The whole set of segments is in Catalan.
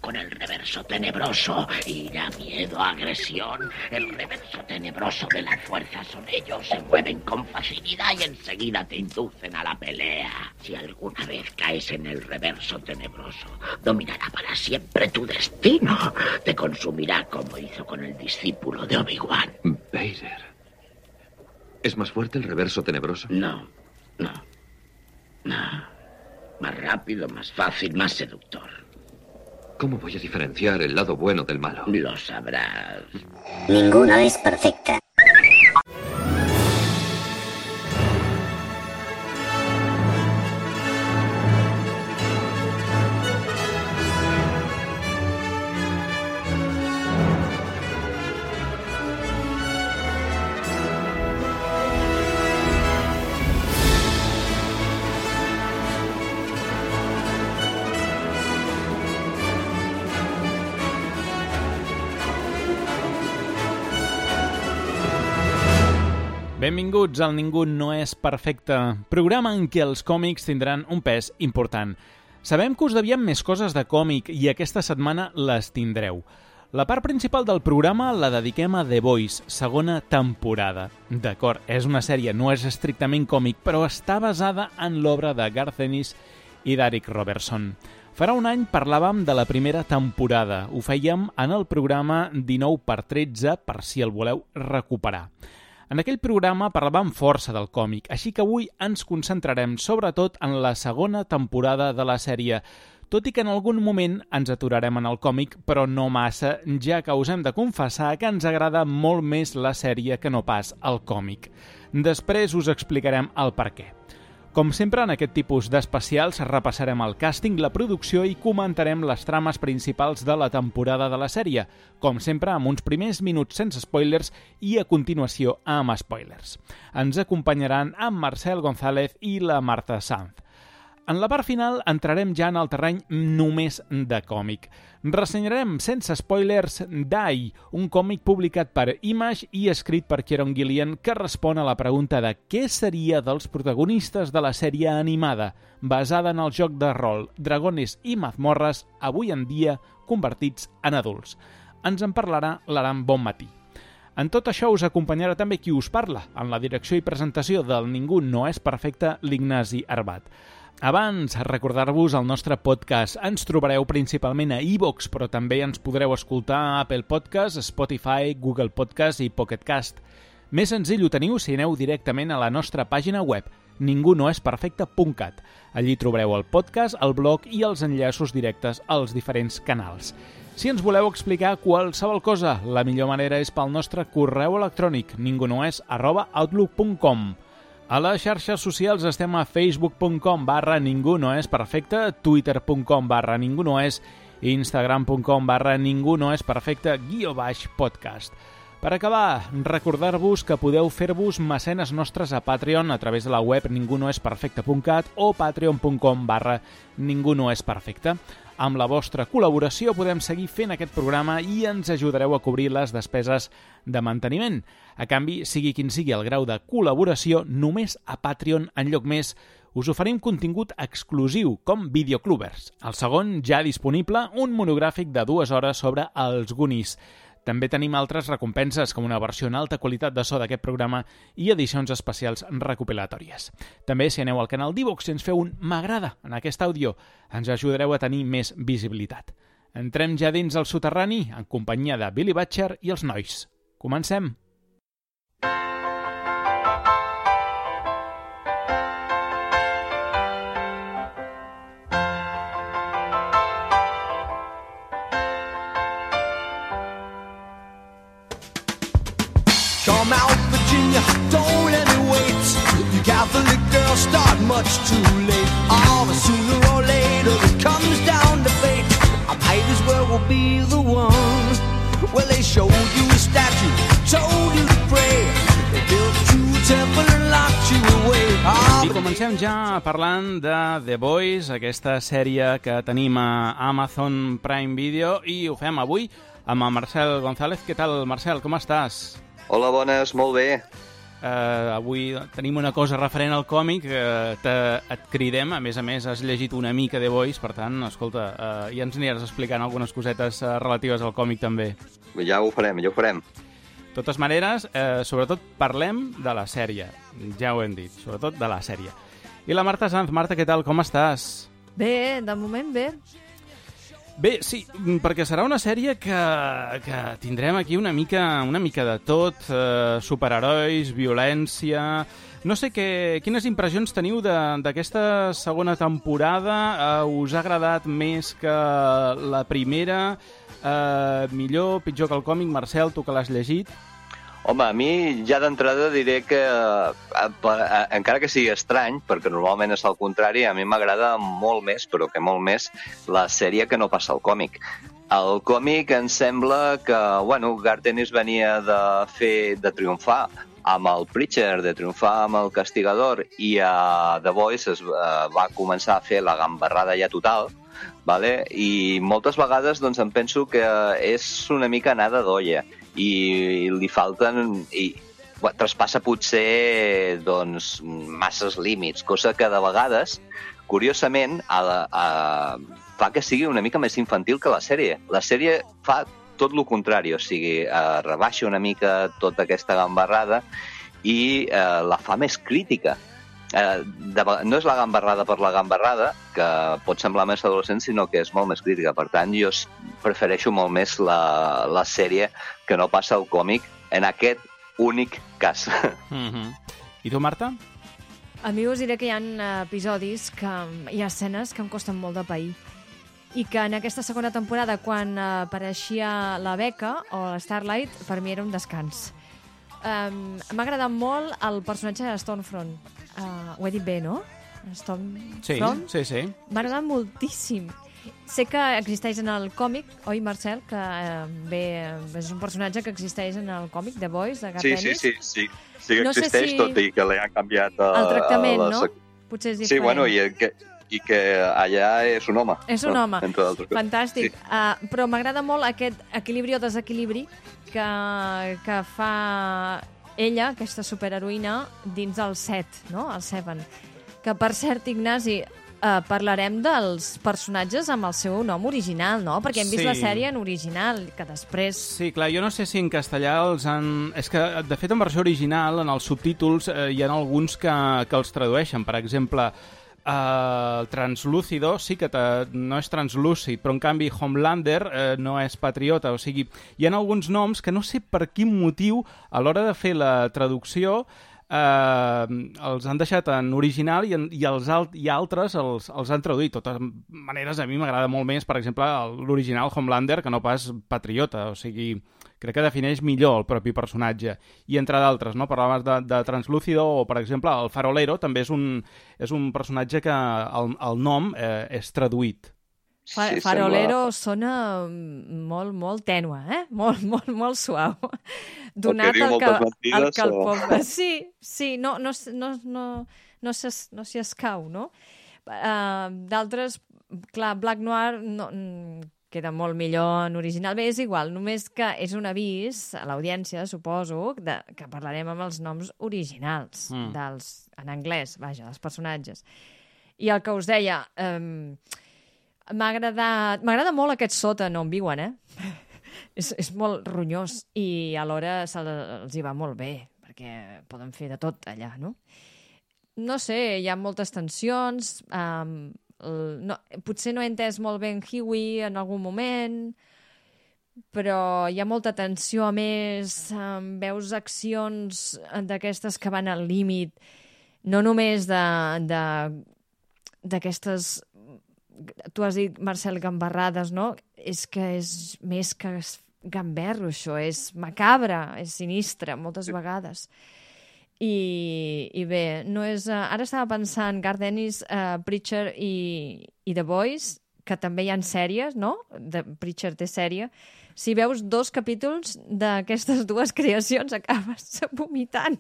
con el reverso tenebroso. Ira, miedo, agresión. El reverso tenebroso de la fuerza son ellos. Se mueven con facilidad y enseguida te inducen a la pelea. Si alguna vez caes en el reverso tenebroso, dominará para siempre tu destino. Te consumirá como hizo con el discípulo de Obi-Wan. Vader. ¿Es más fuerte el reverso tenebroso? No. Más rápido, más fácil, más seductor. ¿Cómo voy a diferenciar el lado bueno del malo? Lo sabrás. Ninguna es perfecta. Benvinguts al Ningú no és perfecte, programa en què els còmics tindran un pes important. Sabem que us devien més coses de còmic i aquesta setmana les tindreu. La part principal del programa la dediquem a The Boys, segona temporada. D'acord, és una sèrie, no és estrictament còmic, però està basada en l'obra de Garth Ennis i d'Eric Robertson. Farà un any parlàvem de la primera temporada. Ho fèiem en el programa 19x13, per si el voleu recuperar. En aquell programa parlàvem força del còmic, així que avui ens concentrarem sobretot en la segona temporada de la sèrie, tot i que en algun moment ens aturarem en el còmic, però no massa, ja que us hem de confessar que ens agrada molt més la sèrie que no pas el còmic. Després us explicarem el per què. Com sempre, en aquest tipus d'especials repassarem el càsting, la producció i comentarem les trames principals de la temporada de la sèrie, com sempre amb uns primers minuts sense spoilers i a continuació amb spoilers. Ens acompanyaran en Marcel González i la Marta Sanz. En la part final entrarem ja en el terreny només de còmic. Ressenyarem sense spoilers Die, un còmic publicat per Image i escrit per Kieron Gillian que respon a la pregunta de què seria dels protagonistes de la sèrie animada, basada en el joc de rol Dragones i mazmorres, avui en dia convertits en adults. Ens en parlarà l'Aram Bonmatí. En tot això us acompanyarà també qui us parla, en la direcció i presentació del Ningú no és perfecte, l'Ignasi Arbat. Abans, recordar-vos el nostre podcast. Ens trobareu principalment a iVoox, però també ens podreu escoltar a Apple Podcast, Spotify, Google Podcast i Pocket Cast. Més senzill ho teniu si aneu directament a la nostra pàgina web, ningunoesperfecte.cat. Allí trobareu el podcast, el blog i els enllaços directes als diferents canals. Si ens voleu explicar qualsevol cosa, la millor manera és pel nostre correu electrònic, ningunoes@outlook.com. A les xarxes socials estem a facebook.com/ningunoesperfecte, twitter.com/ningunoes, instagram.com/ningunoesperfecte_podcast. Per acabar, recordar-vos que podeu fer-vos mecenes nostres a Patreon a través de la web ningunoesperfecte.cat o patreon.com/ningunoesperfecte. Amb la vostra col·laboració podem seguir fent aquest programa i ens ajudareu a cobrir les despeses de manteniment. A canvi, sigui quin sigui el grau de col·laboració, només a Patreon, en lloc més, us oferim contingut exclusiu, com Videoclubers. El segon, ja disponible, un monogràfic de 2 hores sobre els Goonies. També tenim altres recompenses, com una versió en alta qualitat de so d'aquest programa i edicions especials recopilatòries. També, si aneu al canal d'iVoox i ens feu un m'agrada en aquest àudio, ens ajudareu a tenir més visibilitat. Entrem ja dins el soterrani, en companyia de Billy Butcher i els nois. Comencem! Come out, Virginia, don't let me wait. You Catholic girls start much too late. Oh, but sooner or later it comes down to fate. I might as well be the one. Well, they showed you a statue, told you to pray. They built you a temple and locked you away. I comencem ja parlant de The Boys, aquesta sèrie que tenim a Amazon Prime Video, i ho fem avui amb el Marcel González. Què tal, Marcel? Com estàs? Hola, bones, molt bé. Avui tenim una cosa referent al còmic, et cridem, a més, has llegit una mica The Voice, per tant, escolta, ja ens aniràs explicant algunes cosetes relatives al còmic també. Ja ho farem. De totes maneres, sobretot parlem de la sèrie, ja ho hem dit, sobretot de la sèrie. I la Marta Sanz. Marta, què tal, com estàs? Bé, de moment bé. Bé, sí, perquè serà una sèrie que tindrem aquí una mica de tot, superherois, violència... No sé quines impressions teniu d'aquesta segona temporada. Us ha agradat més que la primera? Millor, pitjor que el còmic? Marcel, tu que l'has llegit? Home, a mi ja d'entrada diré que, encara que sigui estrany, perquè normalment és al contrari, a mi m'agrada molt més, però que molt més, la sèrie que no passa al còmic. El còmic em sembla que, Garth Ennis venia de triomfar amb el Preacher, de triomfar amb el Castigador, i a The Voice va començar a fer la gambarrada ja total, vale? I moltes vegades em penso que és una mica anada d'olla, i li falten... traspassa potser masses límits, cosa que de vegades, curiosament, fa que sigui una mica més infantil que la sèrie. La sèrie fa tot el contrari, o sigui, rebaixa una mica tota aquesta gambarrada i la fa més crítica. No és la gambarrada per la gambarrada, que pot semblar més adolescent, sinó que és molt més crítica. Per tant, jo prefereixo molt més la sèrie que no passa al còmic en aquest únic cas. I tu, Marta? A mi us diré que hi ha episodis, hi ha escenes que em costen molt de pair. I que en aquesta segona temporada, quan apareixia la Becca o la Starlight, per mi era un descans. M'ha agradat molt el personatge de Stormfront. Ho he dit bé, no? Stormfront? Sí. M'ha agradat moltíssim. Sé que existeix en el còmic, oi, Marcel? Que és un personatge que existeix en el còmic The Voice, de Garth Ennis. Sí que existeix, tot i que li han canviat... El tractament, no? Potser és diferent. Sí, i que allà és un home. És un home. Entre d'altres coses. Fantàstic. Sí. Però m'agrada molt aquest equilibri o desequilibri que fa ella, aquesta superheroïna, dins el Set, no? El Seven. Que, per cert, Ignasi, parlarem dels personatges amb el seu nom original, no? Perquè hem vist la sèrie en original, que després... Sí, clar, jo no sé si en castellà els han... És que, de fet, en versió original, en els subtítols, hi ha alguns que els tradueixen. Per exemple, Translúcido sí que no és translúcid, però en canvi Homelander no és patriota. O sigui, hi ha alguns noms que no sé per quin motiu a l'hora de fer la traducció els han deixat en original i altres els han traduït. De totes maneres, a mi m'agrada molt més, per exemple, l'original Homelander que no pas patriota. O sigui, crec que defineix millor el propi personatge. I entre d'altres, no? Parlaves de Translúcido o, per exemple, el Farolero també és un personatge que el nom és traduït. Farolero sona molt tènue, molt suau. Donat el que el poble... Sí, no s'hi escau, no? D'altres, clar, Black Noir queda molt millor en original. Bé, és igual, només que és un avís a l'audiència, suposo, que parlarem amb els noms originals, en anglès, vaja, dels personatges. I el que us deia... M'agrada molt aquest sòtan on viuen, és molt ronyós i alhora els hi va molt bé, perquè poden fer de tot allà, no? No sé, hi ha moltes tensions, potser no he entès molt bé en Hughie en algun moment, però hi ha molta tensió, a més, veus accions d'aquestes que van al límit, no només d'aquestes... Tu has dit, Marcel, gambarrades, no? És que és més que gamberro, això. És macabre, és sinistre, moltes vegades. I bé, no és... Ara estava pensant, Garth Ennis, Preacher i The Boys, que també hi ha sèries, no? Preacher té sèrie. Si veus 2 capítols d'aquestes dues creacions, acabes vomitant.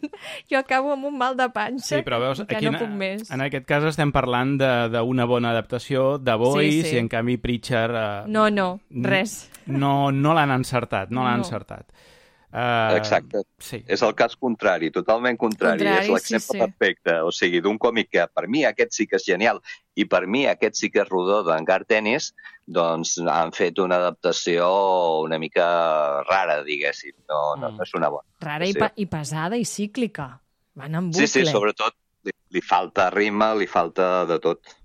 Jo acabo amb un mal de panxa. Sí, però veus, que aquí no puc més. En aquest cas estem parlant d'una bona adaptació de Boys, i en canvi Preacher... No, res. No l'han encertat, no l'han encertat. Exacte. Sí. És el cas contrari, totalment contrari. És l'exemple perfecte. O sigui, d'un còmic que per mi aquest sí que és genial i per mi aquest sí que és rodó d'en Garth Ennis, doncs han fet una adaptació una mica rara, diguéssim. No és una bona. Rara i pesada i cíclica. Van en bucle. Sí, sobretot li falta ritme, li falta de tot.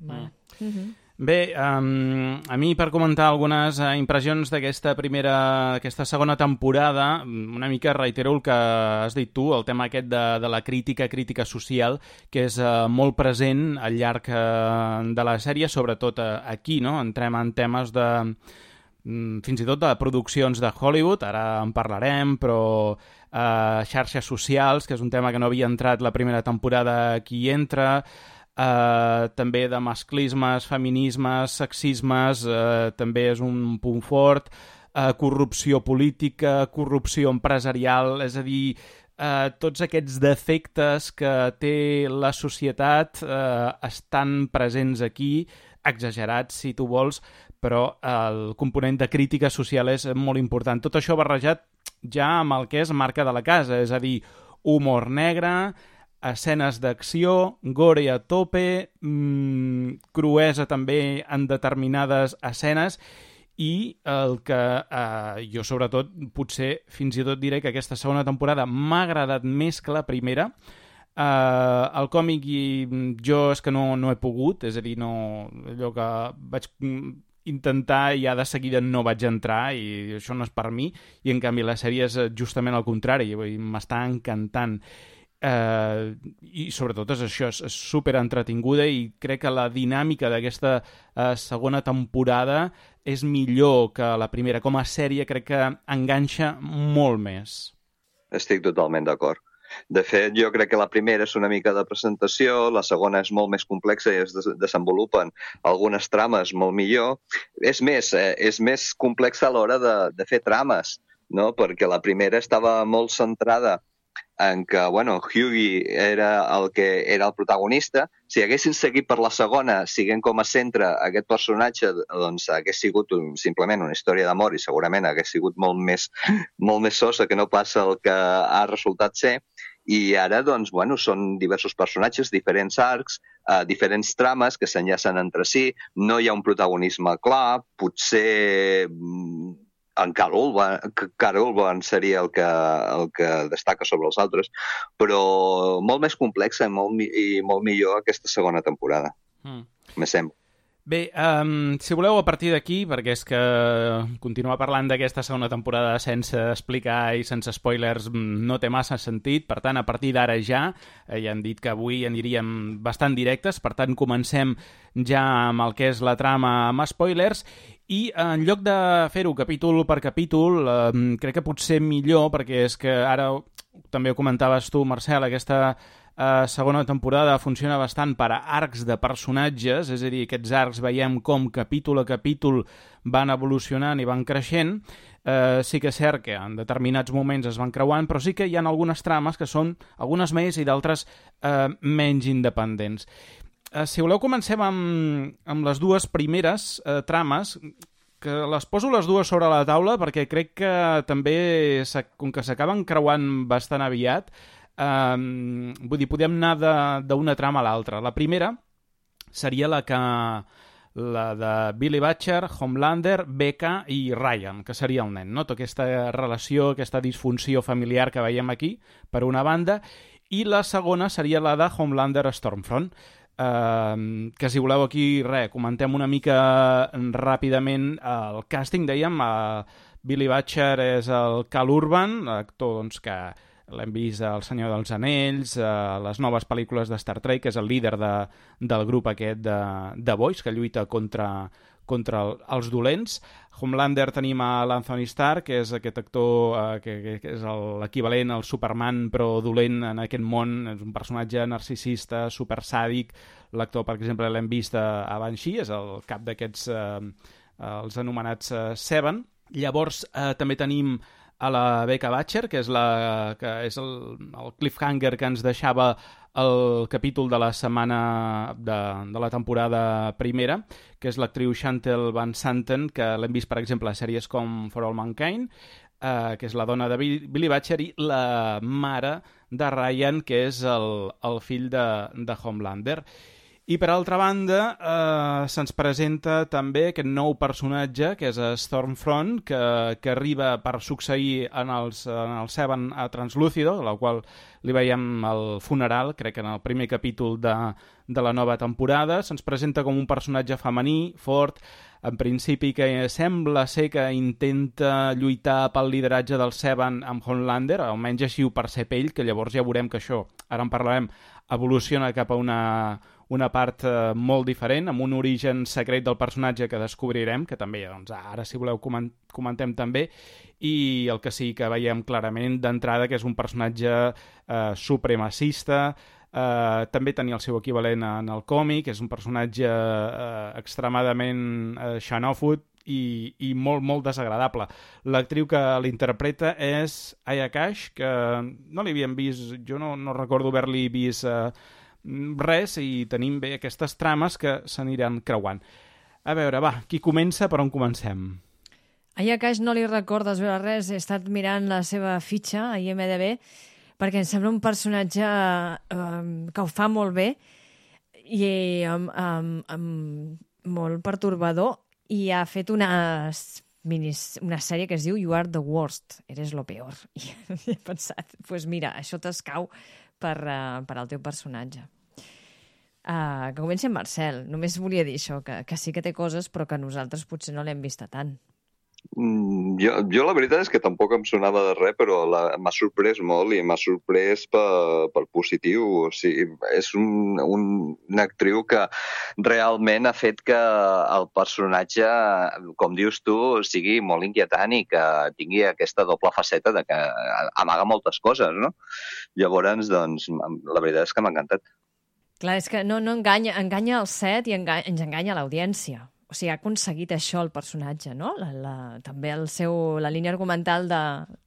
Bé, a mi per comentar algunes impressions d'aquesta segona temporada, una mica reitero el que has dit tu, el tema aquest de la crítica social, que és molt present al llarg de la sèrie, sobretot aquí, no? Entrem en temes fins i tot de produccions de Hollywood, ara en parlarem, però xarxes socials, que és un tema que no havia entrat la primera temporada, aquí entra. També de masclismes, feminismes, sexismes, també és un punt fort, corrupció política, corrupció empresarial, és a dir, tots aquests defectes que té la societat estan presents aquí, exagerats si tu vols, però el component de crítica social és molt important. Tot això barrejat ja amb el que és marca de la casa, és a dir, humor negre, escenes d'acció, gore a tope, cruesa també en determinades escenes i el que jo sobretot potser fins i tot diré que aquesta segona temporada m'ha agradat més que la primera. El còmic i jo és que no he pogut, és a dir, allò que vaig intentar i ja de seguida no vaig entrar i això no és per mi, i en canvi la sèrie és justament el contrari, m'està encantant. I sobretot és això, és super entretinguda i crec que la dinàmica d'aquesta segona temporada és millor que la primera. Com a sèrie crec que enganxa molt més. Estic totalment d'acord. De fet, jo crec que la primera és una mica de presentació, la segona és molt més complexa i es desenvolupen algunes trames molt millor. És més complexa a l'hora de fer trames, no? Perquè la primera estava molt centrada en que, Hughie era el protagonista. Si haguessin seguit per la segona, siguent com a centre aquest personatge, doncs hagués sigut simplement una història d'amor i segurament hagués sigut molt més sosa que no passa el que ha resultat ser. I ara, doncs, són diversos personatges, diferents arcs, diferents trames que s'enllacen entre si, no hi ha un protagonisme clar, potser en Karl Urban seria el que destaca sobre els altres, però molt més complexa i molt millor aquesta segona temporada. Me sembla. Bé, si voleu a partir d'aquí, perquè és que continuar parlant d'aquesta segona temporada sense explicar i sense spoilers no té massa sentit, per tant, a partir d'ara ja hem dit que avui aniríem bastant directes, per tant, comencem ja amb el que és la trama amb spoilers, i en lloc de fer-ho capítol per capítol, crec que potser millor, perquè és que ara també ho comentaves tu, Marcel, aquesta segona temporada funciona bastant per a arcs de personatges, és a dir, aquests arcs veiem com capítol a capítol van evolucionant i van creixent. Sí que és cert que en determinats moments es van creuant, però sí que hi ha algunes trames que són algunes més i d'altres menys independents. Si voleu, comencem amb les dues primeres trames, que les poso les dues sobre la taula perquè crec que també, com que s'acaben creuant bastant aviat, vull dir, podem anar d'una trama a l'altra. La primera seria la de Billy Butcher, Homelander, Becca i Ryan, que seria el nen, no? Tota aquesta relació, aquesta disfunció familiar que veiem aquí, per una banda, i la segona seria la de Homelander Stormfront, que si voleu aquí, comentem una mica ràpidament el càsting, dèiem, Billy Butcher és el Karl Urban, actor doncs, que l'hem vist al Senyor dels Anells, a les noves pel·lícules de Star Trek, que és el líder del grup aquest de Boys, que lluita contra els dolents. Homelander tenim a l'Anthony Starr, que és aquest actor que és l'equivalent al Superman, però dolent en aquest món. És un personatge narcisista, supersàdic. L'actor, per exemple, l'hem vist a Banshee, és el cap d'aquests, els anomenats Seven. Llavors, també tenim a la Becca Butcher, que és el cliffhanger que ens deixava el capítol de la setmana de la temporada primera, que és l'actriu Chantal Van Santen, que l'hem vist, per exemple, a sèries com For All Mankind. que és la dona de Billy Butcher, i la mare de Ryan, que és el fill de Homelander. I, per altra banda, se'ns presenta també aquest nou personatge, que és Stormfront, que arriba per succeir en el Seven a Translúcido, la qual li veiem al funeral, crec que en el primer capítol de la nova temporada. Se'ns presenta com un personatge femení, fort, en principi que sembla ser que intenta lluitar pel lideratge del Seven amb Homelander, almenys així ho percep ell, que llavors ja veurem que això, ara en parlarem, evoluciona cap a una part molt diferent, amb un origen secret del personatge que descobrirem, que també, doncs, ara, si voleu, comentem també, i el que sí que veiem clarament d'entrada, que és un personatge supremacista, també tenia el seu equivalent en el còmic, és un personatge extremadament xenòfob i molt, molt desagradable. L'actriu que l'interpreta és Aya Cash, que no l'havíem vist, jo no recordo haver-li vist res, i tenim bé aquestes trames que s'aniran creuant. A veure, va, qui comença, per on comencem? A Aya Cash no li recordes veure res, he estat mirant la seva fitxa a IMDb, perquè em sembla un personatge que ho fa molt bé i molt pertorbador, i ha fet una sèrie que es diu You Are the Worst, eres lo peor. I he pensat, doncs mira, això t'escau per al teu personatge. Que comenci en Marcel. Només volia dir això, que sí que té coses, però que nosaltres potser no l'hem vista tant. Jo la veritat és que tampoc em sonava de res, però m'ha sorprès molt, i m'ha sorprès per positiu. O sigui, és una actriu que realment ha fet que el personatge, com dius tu, sigui molt inquietant i que tingui aquesta doble faceta de que amaga moltes coses, no? Llavors, doncs, la veritat és que m'ha encantat. Clar, és que no enganya el set i ens enganya l'audiència. O sigui, ha aconseguit això el personatge, no? També la línia argumental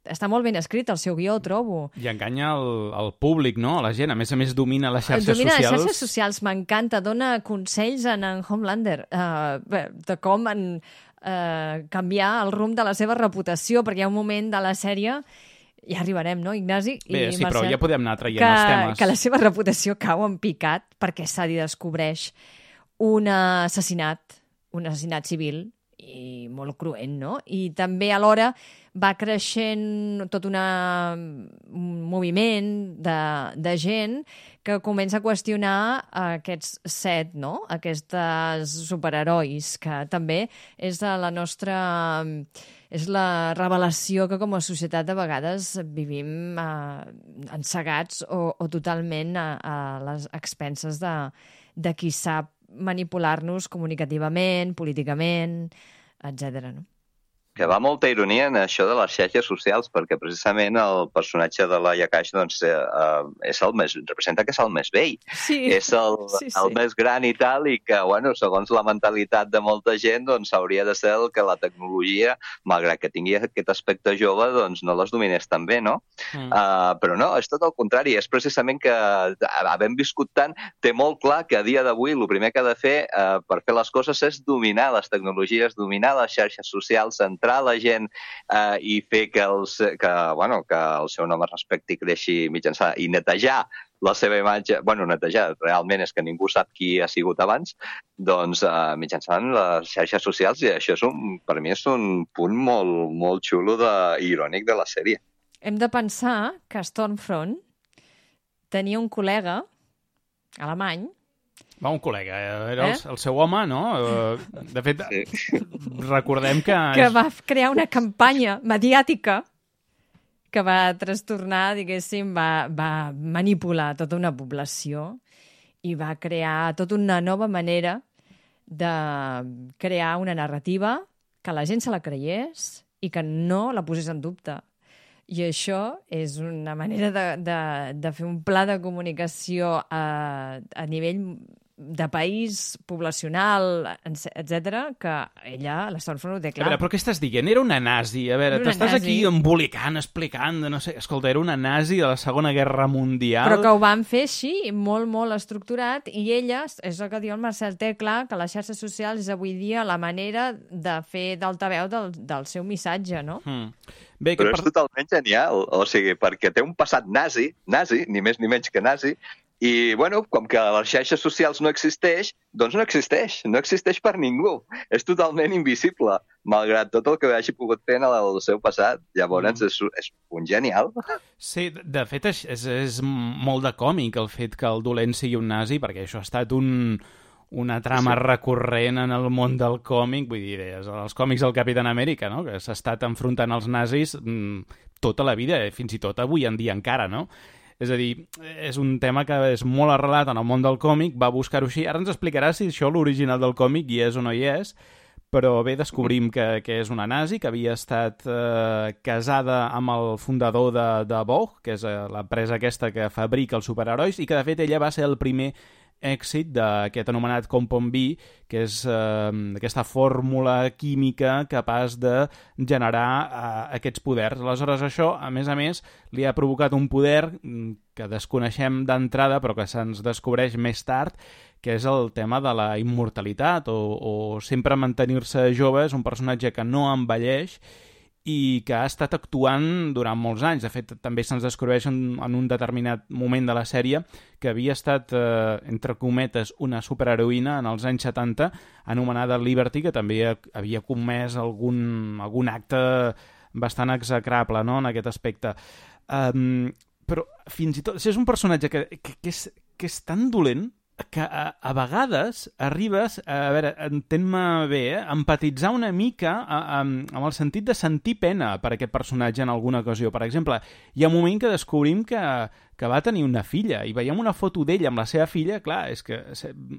està molt ben escrit, el seu guió, trobo. I enganya el públic, no? La gent. A més domina les xarxes socials. Domina les xarxes socials, m'encanta. Dona consells en Homelander de com canviar el rumb de la seva reputació, perquè hi ha un moment de la sèrie, ja arribarem, no, Ignasi? Bé, sí, Marcel, però ja podem anar traient els temes. Que la seva reputació cau en picat perquè s'hi descobreix un assassinat civil i molt cruent, no? I també alhora va creixent tot un moviment de gent que comença a qüestionar aquests set, no? Aquestes superherois, que també és la nostra... És la revelació que com a societat de vegades vivim encegats o totalment a les expenses de qui sap manipular-nos comunicativament, políticament, etc. No? Que va molta ironia en això de les xarxes socials, perquè precisament el personatge de la Yakash doncs, representa que és el més vell. Sí. És el més gran i tal, i que, bueno, segons la mentalitat de molta gent, doncs hauria de ser el que la tecnologia, malgrat que tingui aquest aspecte jove, doncs no les dominés tan bé, no? Però no, és tot el contrari. És precisament que, havent viscut tant, té molt clar que a dia d'avui el primer que ha de fer per fer les coses és dominar les tecnologies, dominar les xarxes socials, entrar la gent i fer que el seu nom es respecti i creixi mitjançant i netejar la seva imatge, netejar, realment és que ningú sap qui ha sigut abans, doncs mitjançant les xarxes socials, i això per mi és un punt molt, molt xulo i irònic de la sèrie. Hem de pensar que Stormfront tenia un col·lega alemany. Un col·lega, era el seu home, no? De fet, recordem que... Que va crear una campanya mediàtica que va trastornar, diguéssim, va manipular tota una població i va crear tota una nova manera de crear una narrativa que la gent se la creiés i que no la posés en dubte. I això és una manera de fer un pla de comunicació a nivell de país, poblacional, etc., que ella, la Stormfront, ho té clar. A veure, però què estàs dient? Era una nazi. A veure, t'estàs aquí embolicant, explicant, no sé... Escolta, era una nazi de la Segona Guerra Mundial... Però que ho van fer així, molt, molt estructurat, i ella, és el que diu el Marcel, té clar que les xarxes socials és avui dia la manera de fer d'altaveu del seu missatge, no? Bé, però és totalment genial, o sigui, perquè té un passat nazi, ni més ni menys que nazi, i, bueno, com que les xarxes socials no existeix, doncs no existeix per ningú. És totalment invisible, malgrat tot el que hagi pogut fer en el seu passat. Llavors, és un genial. Sí, de fet, és molt de còmic el fet que el dolent sigui un nazi, perquè això ha estat una trama recurrent en el món del còmic, vull dir, els còmics del Capitán Amèrica, no? Que s'ha estat enfrontant als nazis tota la vida, fins i tot avui en dia encara, no? És a dir, és un tema que és molt arrelat en el món del còmic, va buscar-ho així. Ara ens explicarà si això l'original del còmic hi és o no hi és, però bé, descobrim que és una nazi, que havia estat casada amb el fundador de Vogue, que és l'empresa aquesta que fabrica els superherois, i que de fet ella va ser el primer èxit d'aquest anomenat Compound B, que és aquesta fórmula química capaç de generar aquests poders. Aleshores, això, a més, li ha provocat un poder que desconeixem d'entrada, però que se'ns descobreix més tard, que és el tema de la immortalitat, o sempre mantenir-se jove. És un personatge que no envelleix i que ha estat actuant durant molts anys. De fet, també se'ns descobreix en un determinat moment de la sèrie que havia estat, entre cometes, una superheroïna en els anys 70, anomenada Liberty, que també havia comès algun acte bastant execrable, no?, en aquest aspecte. Però, fins i tot, és un personatge que és tan dolent que a vegades arribes, a veure, entén-me bé, empatitzar una mica amb el sentit de sentir pena per aquest personatge en alguna ocasió. Per exemple, hi ha un moment que descobrim que va tenir una filla, i veiem una foto d'ella amb la seva filla. Clar, és que,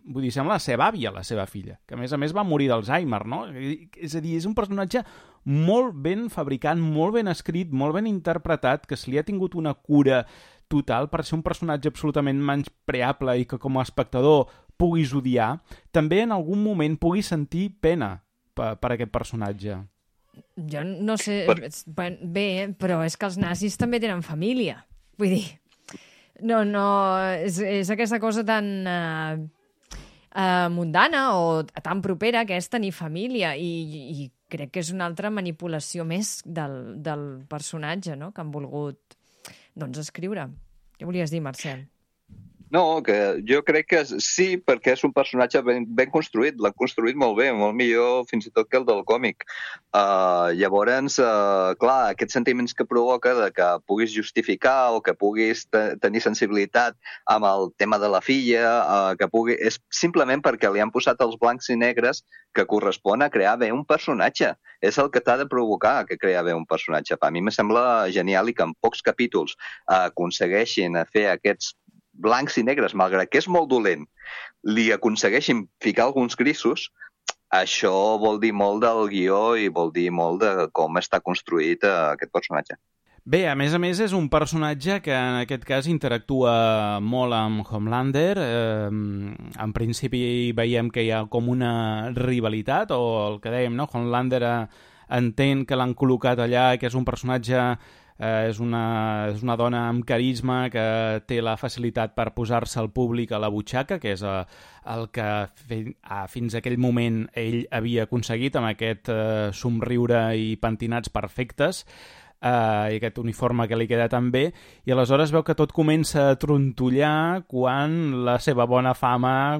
vull dir, sembla la seva àvia, la seva filla, que a més va morir d'Alzheimer, no? És a dir, és un personatge molt ben fabricat, molt ben escrit, molt ben interpretat, que se li ha tingut una cura total per ser un personatge absolutament menyspreable i que com a espectador puguis odiar, també en algun moment puguis sentir pena per aquest personatge. Jo no sé... Bé, però és que els nazis també tenen família. Vull dir, no, és aquesta cosa tan mundana o tan propera que és tenir família, i crec que és una altra manipulació més del personatge, no?, que han volgut escriure. Què volies dir, Marcel? No, que jo crec que sí, perquè és un personatge ben construït, l'han construït molt bé, molt millor fins i tot que el del còmic. Llavors, clar, aquests sentiments que provoca de que puguis justificar o que puguis tenir sensibilitat amb el tema de la filla, és simplement perquè li han posat els blancs i negres que correspon a crear bé un personatge. És el que t'ha de provocar que crear bé un personatge. A mi me sembla genial i que en pocs capítols aconsegueixin fer aquests blancs i negres, malgrat que és molt dolent, li aconsegueixin ficar alguns grisos. Això vol dir molt del guió i vol dir molt de com està construït aquest personatge. Bé, a més és un personatge que en aquest cas interactua molt amb Homelander. En principi veiem que hi ha com una rivalitat, o el que dèiem, no? Homelander entén que l'han col·locat allà, que és un personatge... És una dona amb carisma que té la facilitat per posar-se al públic a la butxaca, que és el que fins a aquell moment ell havia aconseguit amb aquest somriure i pentinats perfectes, i aquest uniforme que li queda tan bé, i aleshores veu que tot comença a trontollar quan la seva bona fama,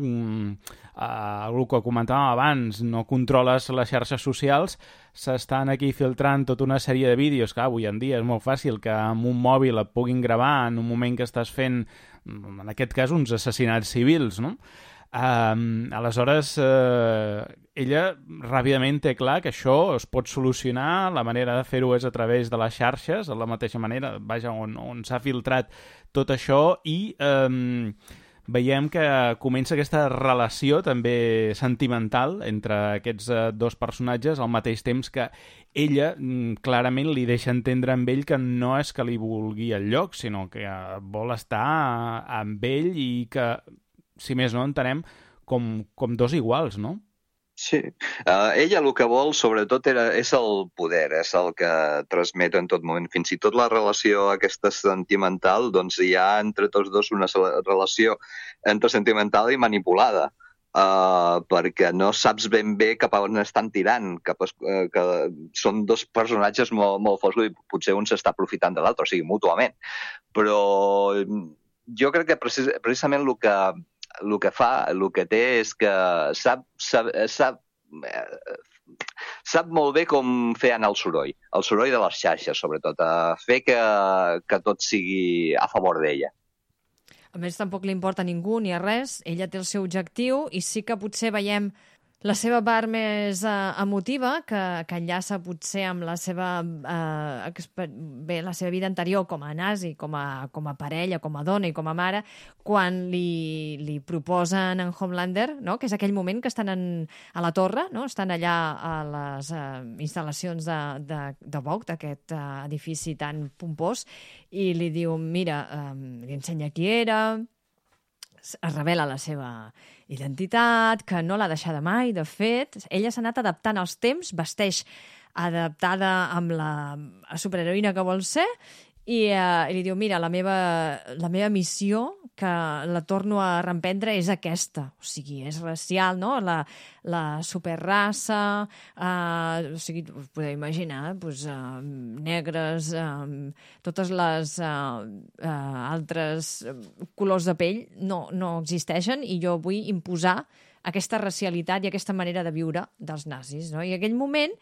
el que comentàvem abans, no controles les xarxes socials, s'estan aquí filtrant tota una sèrie de vídeos que avui en dia és molt fàcil que amb un mòbil et puguin gravar en un moment que estàs fent, en aquest cas, uns assassinats civils, no? Aleshores, ella ràpidament té clar que això es pot solucionar, la manera de fer-ho és a través de les xarxes, de la mateixa manera, vaja, on s'ha filtrat tot això, i veiem que comença aquesta relació també sentimental entre aquests dos personatges, al mateix temps que ella clarament li deixa entendre amb ell que no és que li vulgui el lloc, sinó que vol estar amb ell, i que, si més no, entenem com dos iguals, no? Sí. Ella el que vol, sobretot, és el poder, és el que transmet en tot moment. Fins i tot la relació aquesta sentimental, doncs hi ha entre tots dos una relació entre sentimental i manipulada, perquè no saps ben bé cap a on estan tirant, que són dos personatges molt foscos i potser un s'està aprofitant de l'altre, o sigui, mútuament. Però jo crec que precisament el que té és que sap molt bé com fer anar el soroll de les xarxes, sobretot, a fer que tot sigui a favor d'ella. A més, tampoc li importa a ningú ni a res, ella té el seu objectiu i sí que potser veiem la seva part més emotiva, que enllaça potser amb la seva vida anterior com a nazi, com a parella, com a dona i com a mare, quan li proposen en Homelander, no? Que és aquell moment que estan a la torre, no? Estan allà a les instal·lacions de Vogue, d'aquest edifici tan pompós, i li diu, mira, li ensenya qui era, es revela la seva identitat, que no l'ha deixada mai, de fet. Ella s'ha anat adaptant als temps, vesteix adaptada amb la superheroïna que vol ser, i li diu, mira, la meva missió, que la torno a reemprendre, és aquesta. O sigui, és racial, no? La superraça, o sigui, us podeu imaginar, doncs, negres, totes les altres colors de pell no existeixen, i jo vull imposar aquesta racialitat i aquesta manera de viure dels nazis, no? I en aquell moment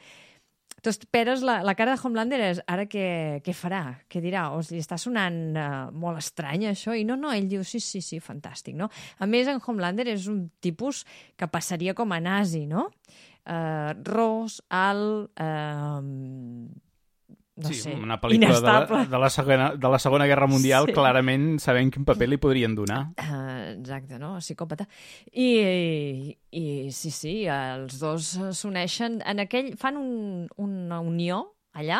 tu esperes, la cara de Homelander és, ara què farà? Què dirà? O li està sonant molt estrany això? I no, ell diu, sí, fantàstic, no? A més, en Homelander és un tipus que passaria com a nazi, no? Ros, alt, no sé, una pel·lícula inestable. de la Segona Guerra Mundial, sí. Clarament sabem quin paper li podrien donar. Exacte, no? Psicòpata. I sí, els dos s'uneixen fan una unió allà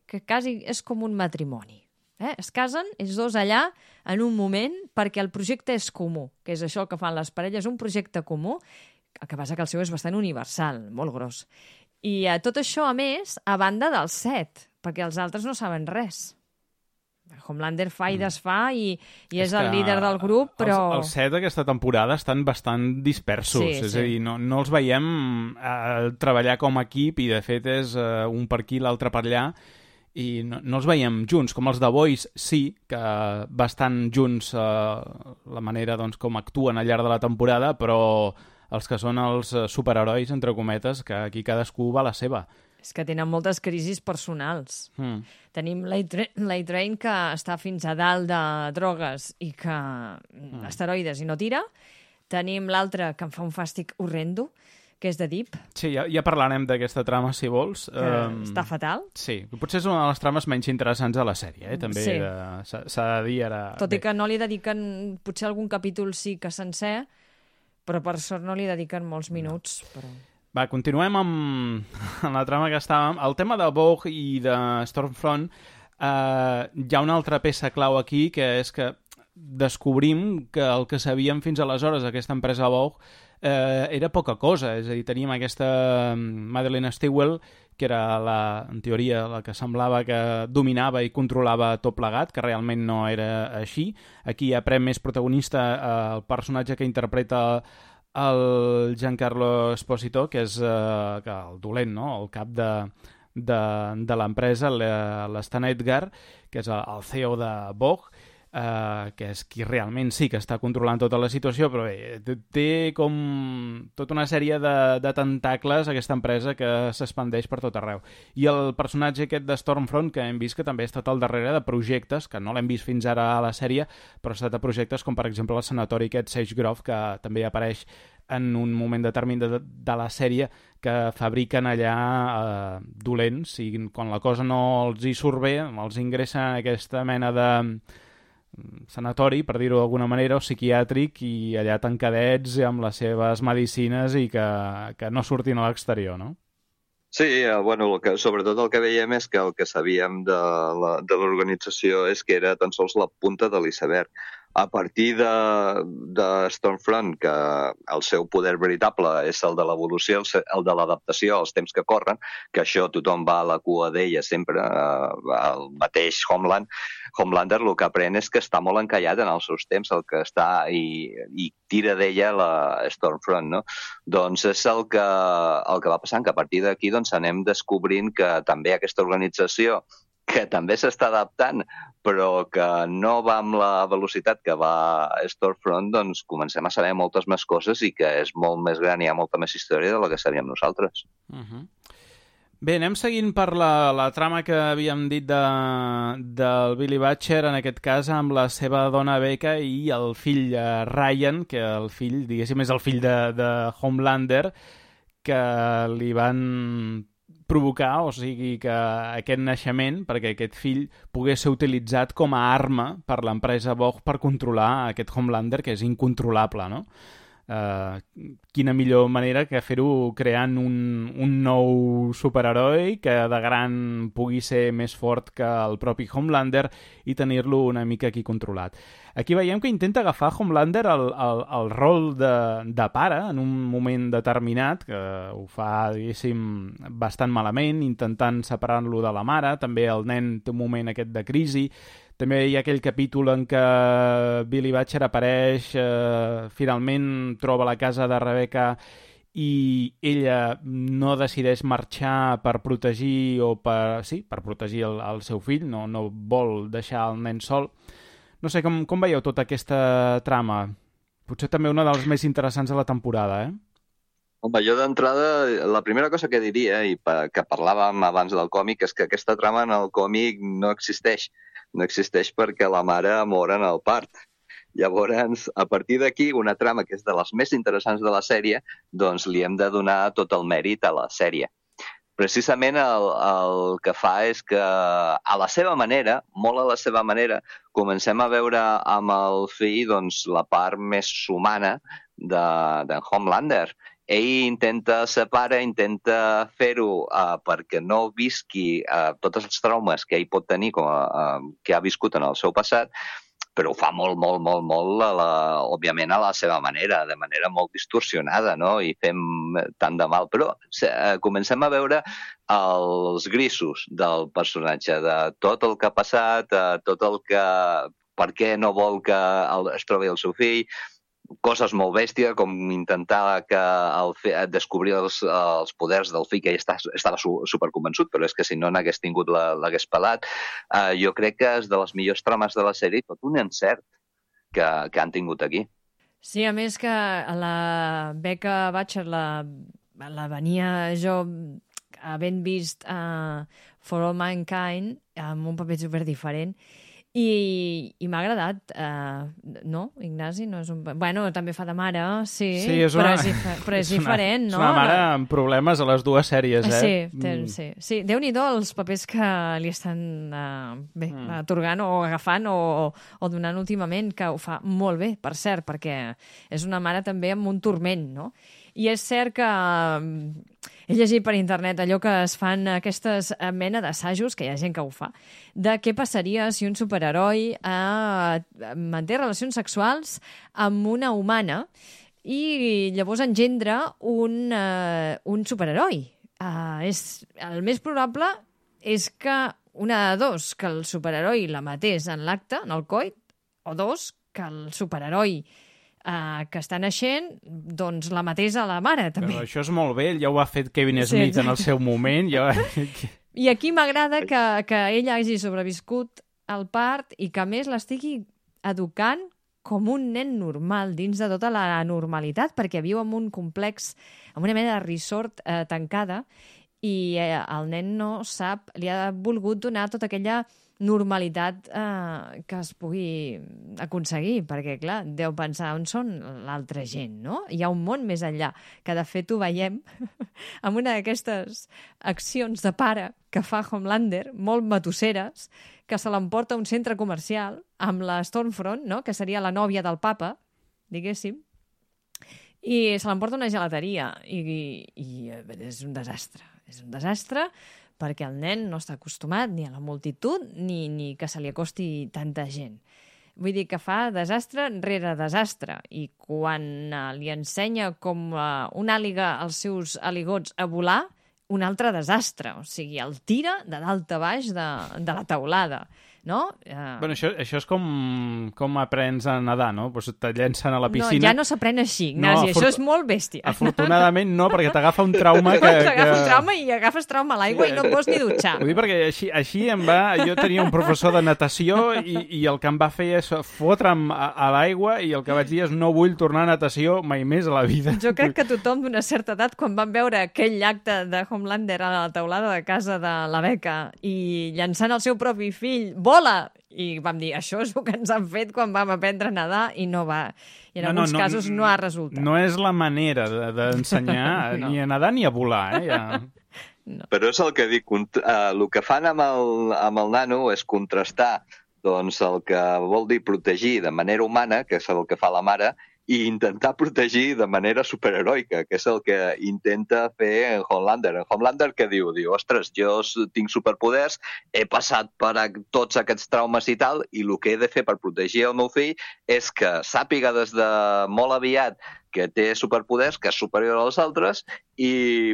que quasi és com un matrimoni. Es casen ells dos allà en un moment perquè el projecte és comú, que és això que fan les parelles, un projecte comú, el que passa que el seu és bastant universal, molt gros. I tot això, a més, a banda del set, perquè els altres no saben res. Homelander fa i desfà i és el líder del grup, però... Els set d'aquesta temporada estan bastant dispersos, és a dir, no els veiem treballar com a equip i de fet és un per aquí, l'altre per allà, i no els veiem junts. Com els The Boys sí, que bastant junts la manera doncs, com actuen al llarg de la temporada, però els que són els superherois, entre cometes, que aquí cadascú va a la seva. És que tenen moltes crisis personals. Tenim l'A-Train, que està fins a dalt de drogues i que esteroides i no tira. Tenim l'altre, que em fa un fàstic horrendo, que és de Deep. Sí, ja parlarem d'aquesta trama, si vols. Que està fatal. Sí, potser és una de les trames menys interessants de la sèrie, també s'ha de dir ara. Tot i que no li dediquen, potser algun capítol sí que sencer, però per sort no li dediquen molts minuts. Però... Va, continuem amb la trama que estàvem. El tema de Vogue i de Stormfront, hi ha una altra peça clau aquí, que és que descobrim que el que sabíem fins aleshores d'aquesta empresa Vogue era poca cosa. És a dir, teníem aquesta Madeleine Stillwell, que era, en teoria, la que semblava que dominava i controlava tot plegat, que realment no era així. Aquí ja pren més protagonista el personatge que interpreta el Giancarlo Esposito, que és el dolent, no? El cap de l'empresa, l'Stan Edgar, que és el CEO de Vogue, que és qui realment sí que està controlant tota la situació, però bé, té com tota una sèrie de tentacles aquesta empresa que s'expandeix per tot arreu. I el personatge aquest de Stormfront, que hem vist que també ha estat al darrere de projectes, que no l'hem vist fins ara a la sèrie, però ha estat a projectes com per exemple el sanatori aquest Sage Grove, que també apareix en un moment determinat de la sèrie, que fabriquen allà dolents, i quan la cosa no els hi surt bé, els ingressen en aquesta mena de sanatori, per dir-ho d'alguna manera, o psiquiàtric, i allà tancadets amb les seves medicines i que no surtin a l'exterior, no? Sí, bueno, sobretot el que veiem és que el que sabíem de l'organització és que era tan sols la punta de l'iceberg, a partir de Stormfront, que el seu poder veritable és el de l'evolució, el de l'adaptació als temps que corren, que això tothom va a la cua d'ella sempre, el mateix Homelander el que aprèn és que està molt encallat en els seus temps, el que està i tira d'ella la Stormfront, no? Doncs és el que va passant, que a partir d'aquí doncs, anem descobrint que també aquesta organització que també s'està adaptant, però que no va amb la velocitat que va Stormfront, doncs comencem a saber moltes més coses i que és molt més gran, hi ha molta més història de la que sabíem nosaltres. Bé, anem seguint per la trama que havíem dit del Billy Butcher, en aquest cas amb la seva dona Becca i el fill Ryan, que el fill, diguéssim, és el fill de Homelander, que li van provocar, o sigui, que aquest naixement, perquè aquest fill pogués ser utilitzat com a arma per l'empresa Vogue per controlar aquest Homelander, que és incontrolable, no? Quina millor manera que fer-ho creant un nou superheroi que de gran pugui ser més fort que el propi Homelander i tenir-lo una mica aquí controlat. Aquí veiem que intenta agafar Homelander el rol de pare en un moment determinat, que ho fa, diguéssim, bastant malament, intentant separar-lo de la mare. També el nen té un moment aquest de crisi. També hi ha aquell capítol en què Billy Butcher apareix, finalment troba la casa de Rebecca i ella no decideix marxar per protegir per protegir el seu fill, no vol deixar el nen sol. No sé, com veieu tota aquesta trama? Potser també una dels més interessants de la temporada, Home, jo d'entrada, la primera cosa que diria, i que parlàvem abans del còmic, és que aquesta trama en el còmic no existeix. No existeix perquè la mare mor en el part. Llavors, a partir d'aquí, una trama que és de les més interessants de la sèrie, doncs li hem de donar tot el mèrit a la sèrie. Precisament el que fa és que, a la seva manera, molt a la seva manera, comencem a veure amb el fill doncs, la part més humana d'en Homelander. Ell intenta intenta fer-ho perquè no visqui tots els traumes que ell pot tenir, que ha viscut en el seu passat, però ho fa molt, òbviament a la seva manera, de manera molt distorsionada, no? I fem tant de mal. Però comencem a veure els grisos del personatge, de tot el que ha passat, tot el que... per què no vol que es trobi el seu fill, coses molt bèsties, com intentar descobrir els poders del fill, que ell estava superconvençut, però és que si no n'hagués tingut l'hagués pelat. Jo crec que és de les millors trames de la sèrie, tot un encert que han tingut aquí. Sí, a més que la Becca Butcher la venia jo havent vist For All Mankind amb un paper superdiferent. I m'ha agradat, no, Ignasi? No és un... Bueno, també fa de mare, sí, però és diferent, no? És una mare amb problemes a les dues sèries, Sí. Déu-n'hi-do els papers que li estan atorgant o agafant o donant últimament, que ho fa molt bé, per cert, perquè és una mare també amb un turment, no? I és cert que he llegit per internet allò que es fan aquestes mena d'assajos, que hi ha gent que ho fa, de què passaria si un superheroi manté relacions sexuals amb una humana i llavors engendra un superheroi. El més probable és que una de dos, que el superheroi la matés en l'acte, en el coit, o dos, que el superheroi que està naixent, doncs la matés a la mare, també. Però això és molt bé, ja ho ha fet Kevin Smith en el seu moment. I aquí m'agrada que ella hagi sobreviscut al part i que, a més, l'estigui educant com un nen normal, dins de tota la normalitat, perquè viu en un complex, en una mena de resort tancada, i el nen no sap, li ha volgut donar tota aquella normalitat que es pugui aconseguir, perquè, clar, deu pensar on són l'altra gent, no? Hi ha un món més enllà, que de fet ho veiem amb una d'aquestes accions de pare que fa Homelander, molt matusseres, que se l'emporta a un centre comercial amb la Stormfront, no? Que seria la nòvia del papa, diguéssim, i se l'emporta a una gelateria i és un desastre perquè el nen no està acostumat ni a la multitud ni que se li acosti tanta gent. Vull dir que fa desastre rere desastre. I quan li ensenya com una àliga als seus aligots a volar, un altre desastre. O sigui, el tira de dalt a baix de la teulada. No? Bueno, això és com aprens a nedar, no? Pues te llencen a la piscina... No, ja no s'aprèn així, Ignasi, això és molt bèstia. Afortunadament no, perquè t'agafa un trauma T'agafa un trauma i agafes trauma a l'aigua i no et vols ni dutxar. Ho dic perquè així em va... Jo tenia un professor de natació i el que em va fer és fotre'm a l'aigua i el que vaig dir és no vull tornar a natació mai més a la vida. Jo crec que tothom d'una certa edat, quan van veure aquell acte de Homelander a la teulada de casa de la Becca i llançant el seu propi fill, vola! I vam dir, això és el que ens han fet quan vam aprendre a nedar i no va. I en alguns casos no ha resultat. No és la manera d'ensenyar ni a nedar ni a volar, Ja. No. Però és el que dic, el que fan amb el nano és contrastar doncs, el que vol dir protegir de manera humana, que és el que fa la mare, i intentar protegir de manera superheroica, que és el que intenta fer en Homelander. En Homelander què diu? Diu, ostres, jo tinc superpoders, he passat per tots aquests traumes i tal, i el que he de fer per protegir el meu fill és que sàpiga des de molt aviat que té superpoders, que és superior als altres, i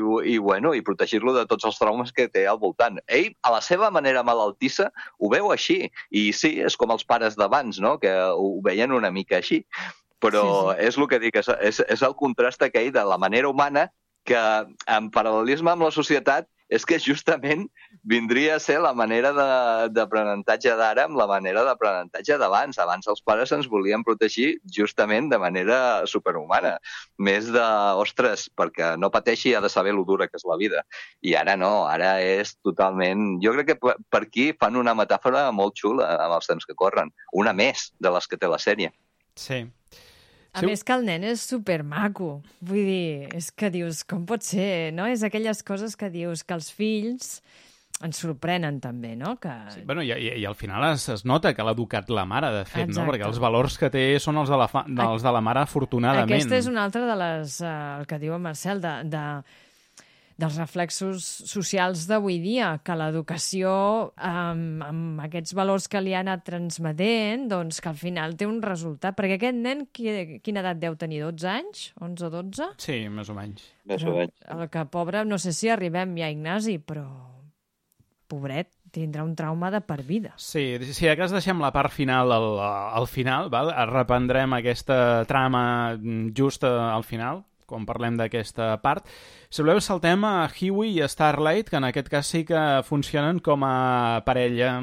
protegir-lo de tots els traumes que té al voltant. Ell, a la seva manera malaltissa, ho veu així. I sí, és com els pares d'abans, no? Que ho veien una mica així. Però és el que dic, és el contrast aquell de la manera humana que, en paral·lelisme amb la societat, és que justament vindria a ser la manera d'aprenentatge d'ara amb la manera d'aprenentatge d'abans. Abans els pares ens volien protegir justament de manera superhumana. Més de, ostres, perquè no pateixi ha de saber lo dura que és la vida. I ara no, ara és totalment... Jo crec que per aquí fan una metàfora molt xula amb els temps que corren. Una més de les que té la sèrie. Sí. A més que el nen és supermaco. Vull dir, és que dius, com pot ser, no? És aquelles coses que dius que els fills ens sorprenen també, no? Que... Sí, bueno, i al final es nota que l'ha educat la mare, de fet, no? Perquè els valors que té són els de la mare, afortunadament. Aquesta és una altra de les, el que diu en Marcel, dels reflexos socials d'avui dia, que l'educació, amb aquests valors que li ha anat transmetent, doncs que al final té un resultat. Perquè aquest nen, quina edat deu tenir? 12 anys? 11 o 12? Sí, més o menys. El que, pobre, no sé si arribem ja, Ignasi, però pobret, tindrà un trauma de per vida. Sí, si de cas deixem la part final al final, val? Reprendrem aquesta trama just al final, quan parlem d'aquesta part. Si voleu, saltem a Hughie i a Starlight, que en aquest cas sí que funcionen com a parella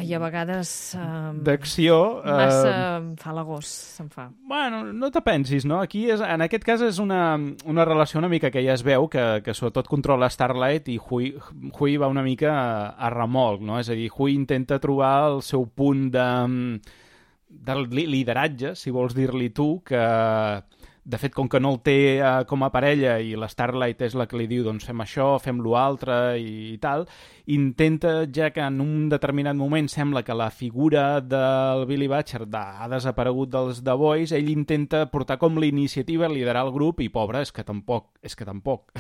i a vegades d'acció. Massa falagós se'n fa. Bueno, no te pensis, no? Aquí, en aquest cas, és una relació una mica que ja es veu, que sobretot controla Starlight i Hughie va una mica a remolc, no? És a dir, Hughie intenta trobar el seu punt de lideratge, si vols dir-li tu, que... De fet, com que no el té com a parella i la Starlight és la que li diu doncs fem això, fem l'altre i tal, intenta, ja que en un determinat moment sembla que la figura del Billy Butcher ha desaparegut dels The Boys, ell intenta portar com l'iniciativa, liderar el grup i, pobre, és que tampoc.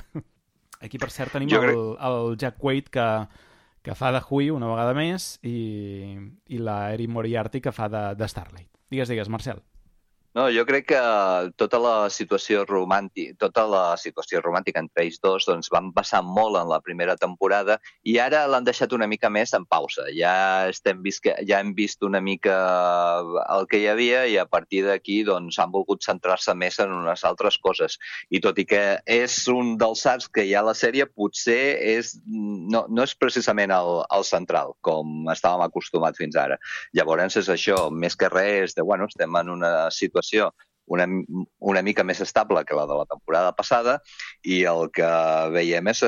Aquí, per cert, tenim el Jack Quaid que fa de Hughie una vegada més i la Erin Moriarty que fa de Starlight. Digues, Marcel. No, jo crec que tota la situació romàntica entre ells dos doncs, van passar molt en la primera temporada i ara l'han deixat una mica més en pausa. Ja hem vist una mica el que hi havia i a partir d'aquí doncs, han volgut centrar-se més en unes altres coses. I tot i que és un dels arcs que hi ha a la sèrie, potser no és precisament el central, com estàvem acostumats fins ara. Llavors és això, més que res, estem en una situació una mica més estable que la de la temporada passada i el que veiem és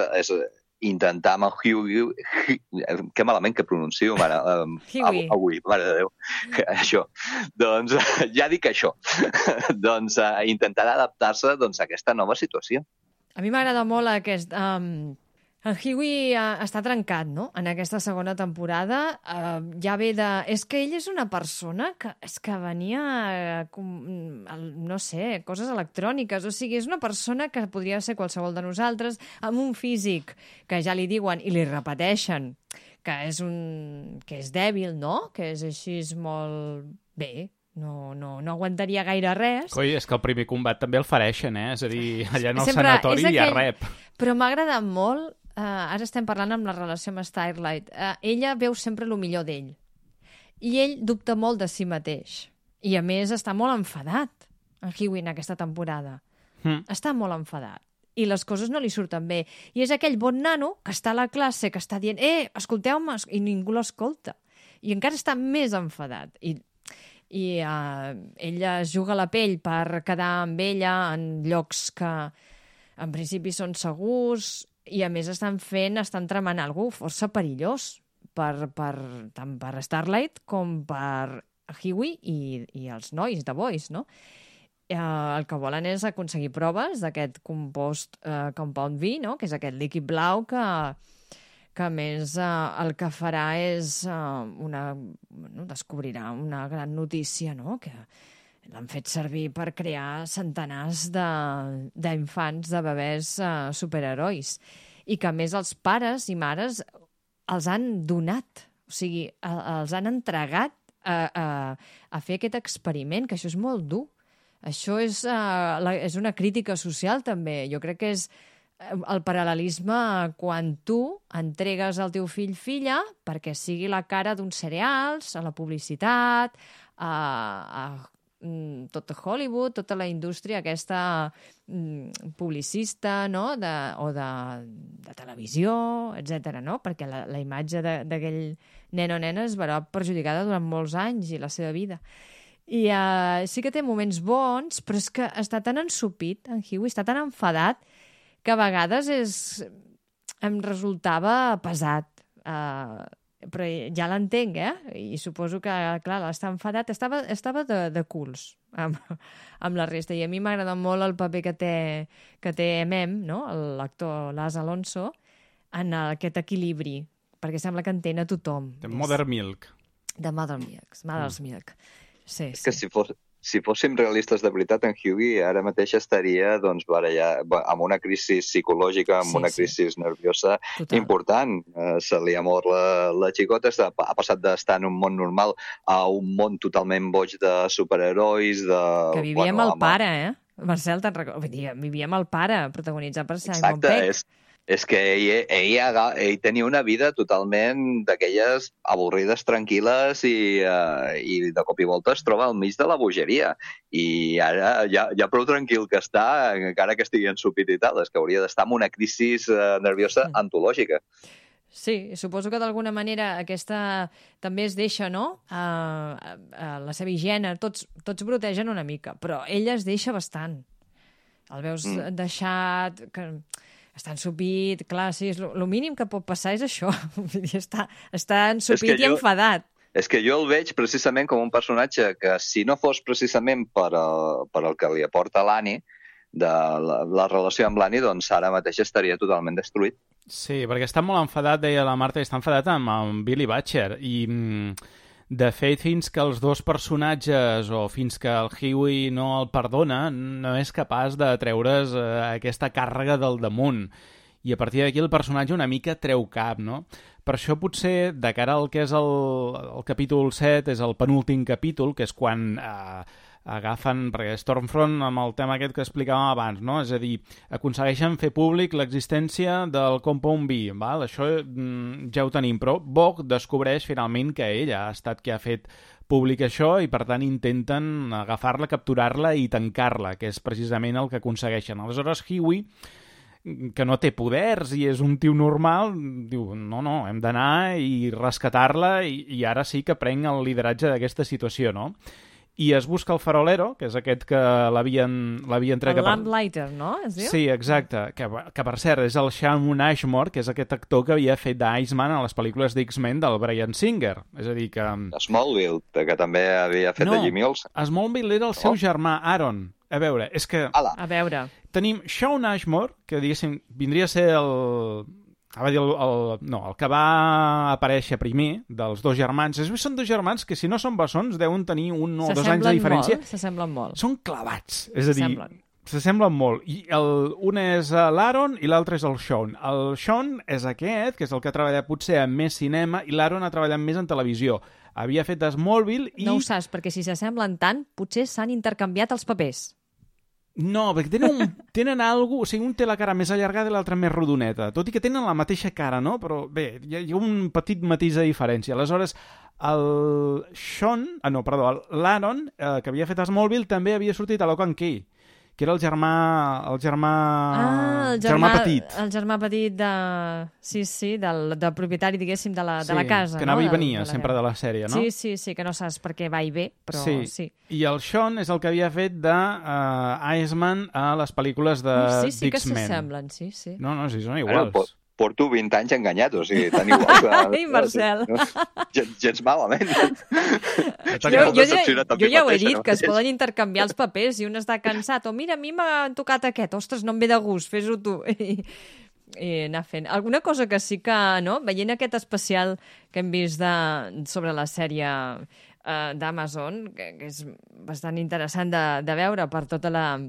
intentar amb el Hughie, que malament que pronuncio, avui, mare de Déu, això, doncs ja dic això, doncs intentar adaptar-se a aquesta nova situació. A mi m'agrada molt aquest... El Hughie està trencat, no?, en aquesta segona temporada. Ja ve de... És que ell és una persona que venia, no sé, coses electròniques. O sigui, és una persona que podria ser qualsevol de nosaltres, amb un físic que ja li diuen i li repeteixen que és dèbil, no?, que és així molt bé, no aguantaria gaire res. Coi, és que el primer combat també el fareixen, És a dir, allà en el sanatori hi ha rep. Però m'ha agradat molt, ara estem parlant amb la relació amb Starlight, ella veu sempre el millor d'ell. I ell dubta molt de si mateix. I a més està molt enfadat, en Hughie, en aquesta temporada. Està molt enfadat. I les coses no li surten bé. I és aquell bon nano que està a la classe, que està dient escolteu-me, i ningú l'escolta. I encara està més enfadat. I ella es juga la pell per quedar amb ella en llocs que en principi són segurs i a més estan tramant alguna cosa força perillós tant per Starlight com per Hughie i els nois de Boys, no? El que volen és aconseguir proves d'aquest compost Compound V, no? Que és aquest líquid blau que a més el que farà és descobrirà una gran notícia, no? Que l'han fet servir per crear centenars d'infants, de bebès superherois. I que a més els pares i mares els han donat, o sigui, els han entregat a fer aquest experiment, que això és molt dur. Això és una crítica social, també. Jo crec que és el paral·lelisme quan tu entregues el teu filla perquè sigui la cara d'uns cereals, a la publicitat, a tot Hollywood, tota la indústria aquesta publicista, no? o de televisió, etc. No? Perquè la imatge d'aquell nen o nena es verà perjudicada durant molts anys i la seva vida. I sí que té moments bons, però és que està tan ensupit, en Hughie, està tan enfadat, que a vegades em resultava pesat. Però ja l'entenc, I suposo que, clar, està enfadat. Estava de culs amb la resta. I a mi m'agrada molt el paper que té Mem, no? L'actor Laz Alonso, en aquest equilibri, perquè sembla que entén a tothom. De Mother's Milk. De Mother's Milk. Sí, és que si fóssim realistes de veritat, en Hughie ara mateix estaria amb una crisi psicològica, amb una crisi nerviosa important. Se li ha mort la xicota, ha passat d'estar en un món normal a un món totalment boig de superherois. Que vivia amb el pare, Marcel, te'n recordes? Vivia amb el pare, protagonitzat per Simon Pegg. Exacte, és que ell tenia una vida totalment d'aquelles avorrides, tranquil·les i de cop i volta es troba al mig de la bogeria. I ara ja prou tranquil que està, encara que estigui ensupit i tal, és que hauria d'estar en una crisi nerviosa antològica. Sí, suposo que d'alguna manera aquesta també es deixa, no? La seva higiene, tots brotegen una mica, però ella es deixa bastant. El veus deixat... Està ensupit, clar, sí, el mínim que pot passar és això. Està ensupit i enfadat. És que jo el veig precisament com un personatge que, si no fos precisament per el que li aporta l'Annie, de la relació amb l'Annie, doncs ara mateix estaria totalment destruït. Sí, perquè està molt enfadat, deia la Marta, i està enfadat amb Billy Butcher. I, de fet, fins que els dos personatges o fins que el Hughie no el perdona, no és capaç de treure's aquesta càrrega del damunt. I a partir d'aquí el personatge una mica treu cap, no? Per això potser, de cara al que és el capítol 7, és el penúltim capítol, que és quan agafen, perquè Stormfront amb el tema aquest que explicàvem abans, no? És a dir, aconsegueixen fer públic l'existència del Compound V, val? Això ja ho tenim, però Vogue descobreix finalment que ella ha estat qui ha fet públic això i per tant intenten agafar-la, capturar-la i tancar-la, que és precisament el que aconsegueixen. Aleshores Hughie, que no té poders i és un tio normal, diu, no, hem d'anar i rescatar-la i ara sí que prenc el lideratge d'aquesta situació, no? I es busca el farolero, que és aquest que l'havien tret... El Lamplighter, no? Es diu? Sí, exacte. Que per cert, és el Shaun Ashmore, que és aquest actor que havia fet d'Iceman a les pel·lícules d'X-Men del Brian Singer. És a dir que... Smallville, que també havia fet de Jimmy Olsen. Smallville era el seu germà, Aaron. A veure, és que... A veure. Tenim Shaun Ashmore, que diguéssim, vindria a ser el que va aparèixer primer dels dos germans. Són dos germans que, si no són bessons, deuen tenir 1 o 2 anys de diferència. S'assemblen molt. Són clavats, és a dir, s'assemblen molt. I un és l'Aaron i l'altre és el Shaun. El Shaun és aquest, que és el que ha treballat potser en més cinema, i l'Aaron ha treballat més en televisió. havia fet Smallville i... No ho saps, perquè si s'assemblen tant, potser s'han intercanviat els papers. No, perquè tenen alguna cosa... O sigui, un té la cara més allargada i l'altre més rodoneta. Tot i que tenen la mateixa cara, no? Però bé, hi ha un petit matís de diferència. Aleshores, l'Aaron, que havia fet Smallville, també havia sortit a Lock and Key, que era el germà petit. El germà petit del propietari, diguéssim, de la casa. Que anava i venia sempre de la sèrie, no? Sí, que no saps per què va i ve, però sí. I el Sean és el que havia fet de Iceman a les pel·lícules de X-Men. Sí que s'assemblen, sí. No, sí, són iguals. Porto 20 anys enganyat, o sigui, tan igual que... Ei, Marcel! Gens malament. Jo ja ho he dit, que es poden intercanviar els papers i un està cansat. O mira, a mi m'ha tocat aquest. Ostres, no em ve de gust, fes-ho tu. I anar fent. Alguna cosa que sí que, no? Veient aquest especial que hem vist sobre la sèrie d'Amazon, que és bastant interessant de veure per tota la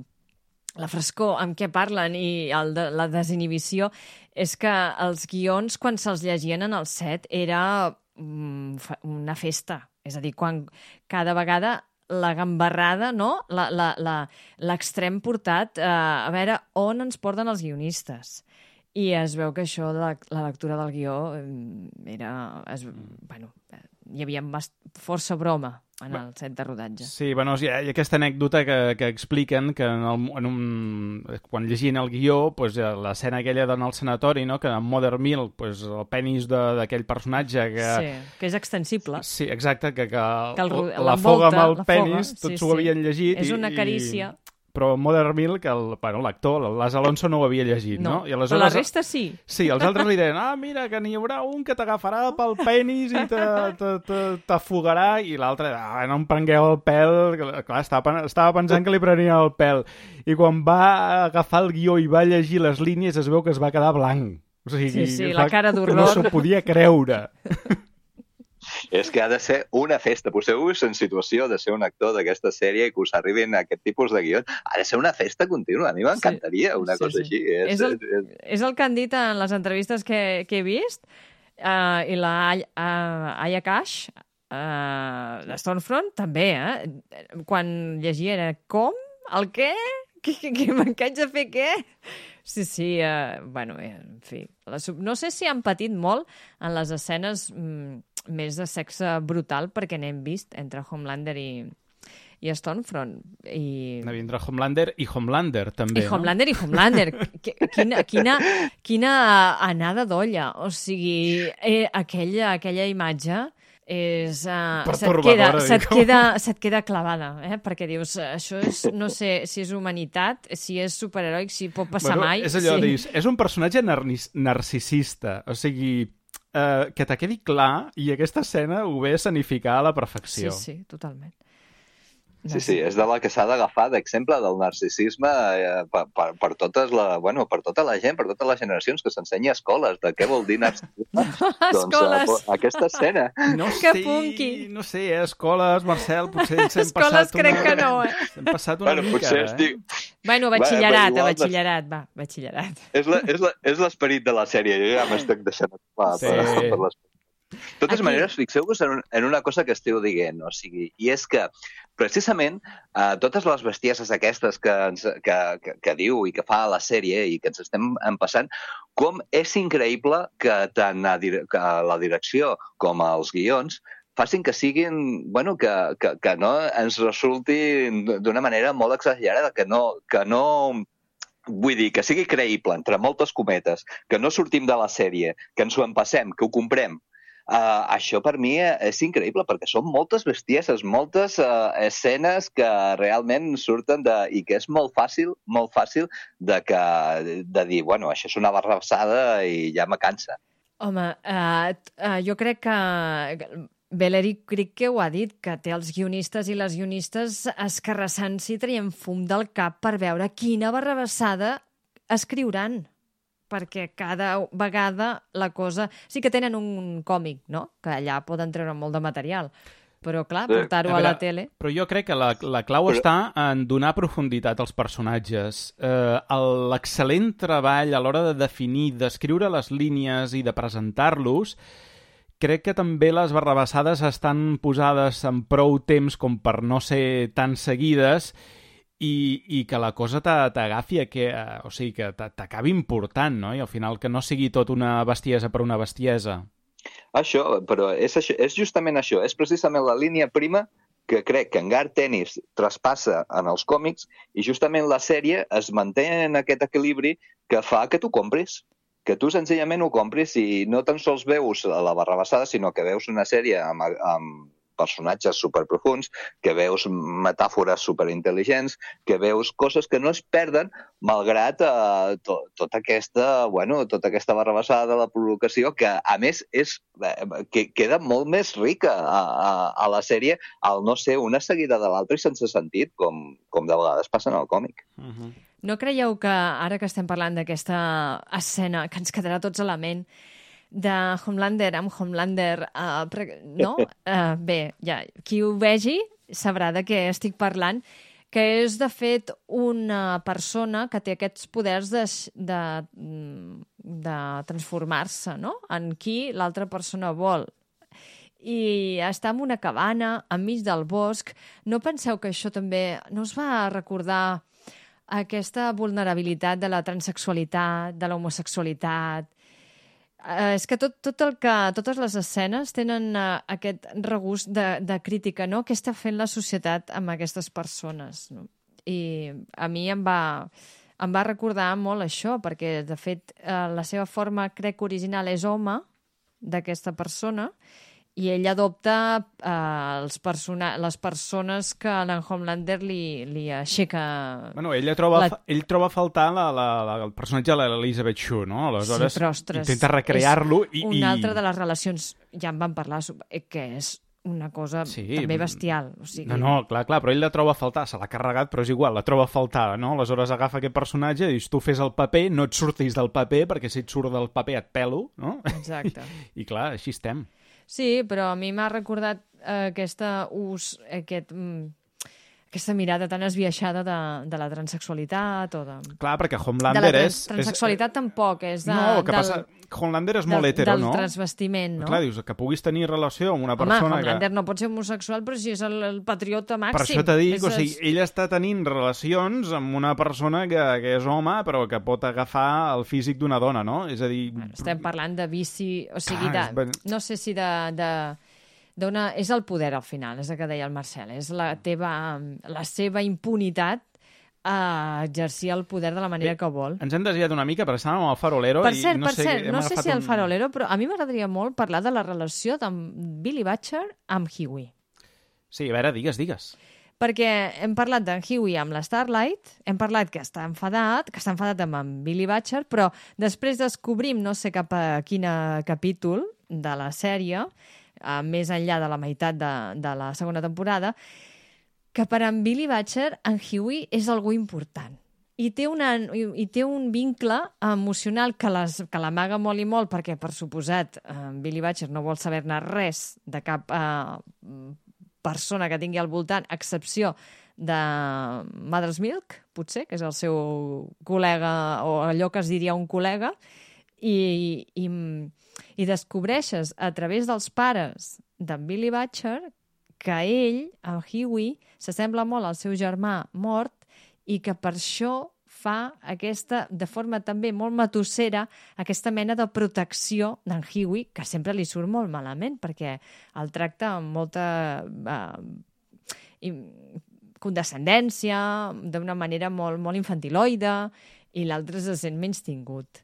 frescor amb què parlen i la desinhibició, és que els guions, quan se'ls llegien en el set, era una festa. És a dir, quan cada vegada la gambarrada, no? L'extrem portat a veure on ens porten els guionistes. I es veu que això, la lectura del guió, hi havia força broma en el set de rodatge. Sí, hi ha aquesta anècdota que expliquen que quan llegien el guió, l'escena aquella d'anar al sanatori, no? Que en Mother Milk, el penis d'aquell personatge que és extensible. Sí, exacte, que l'afoga amb el penis, tots ho havien llegit. És una carícia. Però Mother Milk, l'actor, l'As Alonso, no ho havia llegit, no? I aleshores, però la resta sí. Sí, els altres li deien, mira, que n'hi haurà un que t'agafarà pel penis i t'afogarà, i l'altre, no em prengueu el pèl. Clar, estava pensant que li prenia el pèl. I quan va agafar el guió i va llegir les línies, es veu que es va quedar blanc. O sigui, sí, la cara d'horror. No s'ho podia creure. És que ha de ser una festa. Poseu-vos en situació de ser un actor d'aquesta sèrie i que us arribin aquest tipus de guions. Ha de ser una festa contínua. A mi m'encantaria una cosa així. És el que han dit en les entrevistes que he vist, i la Aya Cash, de Stormfront, també, quan llegia era com? El què? Que m'encaig de fer què? Sí, en fi. No sé si han patit molt en les escenes més de sexe brutal, perquè n'hem vist entre Homelander i Stormfront. Entre Homelander i Homelander, també. I Homelander i Homelander. Quina anada d'olla. O sigui, aquella imatge se't queda clavada, perquè dius, això és, no sé si és humanitat, si és superheroic, si pot passar mai. És allò, dius, és un personatge narcisista, o sigui, que te quedi clar, i aquesta escena ho ve a escenificar a la perfecció. Sí, totalment. Sí, és de la que s'ha d'agafar d'exemple del narcisisme per tota la gent, per totes les generacions, que s'ensenya a escoles de què vol dir narcisisme. Escoles! Aquesta escena. No sé, escoles, Marcel, potser ens hem passat escoles crec que no, Hem passat una mica, batxillerat, batxillerat. És l'esperit de la sèrie, jo ja m'estic deixant per l'esperit. De totes maneres, fixeu-vos en una cosa que esteu dient, o sigui, i és que precisament totes les bestieses aquestes que diu i que fa la sèrie i que ens estem empassant, com és increïble que tant la direcció com els guions facin que siguin, que no ens resultin d'una manera molt exagerada, que no vull dir, que sigui creïble, entre moltes cometes, que no sortim de la sèrie, que ens ho empassem, que ho comprem. Això per mi és increïble, perquè són moltes bestieses, moltes escenes que realment surten i que és molt fàcil de dir, això és una barrabassada i ja me cansa. Home, jo crec que Valérie Crick ho ha dit, que té els guionistes i les guionistes escarrassant-s'hi, traient fum del cap per veure quina barrabassada escriuran. Perquè cada vegada la cosa... Sí que tenen un còmic, no? Que allà poden treure molt de material. Però, clar, portar-ho a la tele... Però jo crec que la clau està en donar profunditat als personatges. L'excel·lent treball a l'hora de definir, d'escriure les línies i de presentar-los, crec que també les barrabassades estan posades en prou temps com per no ser tan seguides i que la cosa t'agafi, o sigui, que t'acabi important, no? I al final que no sigui tot una bestiesa per una bestiesa. Això, però és justament això, és precisament la línia prima que crec que en Garth Ennis traspassa en els còmics i justament la sèrie es manté en aquest equilibri que fa que tu compris, que tu senzillament ho compris i no tan sols veus la barrabassada, sinó que veus una sèrie amb personatges superprofuns, que veus metàfores superintel·ligents, que veus coses que no es perden malgrat tota aquesta barrabassada de la provocació, que a més que queda molt més rica a la sèrie al no ser una seguida de l'altra i sense sentit, com de vegades passa en el còmic. No creieu que ara que estem parlant d'aquesta escena que ens quedarà tots a la ment, de Homelander amb Homelander, no? Bé, ja, qui ho vegi sabrà de què estic parlant, que és, de fet, una persona que té aquests poders de transformar-se, no?, en qui l'altra persona vol. I està en una cabana, enmig del bosc. No penseu que això també no us va recordar aquesta vulnerabilitat de la transsexualitat, de l'homosexualitat? És que totes les escenes tenen aquest regust de crítica, no? Què està fent la societat amb aquestes persones? No? I a mi em va recordar molt això, perquè, de fet, la seva forma, crec, original és home, d'aquesta persona, i ell adopta les persones que l'en Homelander li aixeca... Bueno, ell troba a faltar el personatge de l'Elizabeth Shue, no? Aleshores, sí, però, ostres, intenta recrear-lo i... Una altra de les relacions, ja en vam parlar, que és una cosa també bestial. O sigui... No, clar, però ell la troba a faltar, se l'ha carregat, però és igual, la troba a faltar, no? Aleshores agafa aquest personatge i dius, tu fes el paper, no et surtis del paper, perquè si et surt del paper et pelo, no? Exacte. I clar, així estem. Sí, però a mi m'ha recordat aquesta mirada tan esbiaixada de la transsexualitat o de... Clar, perquè Homelander és... Transsexualitat tampoc, és No, el que passa... Homelander és molt hetero, no? Del transvestiment, no? Clar, dius, que puguis tenir relació amb una persona... Home, Homelander no pot ser homosexual, però si és el patriota màxim. Per això t'he dit, o sigui, ell està tenint relacions amb una persona que és home, però que pot agafar el físic d'una dona, no? És a dir... Estem parlant de vici, o sigui, no sé si és el poder, al final, és el que deia el Marcel, és la seva impunitat a exercir el poder de la manera que vol. Ens hem desviat una mica, perquè estàvem al Farolero... Per cert, no sé si al Farolero, però a mi m'agradaria molt parlar de la relació d'en Billy Butcher amb Hughie. Sí, a veure, digues. Perquè hem parlat d'en Hughie amb la Starlight, hem parlat que està enfadat amb en Billy Butcher, però després descobrim, no sé cap a quin capítol de la sèrie, més enllà de la meitat de la segona temporada, que per en Billy Butcher, en Hughie és algú important. I té un vincle emocional que l'amaga molt i molt, perquè, per suposat, Billy Butcher no vol saber-ne res de cap persona que tingui al voltant, a excepció de Mother's Milk, potser, que és el seu col·lega, o allò que es diria un col·lega, i descobreixes a través dels pares d'en Billy Butcher que ell, en Hughie, s'assembla molt al seu germà mort i que per això fa de forma també molt matossera, aquesta mena de protecció d'en Hughie, que sempre li surt molt malament, perquè el tracta amb molta condescendència, d'una manera molt, molt infantiloide, i l'altre se sent menystingut.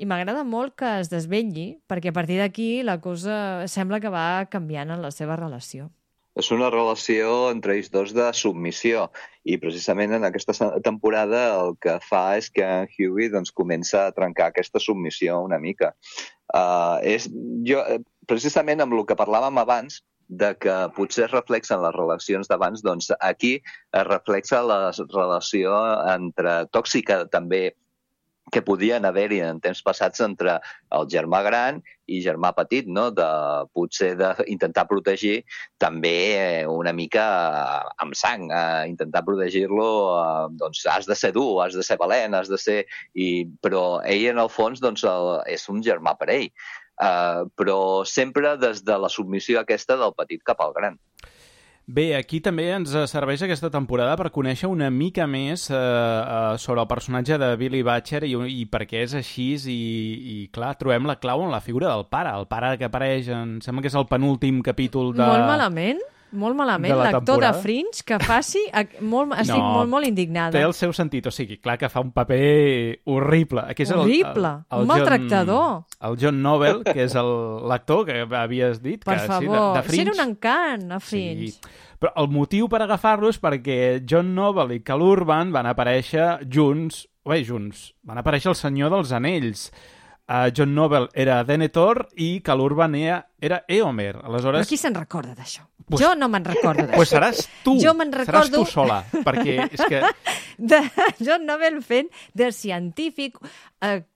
I m'agrada molt que es desvetlli, perquè a partir d'aquí la cosa sembla que va canviant en la seva relació. És una relació entre ells dos de submissió i precisament en aquesta temporada el que fa és que en Hughie comença a trencar aquesta submissió una mica. Precisament amb el que parlàvem abans, de que potser es reflexen les relacions d'abans, doncs aquí es reflexa la relació tòxica també que podien haver-hi en temps passats entre el germà gran i germà petit, no? Potser d'intentar protegir també una mica amb sang, intentar protegir-lo, doncs has de ser dur, has de ser valent, has de ser... Però ell, en el fons, doncs, és un germà per ell. però sempre des de la submissió aquesta del petit cap al gran. Bé, aquí també ens serveix aquesta temporada per conèixer una mica més sobre el personatge de Billy Butcher i per què és així i clar, trobem la clau en la figura del pare. El pare que apareix, sembla que és el penúltim capítol de... Molt malament, l'actor de Fringe que faci... Estic molt indignada. Té el seu sentit, o sigui, clar que fa un paper horrible. Horrible, un maltractador. El John Noble, que és l'actor que havies dit. Per favor, de Fringe. Era un encant a Fringe. Sí. Però el motiu per agafar-lo és perquè John Noble i Cal Urban van aparèixer junts. Van aparèixer el Senyor dels Anells. John Noble era Denethor i Cal Urban era Éomer. Aleshores... Però qui se'n recorda d'això? Jo no me'n recordo d'això. Pues seràs tu. Jo me'n recordo... Seràs tu sola, perquè és que... De John Noble fent de científic,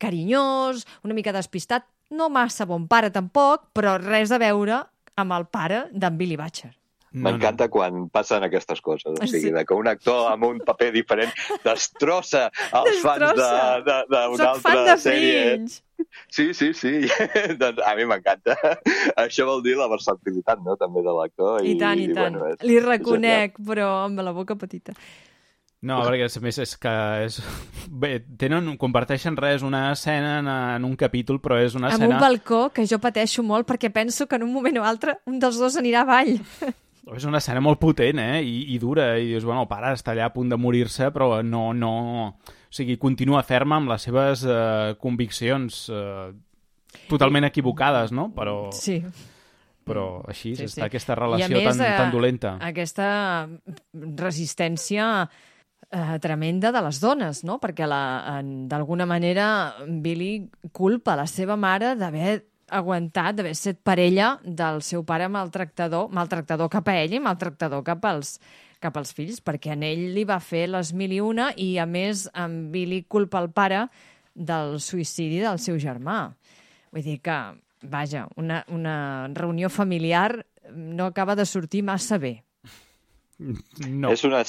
carinyós, una mica despistat, no massa bon pare tampoc, però res a veure amb el pare d'en Billy Butcher. M'encanta quan passen aquestes coses, o sigui, que un actor amb un paper diferent destrossa els fans d'una altra sèrie. Sí. Doncs a mi m'encanta. Això vol dir la versatilitat, no?, també de l'actor. I tant. Bueno, li reconec, però amb la boca petita. No, perquè a més és que bé, comparteixen una escena en un capítol, però és una escena... Amb un balcó que jo pateixo molt perquè penso que en un moment o altre un dels dos anirà avall. És una escena molt potent, i dura, i dius, bueno, el pare està allà a punt de morir-se, però no... O sigui, continua ferma amb les seves conviccions totalment equivocades, no? Però... Sí. Però així està aquesta relació tan dolenta. Aquesta resistència tremenda de les dones, no? Perquè d'alguna manera Billy culpa la seva mare d'haver aguantat, d'haver estat parella del seu pare maltractador cap a ell i maltractador cap als fills, perquè en ell li va fer les 1001 i, a més, en Billy culpa el pare del suïcidi del seu germà. Vull dir que, vaja, una reunió familiar no acaba de sortir massa bé. No. És una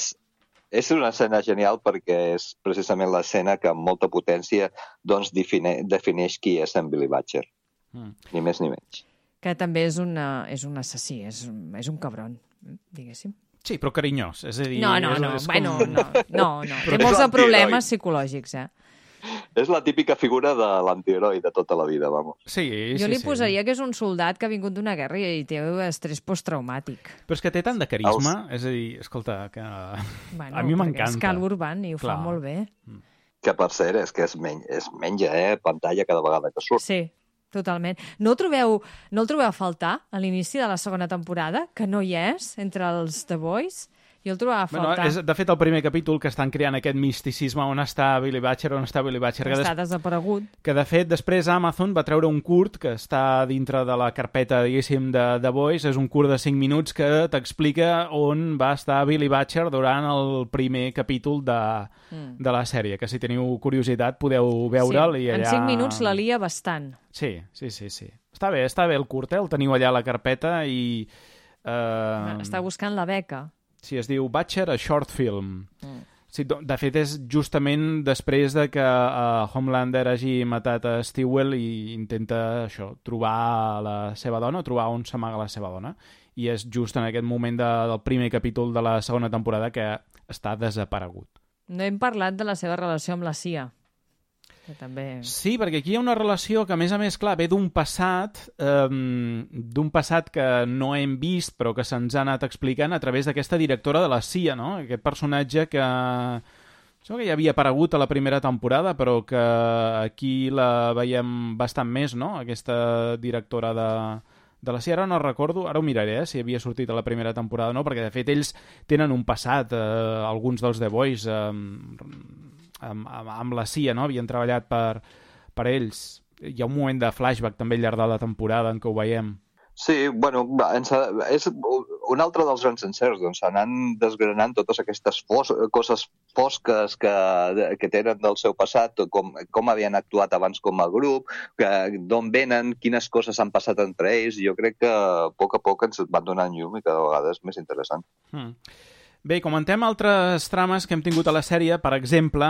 escena genial perquè és precisament l'escena que amb molta potència doncs, defineix qui és en Billy Butcher. Ni més ni menys. Que també és un assassí, és un cabron, diguéssim. Sí, però carinyós. És a dir, no. Té molts problemes psicològics, És la típica figura de l'antiheroi de tota la vida, vamos. Sí. Jo li posaria que és un soldat que ha vingut d'una guerra i té estrès postraumàtic. Però és que té tant de carisma, és a dir, escolta, que a mi m'encanta. És Cal Urban i ho fa molt bé. Que per cert, és que es menja pantalla cada vegada que surt. Sí. Totalment. No el trobeu a faltar a l'inici de la segona temporada, que no hi és entre els The Boys? Jo el trobava a faltar. És, de fet, el primer capítol que estan creant aquest misticisme on està Billy Butcher, Està desaparegut. Que, de fet, després Amazon va treure un curt que està dintre de la carpeta, diguéssim, de The Boys. És un curt de 5 minuts que t'explica on va estar Billy Butcher durant el primer capítol de la sèrie, que si teniu curiositat podeu veure'l. Sí, i allà... en 5 minuts la lia bastant. Sí. Està bé el curt, el teniu allà a la carpeta i... Està buscant la beca. Sí, es diu Butcher, a short film. Sí, de fet, és justament després de que Homelander hagi matat a Stewell i intenta trobar la seva dona, trobar on s'amaga la seva dona. I és just en aquest moment del primer capítol de la segona temporada que està desaparegut. No hem parlat de la seva relació amb la CIA. Que també... Sí, perquè aquí hi ha una relació que, a més, clar, ve d'un passat que no hem vist, però que se'ns ha anat explicant a través d'aquesta directora de la CIA, no? Aquest personatge que sembla que ja havia aparegut a la primera temporada, però que aquí la veiem bastant més, no? Aquesta directora de la CIA, ara no recordo, ara ho miraré, si havia sortit a la primera temporada o no, perquè, de fet, ells tenen un passat, alguns dels The Boys, amb la CIA, no? Havien treballat per ells. Hi ha un moment de flashback també al llarg de la temporada en què ho veiem. Sí, bueno, és un altre dels grans encerts, doncs s'anan desgranant totes aquestes coses fosques que tenen del seu passat, com havien actuat abans com a grup, d'on venen, quines coses han passat entre ells. Jo crec que a poc ens van donant llum i cada vegada és més interessant. Bé, comentem altres trames que hem tingut a la sèrie, per exemple,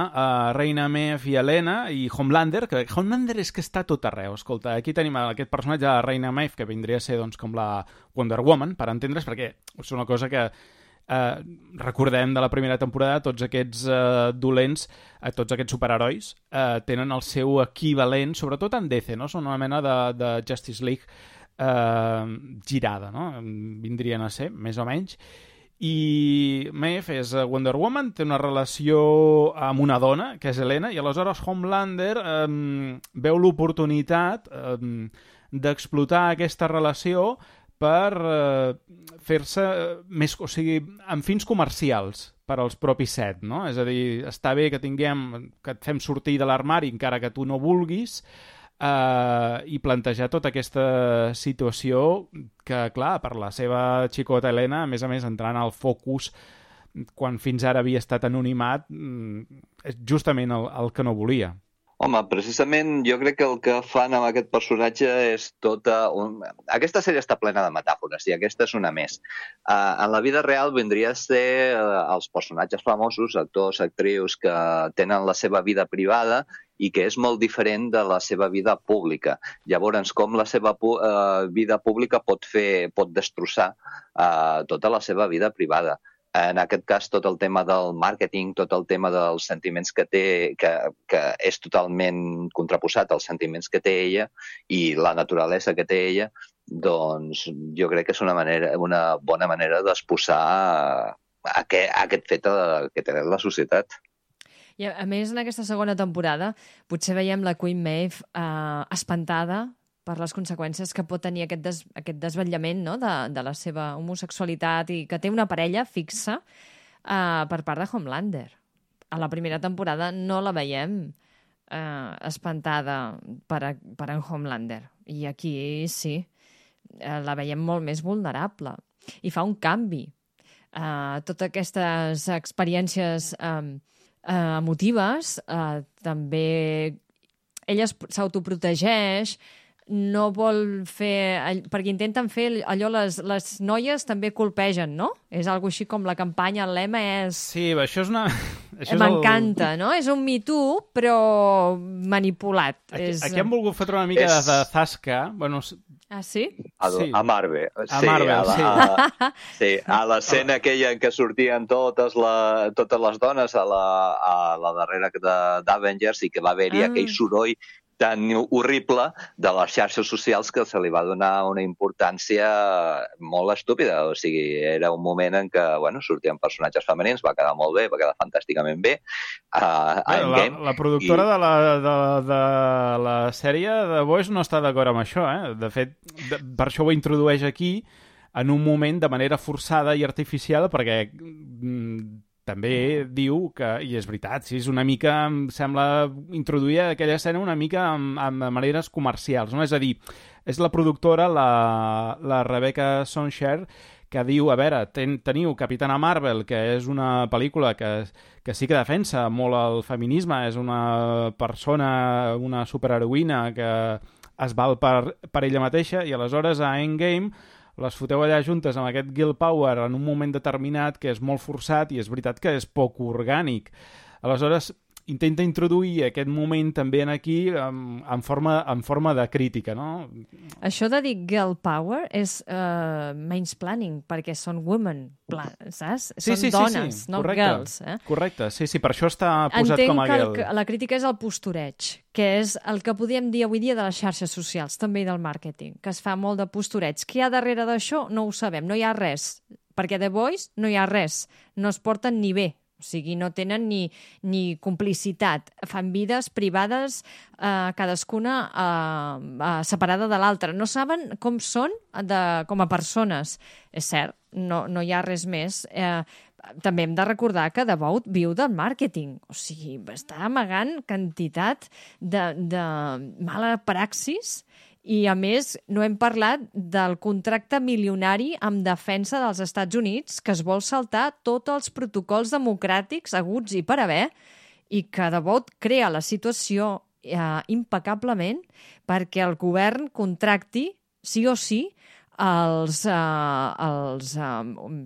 Reina Maeve i Helena i Homelander, que Homelander és que està tot arreu. Escolta, aquí tenim aquest personatge de Reina Maeve, que vindria a ser doncs, com la Wonder Woman, per entendre's, perquè és una cosa que recordem de la primera temporada, tots aquests dolents, tots aquests superherois, tenen el seu equivalent, sobretot en DC, no? Són una mena de Justice League girada, no? Vindrien a ser, més o menys. I Maeve és Wonder Woman, té una relació amb una dona, que és Helena, i aleshores Homelander veu l'oportunitat d'explotar aquesta relació per fer-se més, o sigui, amb fins comercials per als propis set, no? És a dir, està bé que et fem sortir de l'armari encara que tu no vulguis, i plantejar tota aquesta situació que, clar, per la seva xicota Helena, a més entrant al focus quan fins ara havia estat anonimat, és justament el que no volia. Home, precisament jo crec que el que fan amb aquest personatge és Aquesta sèrie està plena de metàfores i aquesta és una més. En la vida real vindria a ser els personatges famosos, actors, actrius, que tenen la seva vida privada i que és molt diferent de la seva vida pública. Llavors, com la seva vida pública pot destrossar tota la seva vida privada. En aquest cas, tot el tema del màrqueting, tot el tema dels sentiments que té, que és totalment contraposat als sentiments que té ella i la naturalesa que té ella, doncs jo crec que és una bona manera d'exposar aquest fet que té la societat. I a més, en aquesta segona temporada, potser veiem la Queen Maeve espantada per les conseqüències que pot tenir aquest desvetllament, no?, de la seva homosexualitat i que té una parella fixa per part de Homelander. A la primera temporada no la veiem espantada per en Homelander. I aquí sí, la veiem molt més vulnerable. I fa un canvi. Totes aquestes experiències emotives, també ella s'autoprotegeix, no vol fer... Perquè intenten fer allò, les noies també colpegen, no? És algo així com la campanya, el lema és... Sí, això és una... M'encanta, no? És un Me Too, però manipulat. Aquí hem volgut fotre una mica de zasca. Bueno, ah, sí? A Marvel. A Marvel, sí. Sí, a l'escena aquella en què sortien totes les dones a la darrera d'Avengers i que va haver-hi aquell soroll tan horrible de les xarxes socials que se li va donar una importància molt estúpida. O sigui, era un moment en què sortien personatges femenins, va quedar molt bé, va quedar fantàsticament bé. La productora de la sèrie de Boys no està d'acord amb això, eh? De fet, per això ho introdueix aquí en un moment de manera forçada i artificial, perquè també diu que, i és veritat, sí, és una mica, em sembla, introduir aquella escena una mica amb maneres comercials, no? És a dir, és la productora, la Rebecca Sonshare, que diu, a veure, teniu Capitana Marvel, que és una pel·lícula que sí que defensa molt el feminisme, és una persona, una superheroïna que es val per ella mateixa, i aleshores a Endgame les foteu allà juntes amb aquest Girl Power en un moment determinat que és molt forçat i és veritat que és poc orgànic. Aleshores, intenta introduir aquest moment també aquí en forma de crítica, no? Això de dir girl power és mansplaining, perquè són women, saps? Són dones, no girls. Correcte, sí, per això està posat com a girl. Entenc que la crítica és el postureig, que és el que podríem dir avui dia de les xarxes socials, també i del màrqueting, que es fa molt de postureig. Què hi ha darrere d'això? No ho sabem, no hi ha res, perquè The Boys no hi ha res, no es porten ni bé. O sigui, no tenen ni complicitat. Fan vides privades, cadascuna separada de l'altra. No saben com són com a persones. És cert, no hi ha res més. També hem de recordar que Devout viu del màrqueting. O sigui, està amagant quantitat de mala praxis. I, a més, no hem parlat del contracte milionari amb defensa dels Estats Units que es vol saltar tots els protocols democràtics haguts i per haver i que de bot crea la situació impecablement perquè el govern contracti, sí o sí, els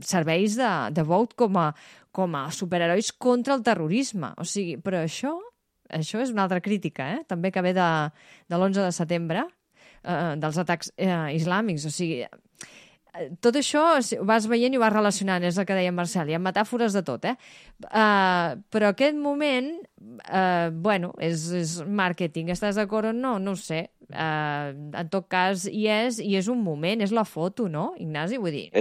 serveis de Vought com a superherois contra el terrorisme. O sigui, però això és una altra crítica, també que ve de l'11 de setembre, dels atacs islàmics. O sigui, tot això ho vas veient i ho vas relacionant, és el que deia en Marcel, hi ha metàfores de tot, però aquest moment, és màrqueting, estàs d'acord o no? No ho sé. En tot cas, hi és un moment, és la foto, no, Ignasi? Vull dir...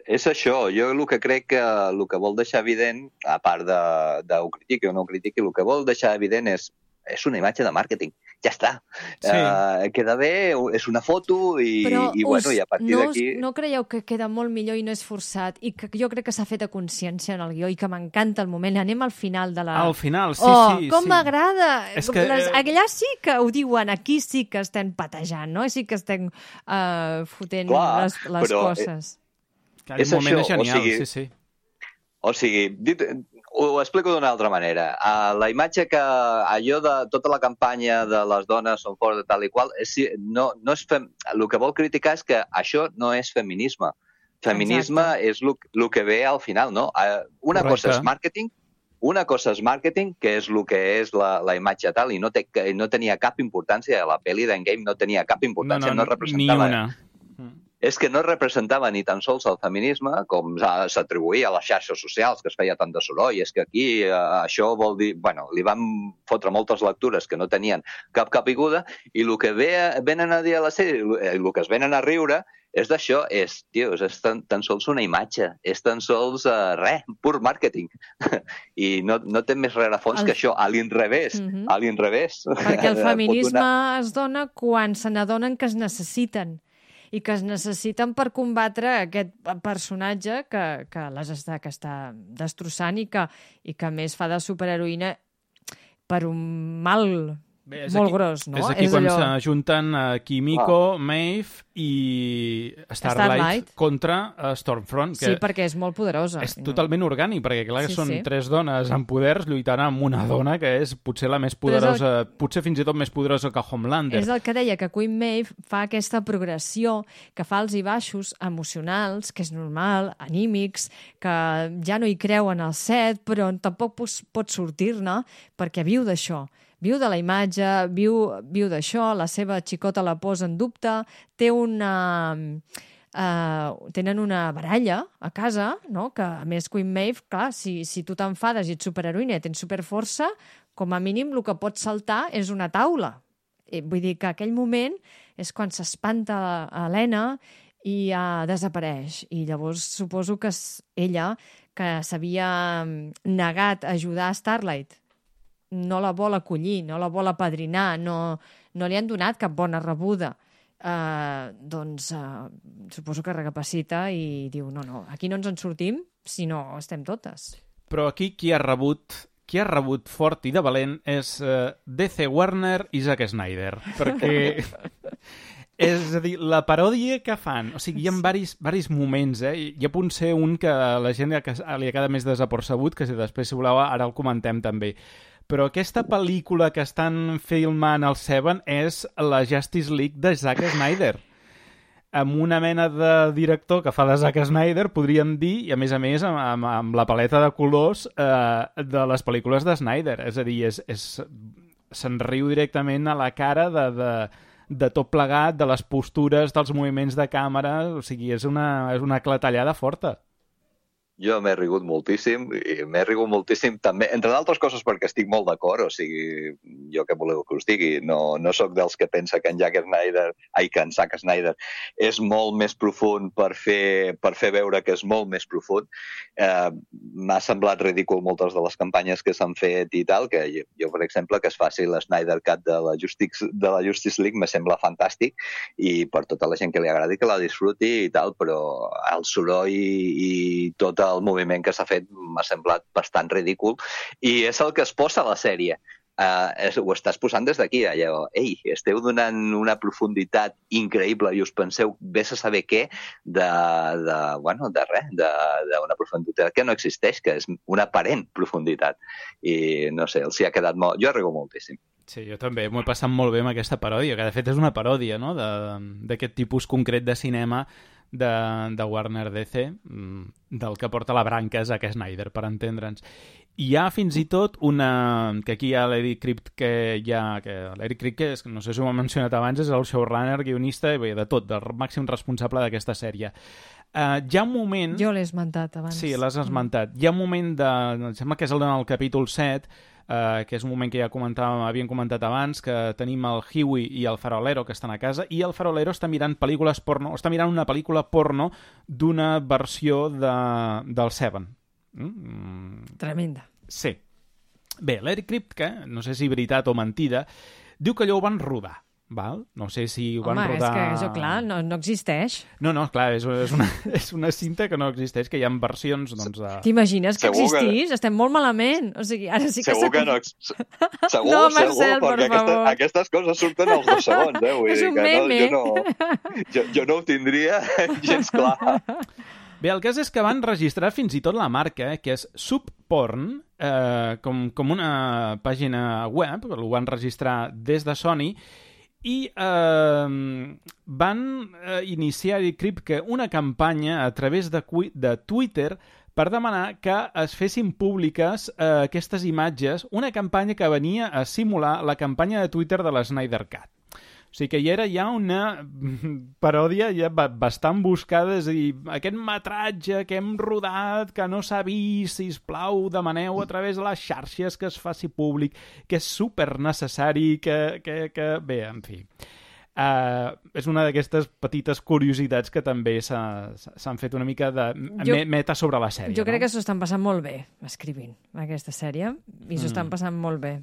És això, jo el que crec que el que vol deixar evident, a part de ho critiqui o no ho critiqui, el que vol deixar evident és una imatge de màrqueting. Ja està. Sí. Queda bé, és una foto i a partir d'aquí... No creieu que queda molt millor i no és forçat i que jo crec que s'ha fet a consciència en el guió i que m'encanta el moment. Anem al final de la... Al final, sí. Com m'agrada! Allà sí que ho diuen, aquí sí que estem patejant, no? Sí que estem fotent les coses. És moment això, genial, sí. O sigui, ho explico d'una altra manera. La imatge que allò de tota la campanya de les dones són fora de tal i qual, el que vol criticar és que això no és feminisme. Feminisme és el que ve al final, no? Una cosa és màrqueting, que és el que és la imatge tal, i no tenia cap importància, la pel·li d'Endgame no tenia cap importància, no representava... Ni una. És que no representava ni tan sols el feminisme, com s'atribuïa a les xarxes socials, que es feia tant de soroll. És que aquí això vol dir... li van fotre moltes lectures que no tenien cap caiguda, i el que venen a dir a la sèrie, el que es venen a riure, és d'això, és tan sols una imatge, és tan sols pur màrqueting. I no té més rerefons que això, a l'inrevés. Perquè el feminisme es dona quan se n'adonen que es necessiten i que es necessiten per combatre aquest personatge que està destrossant i que a més fa de superheroïna per un mal molt gros, no? És aquí quan s'ajunten Kimiko, Maeve i Starlight contra Stormfront. Sí, perquè és molt poderosa. És totalment orgànic, perquè clar que són tres dones amb poders lluitant amb una dona que és potser la més poderosa, potser fins i tot més poderosa que Homelander. És el que deia, que Queen Maeve fa aquesta progressió, que fa alts i baixos emocionals, que és normal, anímics, que ja no hi creuen al set, però tampoc pot sortir-ne perquè viu d'això. Viu de la imatge, viu d'això, la seva xicota la posa en dubte, tenen una baralla a casa, no? Que a més Queen Maeve, clar, si tu t'enfades i ets superheroïna i tens superforça, com a mínim el que pot saltar és una taula. Vull dir que aquell moment és quan s'espanta Helena i desapareix. I llavors suposo que és ella, que s'havia negat a ajudar a Starlight, no la vol acollir, no la vol apadrinar, no li han donat cap bona rebuda. Suposo que recapacita i diu, no, aquí no ens en sortim si no estem totes. Però aquí qui ha rebut fort i de valent és DC Warner i Zack Snyder, perquè és a dir, la paròdia que fan, o sigui, hi ha varis moments, hi ha potser un que a la gent li ha quedat més desapercebut, que si després, si voleu, ara el comentem també. Però aquesta pel·lícula que estan filmant al Seven és la Justice League de Zack Snyder. Amb una mena de director que fa de Zack Snyder, podríem dir, i a més amb la paleta de colors de les pel·lícules de Snyder. És a dir, se'n riu directament a la cara de tot plegat, de les postures, dels moviments de càmera. O sigui, és una clatellada forta. Jo m'he rigut moltíssim, també, entre d'altres coses perquè estic molt d'acord, o sigui, jo què voleu que us digui, no sóc dels que pensa que en Zack Snyder és molt més profund per fer veure que és molt més profund. M'ha semblat ridícul moltes de les campanyes que s'han fet i tal, que jo, per exemple, que es faci la Snyder Cut de la Justice League me sembla fantàstic, i per tota la gent que li agradi que la disfruti i tal, però el soroll i tot el moviment que s'ha fet m'ha semblat bastant ridícul, i és el que es posa a la sèrie. Ho estàs posant des d'aquí, allò, esteu donant una profunditat increïble i us penseu, vés a saber què, d'una profunditat que no existeix, que és una aparent profunditat. I no sé, els hi ha quedat molt... Jo rigo moltíssim. Sí, jo també m'ho he passat molt bé amb aquesta paròdia, que de fet és una paròdia, no?, d'aquest tipus concret de cinema de Warner DC, del que porta la branca Zack Snyder, per entendre'ns. I hi ha fins i tot una... que aquí hi ha l'Eric Kripke, l'Eric Kripke, no sé si ho hem mencionat abans, és el showrunner, guionista, i bé, de tot, del màxim responsable d'aquesta sèrie. Hi ha un moment... Jo l'he esmentat abans. Sí, l'has esmentat. Hi ha un moment em sembla que és el capítol 7, que és un moment que ja havíem comentat abans, que tenim el Huey i el farolero que estan a casa, i el farolero està mirant pel·lícules porno, està mirant una pel·lícula porno d'una versió del Seven. Tremenda. Sí. Bé, l'Eric Kripke, no sé si veritat o mentida, diu que allò ho van rodar. Val? No sé si ho van rodar... Home, és que això, clar, no existeix. No, clar, és una cinta que no existeix, que hi ha versions, doncs... T'imagines que existís? Estem molt malament. O sigui, ara sí que... Segur que no... Segur, no, Marcel, perquè aquestes coses surten als 2 segons, eh? Vull és dir un que meme. jo no ho tindria gens clar. Bé, el cas és que van registrar fins i tot la marca, que és Subporn, com una pàgina web, ho van registrar des de Sony, i van iniciar una campanya a través de Twitter per demanar que es fessin públiques aquestes imatges, una campanya que venia a simular la campanya de Twitter de la Snyder Cut. O sigui que hi era ja una paròdia ja bastant buscada, és a dir, aquest metratge que hem rodat, que no s'ha vist, sisplau, demaneu a través de les xarxes que es faci públic, que és supernecessari, que... Bé, en fi. És una d'aquestes petites curiositats que també s'han fet una mica de meta sobre la sèrie. Jo crec que s'ho estan passant molt bé, escrivint aquesta sèrie, i s'ho estan passant molt bé.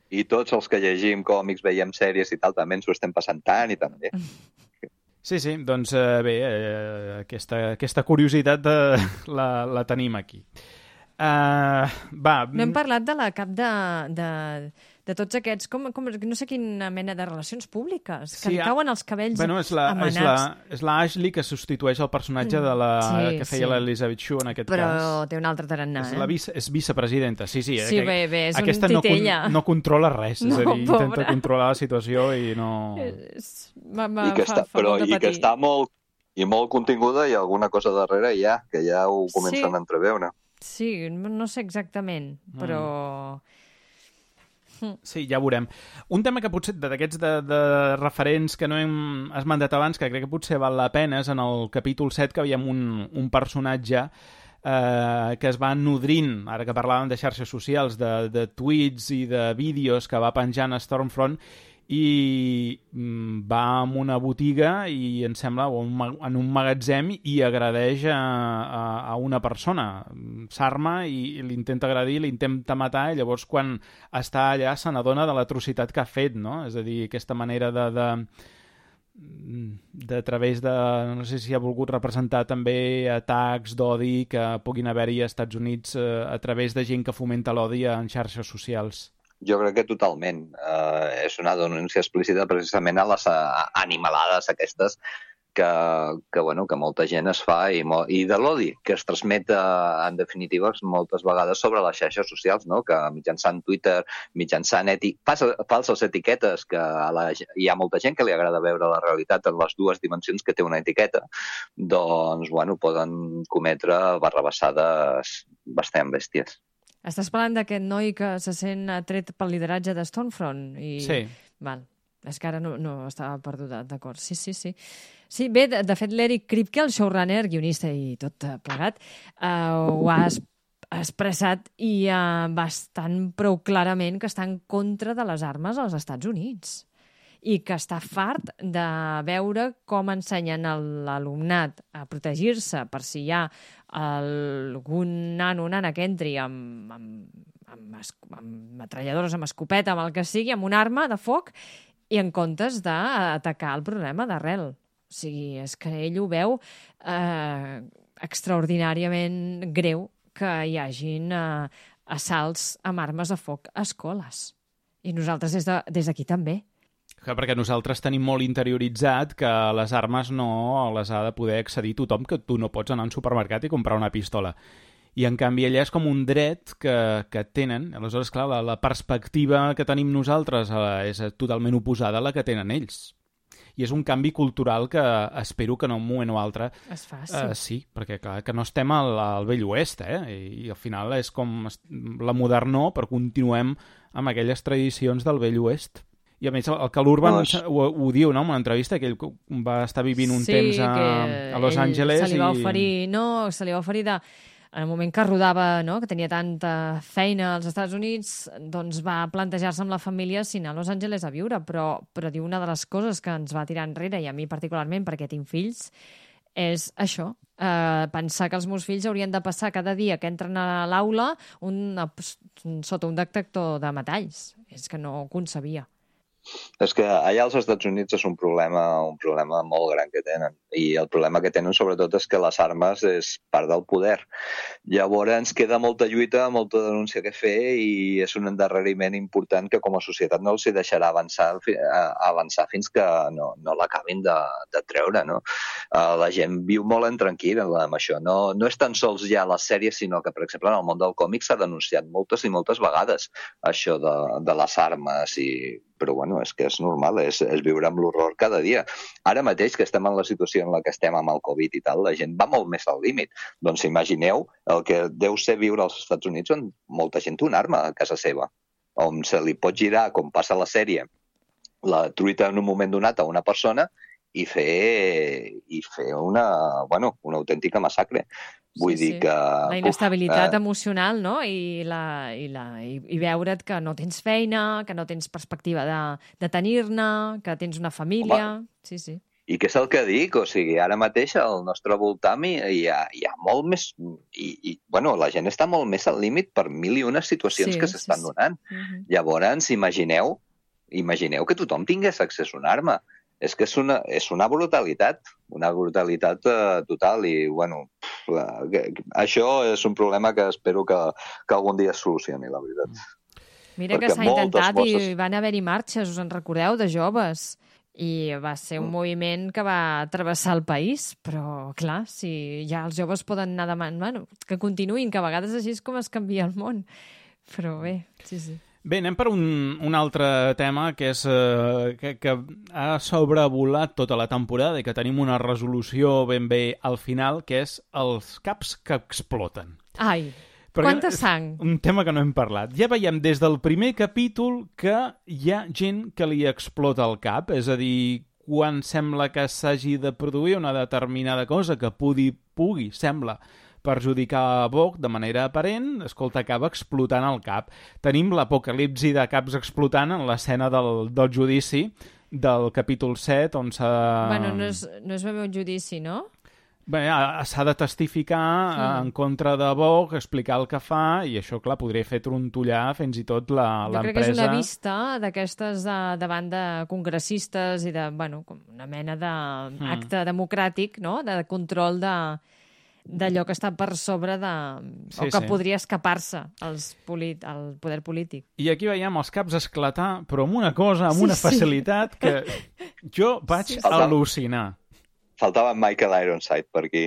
I tots els que llegim còmics, veiem sèries i tal, també ens ho estem passant tant i tant bé. Sí, doncs bé, aquesta curiositat la tenim aquí. No hem parlat de la cap de tots aquests, com no sé quina mena de relacions públiques, que li cauen els cabells amanats. És la Ashley que substitueix el personatge de que feia l'Elizabeth Shue en aquest cas. Però té un altre tarannà. És vicepresidenta, sí. Sí, bé, és un titella. Aquesta no controla res, és a dir, intenta controlar la situació i no... I que està molt continguda i alguna cosa darrere ja, que ja ho comencen a entreveure. Sí, no sé exactament, però... Sí, ja ho veurem. Un tema que potser d'aquests de referents que no hem esmentat abans, que crec que potser val la pena, és en el capítol 7 que veiem un personatge que es va nodrint, ara que parlàvem de xarxes socials, de tuits i de vídeos que va penjant a Stormfront, i va a una botiga i em sembla, o en un magatzem, i agredeix a una persona, s'arma i l'intenta agredir, l'intenta matar, i llavors quan està allà se n'adona de l'atrocitat que ha fet, no? És a dir, aquesta manera de través de... no sé si ha volgut representar també atacs d'odi que puguin haver-hi als Estats Units a través de gent que fomenta l'odi en xarxes socials. Jo crec que totalment. És una denúncia explícita precisament a les animalades aquestes que molta gent es fa i de l'odi que es transmet en definitiva moltes vegades sobre les xarxes socials, no? Que mitjançant Twitter, mitjançant falses etiquetes, que hi ha molta gent que li agrada veure la realitat en les dues dimensions que té una etiqueta, doncs poden cometre barrabassades bastant bèsties. Estàs parlant d'aquest noi que se sent tret pel lideratge de Stormfront? Sí. Val. És que ara no estava perduda, d'acord. Sí. Sí, bé, de fet, l'Eric Kripke, el showrunner, guionista i tot plegat, ho ha expressat i bastant prou clarament que està en contra de les armes als Estats Units i que està fart de veure com ensenyen l'alumnat a protegir-se per si hi ha algun nano o nana que entri amb metralladores, amb escopeta, amb el que sigui, amb una arma de foc, i en comptes d'atacar el problema d'arrel. O sigui, és que ell ho veu extraordinàriament greu que hi hagin assalts amb armes de foc a escoles. I nosaltres des d'aquí també. Perquè nosaltres tenim molt interioritzat que les armes no les ha de poder accedir tothom, que tu no pots anar a un supermercat i comprar una pistola. I, en canvi, allà és com un dret que tenen. Aleshores, clar, la perspectiva que tenim nosaltres és totalment oposada a la que tenen ells. I és un canvi cultural que espero que en un moment o altre es faci. Sí, perquè clar, que no estem al vell oest, i al final és com la modernor, però continuem amb aquelles tradicions del vell oest. I a més el que l'Urban ho diu, no?, en una entrevista, que ell va estar vivint un temps a Los Angeles. Se li va oferir en el moment que rodava, no?, que tenia tanta feina als Estats Units, doncs va plantejar-se amb la família si anar a Los Angeles a viure, però diu una de les coses que ens va tirar enrere, i a mi particularment, perquè tinc fills, és això, pensar que els meus fills haurien de passar cada dia que entren a l'aula sota un detector de metalls. És que no ho concebia. És que allà als Estats Units és un problema molt gran que tenen. I el problema que tenen sobretot és que les armes és part del poder. Llavors queda molta lluita, molta denúncia que fer, i és un endarreriment important que com a societat no els hi deixarà avançar fins que no l'acabin de treure, no? La gent viu molt intranquil·la amb això. No és tan sols ja la sèrie, sinó que, per exemple, en el món del còmic s'ha denunciat moltes i moltes vegades això de les armes, però bueno, és que és normal, és viure amb l'horror cada dia. Ara mateix, que estem en la situació en la que estem amb el Covid i tal, la gent va molt més al límit. Doncs imagineu el que deu ser viure als Estats Units, on molta gent té una arma a casa seva, on se li pot girar, com passa a la sèrie, la truita en un moment donat a una persona i fer una autèntica massacre. Vull dir que... La inestabilitat emocional, no? I veure't que no tens feina, que no tens perspectiva de tenir-ne, que tens una família... Sí. I què és el que dic? O sigui, ara mateix al nostre voltant hi ha molt més... la gent està molt més al límit per mil i unes situacions que s'estan donant. Llavors, imagineu que tothom tingués accés a una arma. És que és una brutalitat total, i bueno, això és un problema que espero que algun dia es solucioni, la veritat. Mira que s'ha intentat i van haver-hi marxes, us en recordeu, de joves, i va ser un moviment que va travessar el país, però clar, si ja els joves poden anar demanant, que continuïn, que a vegades així és com es canvia el món, però bé, sí. Bé, anem per un altre tema que és que ha sobrevolat tota la temporada i que tenim una resolució ben bé al final, que és els caps que exploten. Ai, quanta sang! Un tema que no hem parlat. Ja veiem des del primer capítol que hi ha gent que li explota el cap, és a dir, quan sembla que s'hagi de produir una determinada cosa que pugui sembla perjudicar a Vogue de manera aparent, escolta, acaba explotant el cap. Tenim l'apocalipsi de caps explotant en l'escena del judici del capítol 7, on s'ha... Bueno, no és ben bé un judici, no? Bé, s'ha de testificar en contra de Vogue, explicar el que fa, i això, clar, podria fer trontollar fins i tot l'empresa... Jo crec que és una vista d'aquestes davant de congressistes i de, bueno, com una mena d'acte democràtic, no?, de control d'allò que està per sobre o que podria escapar-se al poder polític. I aquí veiem els caps esclatar, però amb una cosa, amb una facilitat que jo vaig al·lucinar. Faltava Michael Ironside per aquí.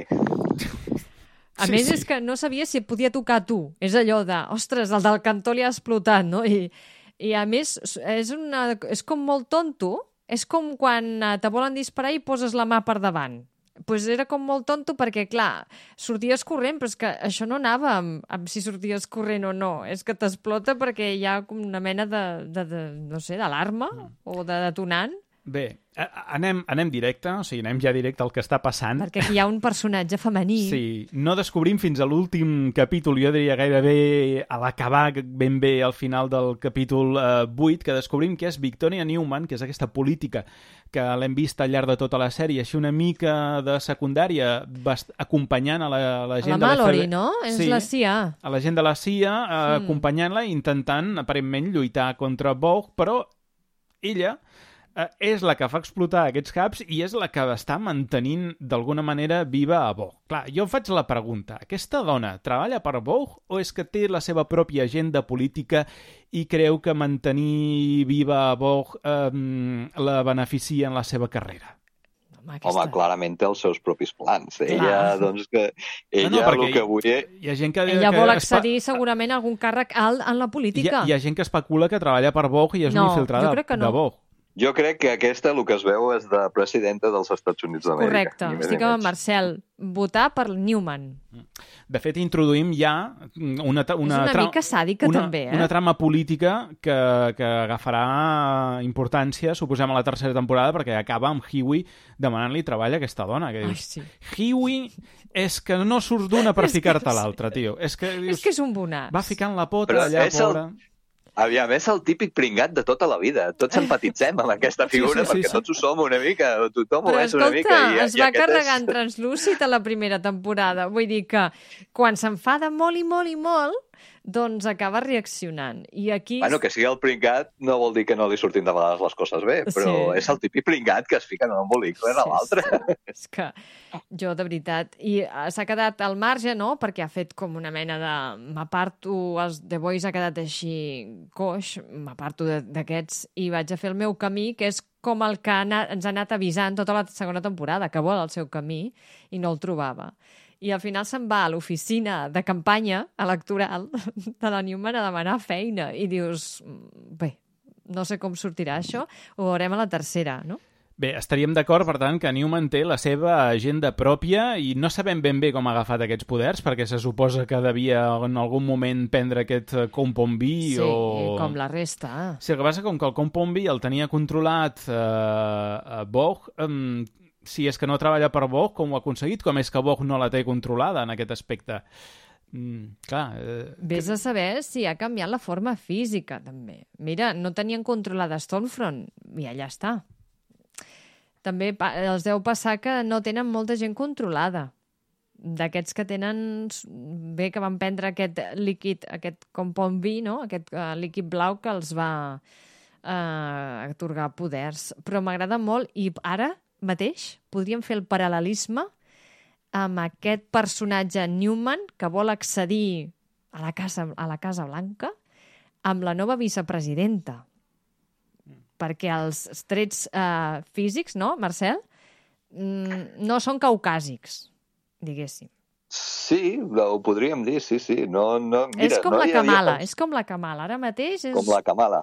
A més, és que no sabia si et podia tocar a tu. És allò de, ostres, el del cantó li ha explotat, no? I a més, és com molt tonto. És com quan te volen disparar i poses la mà per davant. Pues era com molt tonto perquè, clar, sorties corrent, però és que això no anava amb si sorties corrent o no. És que t'explota perquè hi ha com una mena no sé, d'alarma o de detonant. Bé, anem directe, o sigui, anem ja directe al que està passant. Perquè aquí hi ha un personatge femení. Sí, no descobrim fins a l'últim capítol, jo diria gairebé a l'acabar ben bé al final del capítol 8, que descobrim que és Victoria Newman, que és aquesta política que l'hem vist al llarg de tota la sèrie, així una mica de secundària, acompanyant a la gent de la Mallory, no? És la CIA. A la gent de la CIA, acompanyant-la, intentant, aparentment, lluitar contra Vogue, però ella és la que fa explotar aquests caps i és la que està mantenint d'alguna manera viva a Vogue. Clar, jo faig la pregunta, aquesta dona treballa per Vogue o és que té la seva pròpia agenda política i creu que mantenir viva a Vogue la beneficia en la seva carrera? Home, clarament té els seus propis plans. Ella, doncs, el que vull... Hi ha gent que... Ella vol accedir segurament a algun càrrec alt en la política. Hi ha gent que especula que treballa per Vogue i és una infiltrada de Vogue. Jo crec que aquesta, el que es veu, és de presidenta dels Estats Units d'Amèrica. Correcte. Estic amb Marcel. Votar per Newman. De fet, introduïm ja una és una mica sàdica, també, una trama política que agafarà importància, suposem, a la tercera temporada, perquè acaba amb Hughie demanant-li treball a aquesta dona. Que dius, Hughie és que no surts d'una per ficar-te a l'altra, tio. És que és un bonàs. Va ficant la pota allà, pobra... Aviam, és el típic pringat de tota la vida. Tots empatitzem amb aquesta figura perquè tots ho som una mica, tothom ho és una mica. Però escolta, es va carregar en translúcid a la primera temporada. Vull dir que quan s'enfada molt i molt i molt, doncs acaba reaccionant. I aquí... Bueno, que sigui el pringat no vol dir que no li surtin de vegades les coses bé, però és el típic pringat que es fica en un embolic a l'altre. És que jo, de veritat... I s'ha quedat al marge, no?, perquè ha fet com una mena de... M'aparto, els The Boys ha quedat així coix, m'aparto d'aquests i vaig a fer el meu camí, que és com el que ens ha anat avisant tota la segona temporada, que vol el seu camí i no el trobava. I al final se'n va a l'oficina de campanya electoral de la Newman a demanar feina. I dius, bé, no sé com sortirà això, ho veurem a la tercera, no? Bé, estaríem d'acord, per tant, que Newman té la seva agenda pròpia i no sabem ben bé com ha agafat aquests poders, perquè se suposa que devia en algun moment prendre aquest Compombí o... Sí, com la resta. Sí, el que passa com que el Compombí el tenia controlat a Vogue... si és que no treballa per Vogue, com ho ha aconseguit? Com és que Vogue no la té controlada en aquest aspecte? Vés a saber si ha canviat la forma física, també. Mira, no tenien controlada Stormfront, i allà està. També els deu passar que no tenen molta gent controlada. D'aquests que tenen... Bé, que van prendre aquest líquid, aquest Compombí, no? Aquest líquid blau que els va atorgar poders. Però m'agrada molt, i ara mateix podríem fer el paral·lelisme amb aquest personatge Newman que vol accedir a la Casa Blanca amb la nova vicepresidenta. Perquè els trets físics, no, Marcel? No són caucàsics, diguéssim. Sí, ho podríem dir, sí. No, mira, és com la Kamala, és com la Kamala. Ara mateix és... Com la Kamala.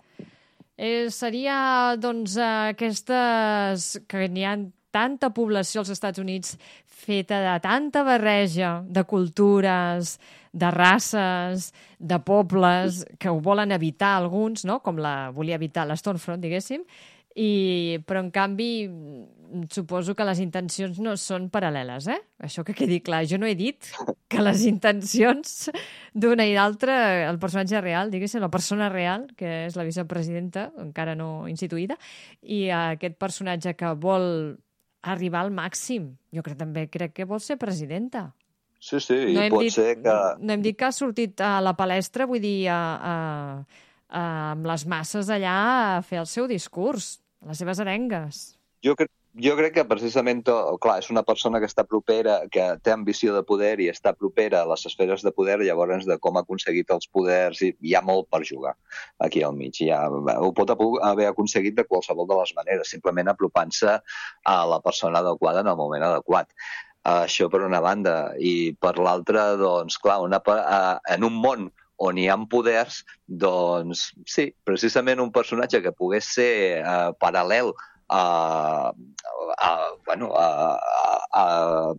Seria, doncs, aquestes... que n'hi ha tanta població als Estats Units feta de tanta barreja de cultures, de races, de pobles, que ho volen evitar alguns, no? Com la volia evitar la Stormfront, diguéssim, però en canvi suposo que les intencions no són paral·leles, eh? Això que quedi clar. Jo no he dit que les intencions d'una i d'altra, el personatge real, diguéssim, la persona real, que és la vicepresidenta, encara no instituïda, i aquest personatge que vol arribar al màxim. Jo crec que vol ser presidenta. Sí, i pot ser que... No hem dit que ha sortit a la palestra, vull dir, amb les masses allà a fer el seu discurs, les seves arengues. Jo crec que precisament, clar, és una persona que està propera, que té ambició de poder i està propera a les esferes de poder, llavors de com ha aconseguit els poders, i hi ha molt per jugar aquí al mig. Ho pot haver aconseguit de qualsevol de les maneres, simplement apropant-se a la persona adequada en el moment adequat. Això per una banda. I per l'altra, doncs, clar, en un món on hi ha poders, doncs sí, precisament un personatge que pogués ser paral·lel a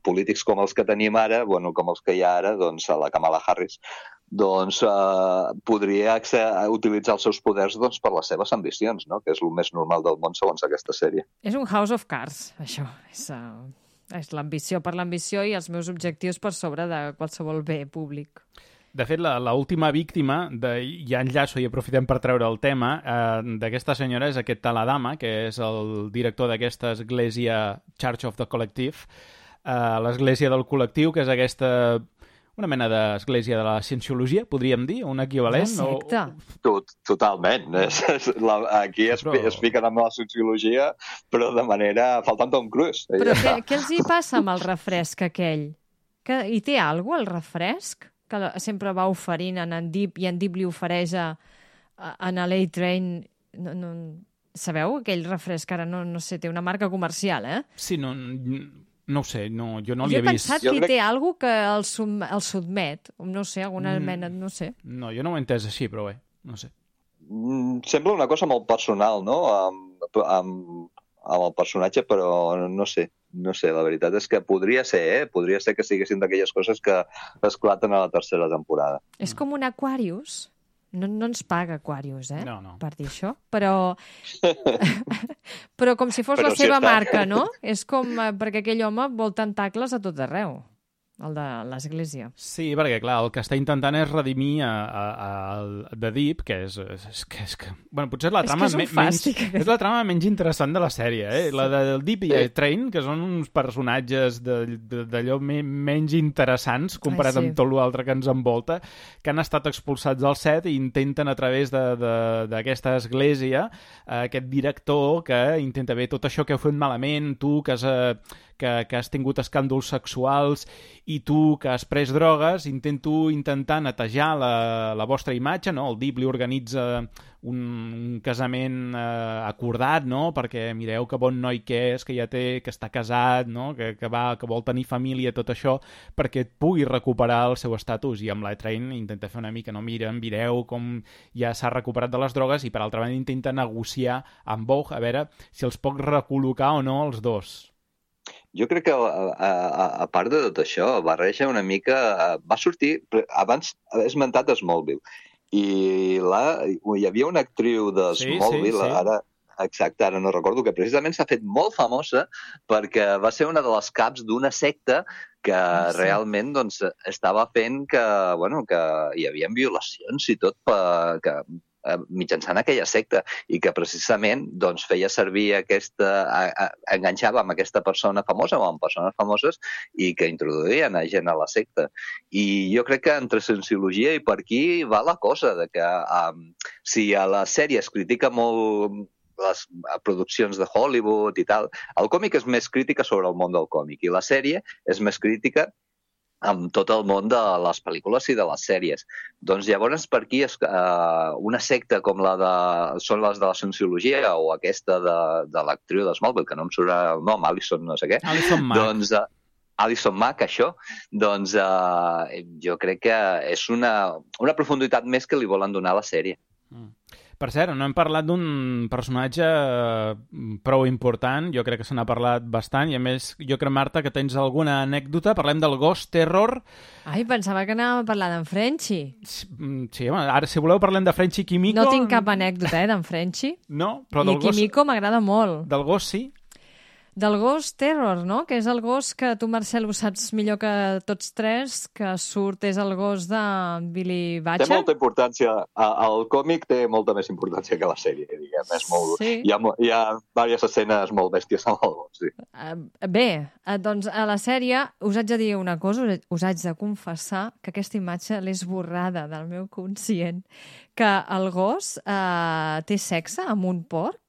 polítics com els que tenim ara, com els que hi ha ara, doncs a la Kamala Harris, doncs podria utilitzar els seus poders per les seves ambicions, no? Que és el més normal del món segons aquesta sèrie. És un House of Cards, això. És l'ambició per l'ambició i els meus objectius per sobre de qualsevol bé públic. De fet, l'última víctima, ja enllaço i aprofitem per treure el tema, d'aquesta senyora és aquest Taladama, que és el director d'aquesta església Church of the Collective, l'església del col·lectiu, que és aquesta... una mena d'església de la cienciologia, podríem dir, un equivalent? Una secta. Totalment. Aquí es fiquen amb la sociologia, però de manera... faltant Tom Cruise. Però què els hi passa amb el refresc aquell? Hi té alguna cosa, el refresc? Que sempre va oferint en Deep i en Deep li ofereix en LA Train. No, sabeu? Aquell refresc, ara no sé, té una marca comercial, eh? Sí, no ho sé, jo no l'hi he vist. Jo he pensat que té alguna que el sotmet, no sé, alguna mena, no sé. No, jo no ho he entès així, però bé, no sé. Sembla una cosa molt personal, no?, amb el personatge, però no sé, la veritat és que podria ser que siguessin d'aquelles coses que esclaten a la tercera temporada. És com un Aquarius. No ens paga Aquarius, No. per dir això, però com si fos la seva marca, no? És com perquè aquell home vol tentacles a tot arreu, el de l'església. Sí, perquè, clar, el que està intentant és redimir The Deep, que és bueno, potser és la trama és la trama menys interessant de la sèrie, eh? La del Deep i Train, que són uns personatges d'allò menys interessants comparat amb tot l'altre que ens envolta, que han estat expulsats del set i intenten a través d'aquesta església, aquest director que intenta, bé, tot això que heu fet malament, tu que has tingut escàndols sexuals i tu que has pres drogues, intento intentar netejar la vostra imatge, no? El Deep li organitza un casament acordat, no? Perquè mireu que bon noi que és, que ja té, que està casat, no? Que vol tenir família, tot això, perquè pugui recuperar el seu estatus. I amb la Train intenta fer una mica, no? Mireu com ja s'ha recuperat de les drogues, i per altra banda intenta negociar amb Vogue a veure si els pot recol·locar o no els dos. Jo crec que, a part de tot això, barreja una mica... Va sortir... Abans he esmentat Smallville. I hi havia una actriu de Smallville, sí. Exacte, ara no recordo, que precisament s'ha fet molt famosa perquè va ser una de les caps d'una secta que realment doncs, estava fent que hi havia violacions i tot mitjançant aquella secta, i que precisament doncs, feia servir enganxava amb aquesta persona famosa o amb persones famoses i que introduïen a gent a la secta. I jo crec que entre Cienciologia i per aquí va la cosa, de que si a la sèrie es critica molt les produccions de Hollywood i tal, el còmic és més crítica sobre el món del còmic i la sèrie és més crítica amb tot el món de les pel·lícules i de les sèries. Doncs llavors per aquí una secta com són les de la Cienciologia o aquesta de l'actriu de Smallville, que no em surt el nom, Alison no sé què. Alison Mack. Doncs Alison Mack, això, doncs jo crec que és una profunditat més que li volen donar a la sèrie. Per cert, no hem parlat d'un personatge prou important, jo crec que se n'ha parlat bastant, i a més, jo crec, Marta, que tens alguna anècdota. Parlem del Ghost Terror. Ai, pensava que anàvem a parlar d'en Frenchy. Sí, home, ara, si voleu, parlem de Frenchy i Kimiko. No tinc cap anècdota, d'en Frenchy. No, però del Ghost... I Kimiko m'agrada molt. Del Ghost, sí. Del Ghost Terror, no? Que és el gos que tu, Marcel, ho saps millor que tots tres, que surt, és el gos de Billy Butcher. Té molta importància. El còmic té molta més importància que la sèrie, diguem. És molt... Sí. Hi ha diverses escenes molt bèsties amb el gos, sí. Bé, doncs a la sèrie us haig de dir una cosa, us haig de confessar que aquesta imatge l'he esborrada del meu conscient, que el gos té sexe amb un porc,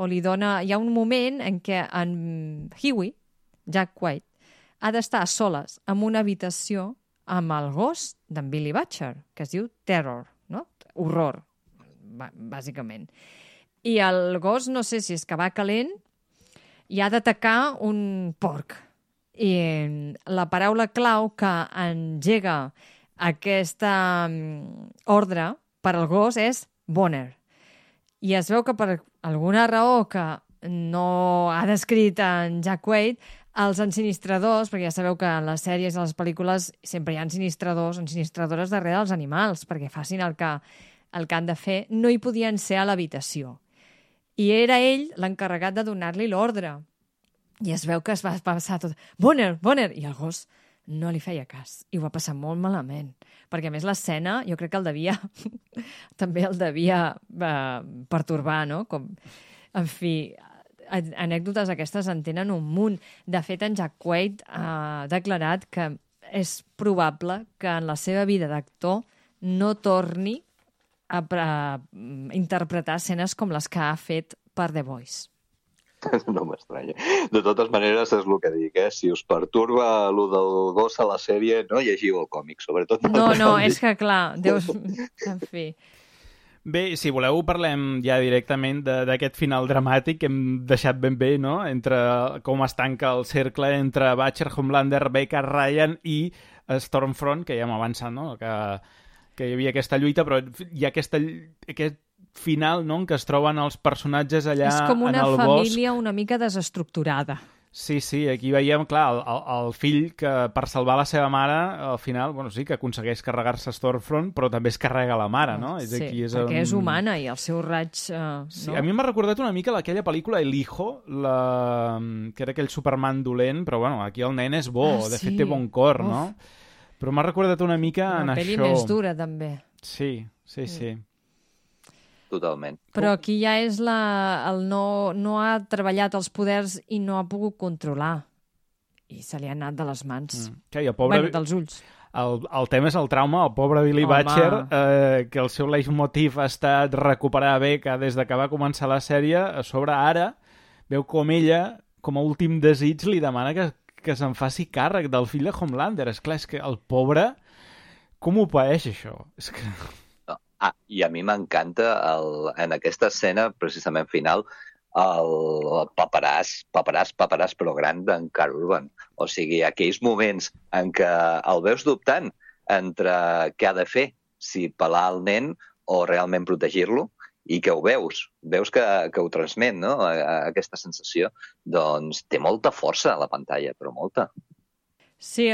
o li dona... Hi ha un moment en què en Huey, Jack White, ha d'estar a soles en una habitació amb el gos d'en Billy Butcher, que es diu Terror, no? Horror, bàsicament. I el gos, no sé si és que va calent, i ha d'atacar un porc. I la paraula clau que engega aquesta ordre per al gos és boner. I es veu que per alguna raó que no ha descrit en Jack Wade, els ensinistradors, perquè ja sabeu que en les sèries i les pel·lícules sempre hi ha ensinistradors o ensinistradores darrere dels animals, perquè facin el que han de fer, no hi podien ser a l'habitació. I era ell l'encarregat de donar-li l'ordre. I es veu que es va passar tot... Boner, boner! I el gos no li feia cas. I ho va passar molt malament. Perquè, a més, l'escena, jo crec que també el devia pertorbar, no? En fi, anècdotes aquestes en tenen un munt. De fet, en Jack Wade ha declarat que és probable que en la seva vida d'actor no torni a interpretar escenes com les que ha fet per The Voice. No m'estranya. De totes maneres, és el que dic, si us perturba el del gos a la sèrie, no llegiu el còmic, sobretot. No, és que clar, Déu... En fi... Bé, si voleu parlem ja directament d'aquest final dramàtic que hem deixat ben bé, no? Entre com es tanca el cercle entre Butcher, Homelander, Becca, Ryan i Stormfront, que ja hem avançat, no? Que hi havia aquesta lluita, però hi ha aquest final, no?, en què es troben els personatges allà en el bosc. És com una família una mica desestructurada. Sí, aquí veiem, clar, el fill que per salvar la seva mare, al final, bueno, sí, que aconsegueix carregar-se Stormfront, però també es carrega la mare, no? Sí, perquè és humana i el seu raig... Sí, no? A mi m'ha recordat una mica aquella pel·lícula El Hijo, que era aquell Superman dolent, però bueno, aquí el nen és bo, de fet té bon cor, no? Però m'ha recordat una mica en això. Una pel·li més dura, també. Sí. Totalment. Però aquí ja és no ha treballat els poders i no ha pogut controlar. I se li ha anat de les mans. Dels ulls. El tema és el trauma. El pobre Billy Butcher, que el seu leitmotiv ha estat recuperar Becca des que va començar la sèrie, a sobre ara veu com ella, com a últim desig, li demana que se'n faci càrrec del fill de Homelander. Esclar, és que el pobre... Com ho paeix, això? És que... I a mi m'encanta en aquesta escena, precisament final, el paperàs, però gran d'en Karl Urban. O sigui, aquells moments en què el veus dubtant entre què ha de fer, si pelar el nen o realment protegir-lo, i que ho veus que ho transmet, no?, aquesta sensació, doncs té molta força a la pantalla, però molta. Sí,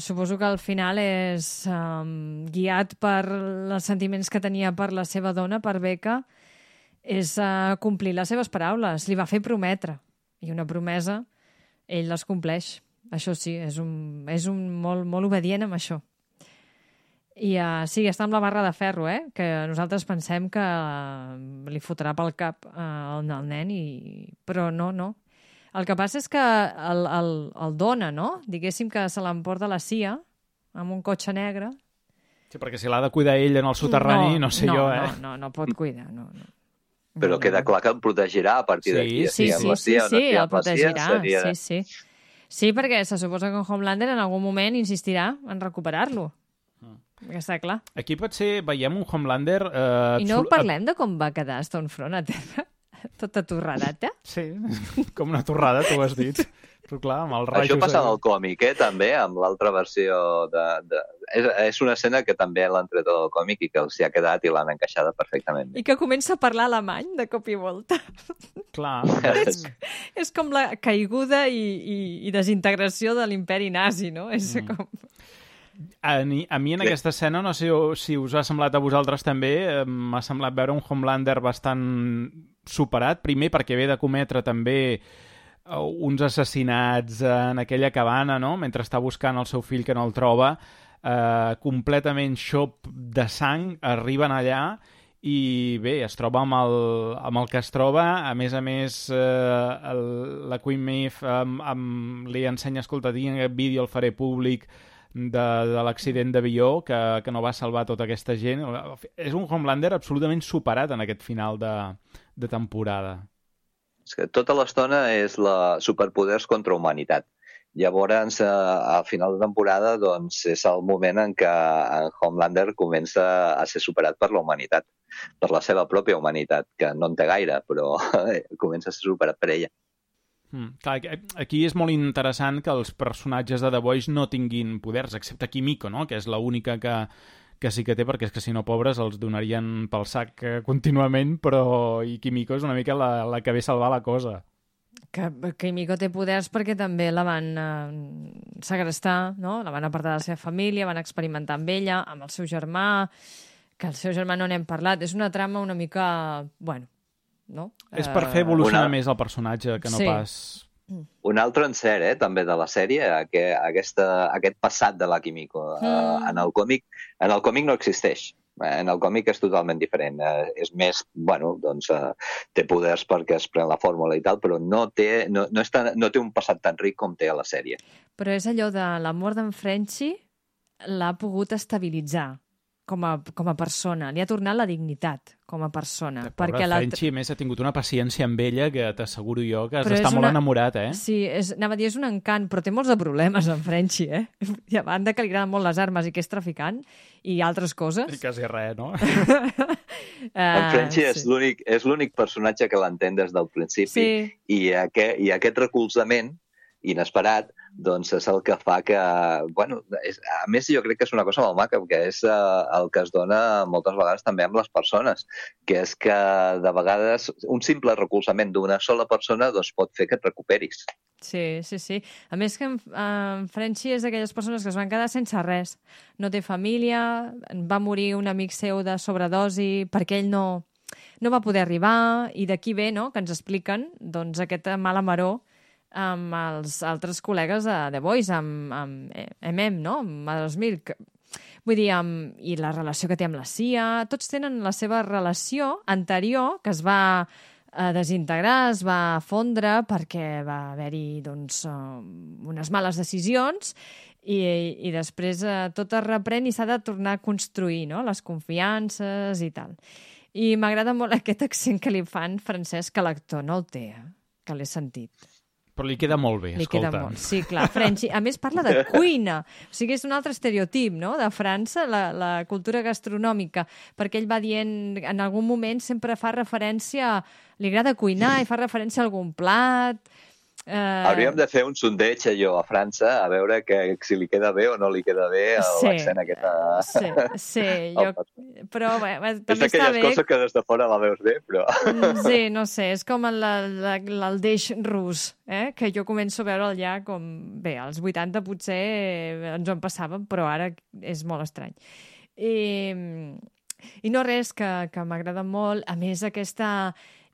suposo que al final és guiat per els sentiments que tenia per la seva dona, per Becca, és complir les seves paraules. Li va fer prometre. I una promesa, ell les compleix. Això sí, és un molt obedient amb això. I sí, està amb la barra de ferro, que nosaltres pensem que li fotrà pel cap al nen, però no. El que passa és que el dona, no? Diguéssim que se l'emporta la CIA amb un cotxe negre. Sí, perquè si l'ha de cuidar ell en el soterrani, no sé jo, No pot cuidar, no. Però queda clar que el protegirà a partir d'aquí. Sí, el protegirà, sí. Sí, perquè se suposa que Homelander en algun moment insistirà en recuperar-lo. Que està clar. Aquí potser veiem un Homelander... I no parlem de com va quedar Stormfront a terra? Tota torradata? Sí, com una torrada, tu ho has dit. Però clar, amb els rajos... Això passa en el còmic, també, amb l'altra versió És una escena que també l'han tret del còmic i que els hi ha quedat i l'han encaixada perfectament. I que comença a parlar alemany de cop i volta. Clar. És com la caiguda i desintegració de l'imperi nazi, no? És com... A mi en aquesta escena, no sé si us ha semblat a vosaltres també, m'ha semblat veure un Homelander bastant superat, primer perquè ve de cometre també uns assassinats en aquella cabana, no?, mentre està buscant el seu fill que no el troba, completament xop de sang, arriben allà i bé, es troba amb el que es troba. A més, la Queen Maeve li ensenya, escolta, tinc aquest vídeo, el faré públic, de l'accident d'avió que no va salvar tota aquesta gent. És un Homelander absolutament superat en aquest final de temporada. És que tota l'estona és la superpoders contra humanitat. Llavors, al final de temporada, doncs, és el moment en què en Homelander comença a ser superat per la humanitat, per la seva pròpia humanitat, que no en té gaire, però comença a ser superat per ella. Clar, aquí és molt interessant que els personatges de The Boys no tinguin poders, excepte Kimiko, no?, que és l'única que sí que té, perquè és que si no, pobres, els donarien pel sac contínuament, però Kimiko és una mica la que ve a salvar la cosa. Que Kimiko té poders perquè també la van segrestar, no?, la van apartar de la seva família, van experimentar amb ella, amb el seu germà, que el seu germà no n'hem parlat. És una trama una mica... bueno, no? És per fer evolucionar més el personatge, que no pas... Un altre encert, també, de la sèrie, aquest passat de la Kimiko. En el còmic no existeix. En el còmic és totalment diferent. És més, bueno, doncs té poders perquè es pren la fórmula i tal, però no té un passat tan ric com té a la sèrie. Però és allò de l'amor d'en Frenchie l'ha pogut estabilitzar. com a persona. Li ha tornat la dignitat com a persona. Perquè Frenchy, a més, ha tingut una paciència amb ella que t'asseguro jo que has d'estar molt enamorat, eh? Sí, anava a dir, és un encant, però té molts de problemes en Frenchy, eh? I a banda que li agraden molt les armes i que és traficant i altres coses. I quasi res, no? En Frenchy és l'únic personatge que l'entén des del principi i aquest recolzament inesperat, doncs és el que fa que... Bueno, a més, jo crec que és una cosa molt maca, que és el que es dona moltes vegades també amb les persones, que és que de vegades un simple recolzament d'una sola persona doncs pot fer que et recuperis. Sí. A més que en Frenchy és d'aquelles persones que es van quedar sense res. No té família, va morir un amic seu de sobredosi perquè ell no va poder arribar, i d'aquí ve, no?, que ens expliquen doncs, aquest mala maror amb els altres col·legues de The Boys, amb no?, amb Mother's Milk. Vull dir, i la relació que té amb la CIA, tots tenen la seva relació anterior, que es va desintegrar, es va fondre perquè va haver-hi doncs, unes males decisions i després tot es reprèn i s'ha de tornar a construir, no?, les confiances i tal. I m'agrada molt aquest accent que li fan francès, que l'actor no el té, que l'he sentit. Però li queda molt bé, escolta. Queda molt. Sí, clar, Frenchy. A més, parla de cuina. O sigui, és un altre estereotip, no?, de França, la cultura gastronòmica, perquè ell va dient, en algun moment sempre fa referència, li agrada cuinar i fa referència a algun plat. Hauríem de fer un sondeig allò a França, a veure si li queda bé o no li queda bé l'accent aquest. Sí, però bé, també està bé. És d'aquelles coses que des de fora la veus bé, però... Sí, no sé, és com l'aldeix rus, que jo començo a veure'l ja com... Bé, als 80 potser ens ho en passàvem, però ara és molt estrany. I no res, que m'agrada molt, a més aquest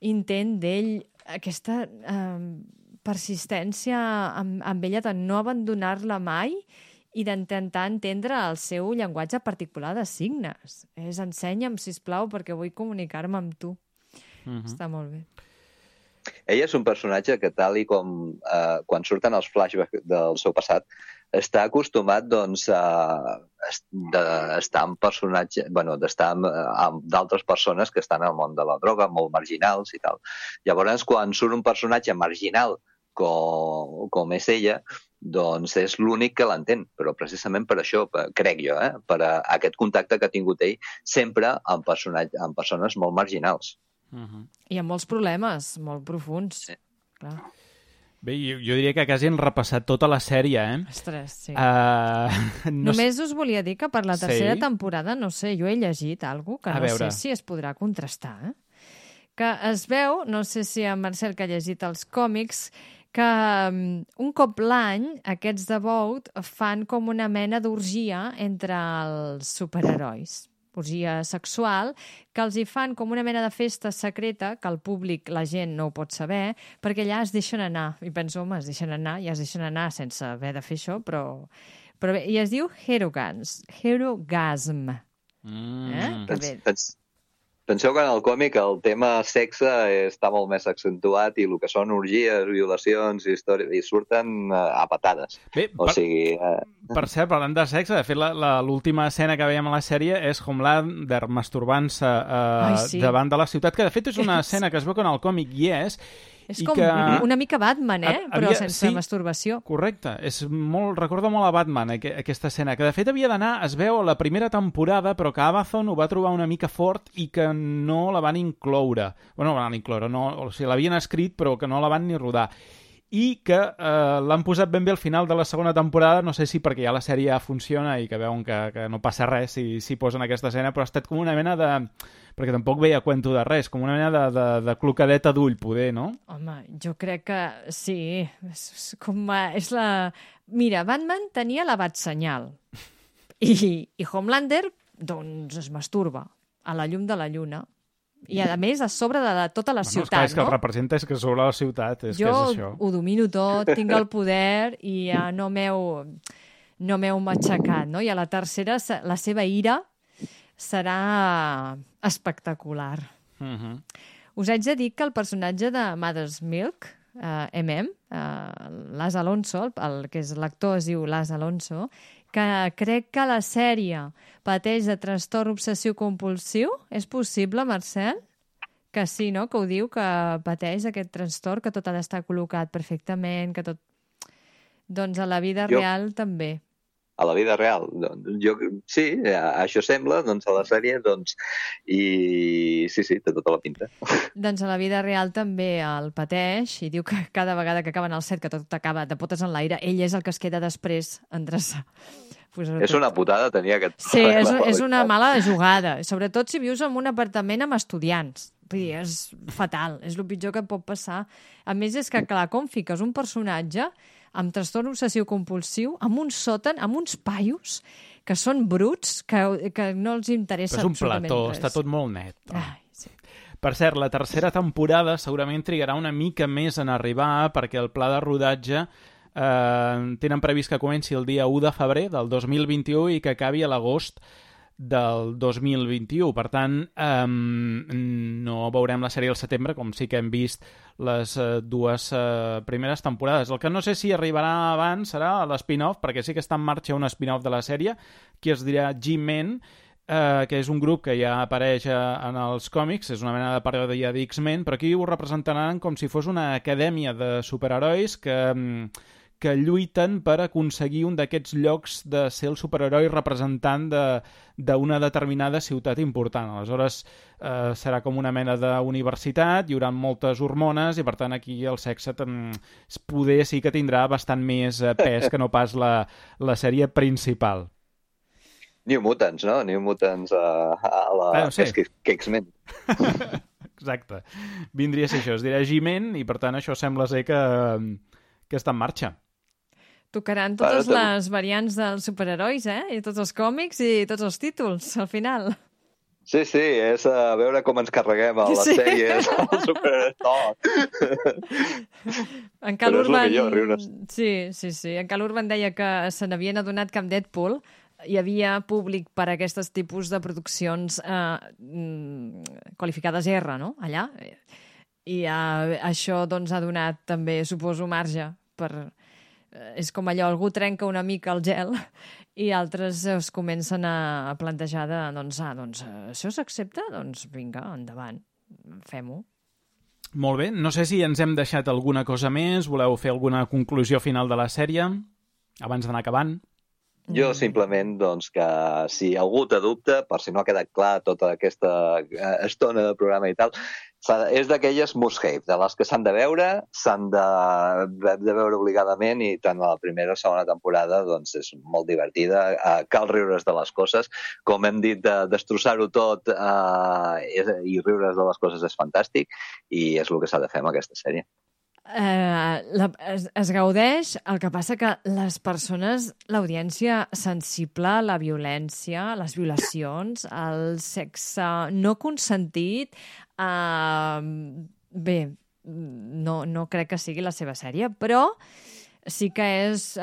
intent d'ell, aquesta... persistència amb ella de no abandonar-la mai i d'intentar entendre el seu llenguatge particular de signes. Ensenya'm, sisplau, perquè vull comunicar-me amb tu. Està molt bé. Ella és un personatge que, tal i com quan surten els flashbacks del seu passat, està acostumat doncs, d'estar amb personatges, d'estar amb d'altres persones que estan al món de la droga, molt marginals i tal. Llavors, quan surt un personatge marginal com és ella, doncs és l'únic que l'entén, però precisament per això, crec jo, per aquest contacte que ha tingut ell sempre amb persones molt marginals. I amb molts problemes, molt profuns. Sí. Clar. Bé, jo diria que quasi hem repassat tota la sèrie, eh? Ostres, sí. Només us volia dir que per la tercera temporada, no sé, jo he llegit alguna cosa que no sé si es podrà contrastar, que es veu, no sé si en Marcel que ha llegit els còmics, que un cop l'any aquests de Vought fan com una mena d'orgia entre els superherois. Orgia sexual, que els hi fan com una mena de festa secreta, que el públic, la gent, no ho pot saber, perquè allà es deixen anar. I penso, home, es deixen anar, ja es deixen anar sense haver de fer això, però bé, i es diu Herogasm. Penseu que en el còmic el tema sexe està molt més accentuat i el que són orgies, violacions i històries, i surten a patades. Bé, per cert, parlant de sexe, de fet, l'última escena que veiem a la sèrie és Homelander masturbant-se davant de la ciutat, que de fet és una escena que es veu que en el còmic hi és. És com una mica Batman, però sense masturbació. Correcte. Recorda molt a Batman, aquesta escena, que de fet havia d'anar, es veu, a la primera temporada, però que Amazon ho va trobar una mica fort i que no la van incloure. Bueno, no la van incloure, o sigui, l'havien escrit, però que no la van ni rodar. I que l'han posat ben bé al final de la segona temporada, no sé si perquè ja la sèrie ja funciona i que veuen que no passa res si posen aquesta escena, però ha estat com una mena de... perquè tampoc veia cuento de res, com una mena de clocadeta d'ull, poder, no? Home, jo crec que sí. És la... Mira, Batman tenia la Batsenyal i Homelander, doncs, es masturba a la llum de la lluna. I, a més, a sobre de tota la ciutat, és que el representa és que sobre la ciutat, és que és això. Jo ho domino tot, tinc el poder i ja no m'heu matxacat, no? I a la tercera, la seva ira serà espectacular. Us haig de dir que el personatge de Mother's Milk, Las Alonso, el que és l'actor es diu Las Alonso, que crec que la sèrie pateix de trastorn obsessiu-compulsiu. És possible, Marcel? Que sí, no? Que ho diu, que pateix aquest trastorn, que tot ha d'estar col·locat perfectament, que tot... Doncs a la vida real també. A la vida real. Sí, això sembla, doncs a la sèrie, doncs, i sí, té tota la pinta. Doncs a la vida real també el pateix i diu que cada vegada que acaben el set, que tot acaba de potes en l'aire, ell és el que es queda després a endreçar. És una putada tenir aquest... Sí, és una mala jugada, sobretot si vius en un apartament amb estudiants. Vull dir, és fatal, és el pitjor que et pot passar. A més, és que, clar, com fiques un personatge amb trastorn obsessiu-compulsiu, amb un sòtan, amb uns paios que són bruts, que no els interessa absolutament res. És un plató, està tot molt net. Ai, sí. Per cert, la tercera temporada segurament trigarà una mica més en arribar perquè el pla de rodatge tenen previst que comenci el dia 1 de febrer del 2021 i que acabi a l'agost del 2021. Per tant, no veurem la sèrie al setembre, com sí que hem vist les dues primeres temporades. El que no sé si arribarà abans serà l'spin-off, perquè sí que està en marxa un spin-off de la sèrie, que es dirà G-Men, que és un grup que ja apareix en els còmics, és una mena de paròdia d'X-Men, però aquí ho representaran com si fos una acadèmia de superherois que lluiten per aconseguir un d'aquests llocs de ser el superheroi representant d'una determinada ciutat important. Aleshores, serà com una mena d'universitat, hi haurà moltes hormones i, per tant, aquí el sexe poder sí que tindrà bastant més pes que no pas la sèrie principal. New Mutants, no? New Mutants a la X-Men. Exacte. Vindria a ser això, es dirà G-Men i, per tant, això sembla ser que està en marxa. Tocaran totes les variants dels superherois, I tots els còmics i tots els títols, al final. Sí, és a veure com ens carreguem a les sèries, al superheroi. En Cal Urban... Sí. En Cal Urban deia que se n'havien adonat que amb Deadpool hi havia públic per a aquests tipus de produccions qualificades R, no?, allà. I això doncs ha donat també, suposo, marge per... És com allò, algú trenca una mica el gel i altres es comencen a plantejar doncs això s'accepta? Doncs vinga, endavant, fem-ho. Molt bé, no sé si ens hem deixat alguna cosa més, voleu fer alguna conclusió final de la sèrie abans d'anar acabant? Jo simplement, doncs, que si algú té dubte, per si no ha quedat clar tota aquesta estona de programa i tal, és d'aquelles must-have, de les que s'han de veure obligadament, i tant la primera o segona temporada doncs és molt divertida, cal riure's de les coses, com hem dit, destrossar-ho tot i riure's de les coses és fantàstic, i és el que s'ha de fer amb aquesta sèrie. Es gaudeix, el que passa que les persones, l'audiència sensible a la violència, a les violacions, al sexe no consentit, bé, no crec que sigui la seva sèrie, però sí que és,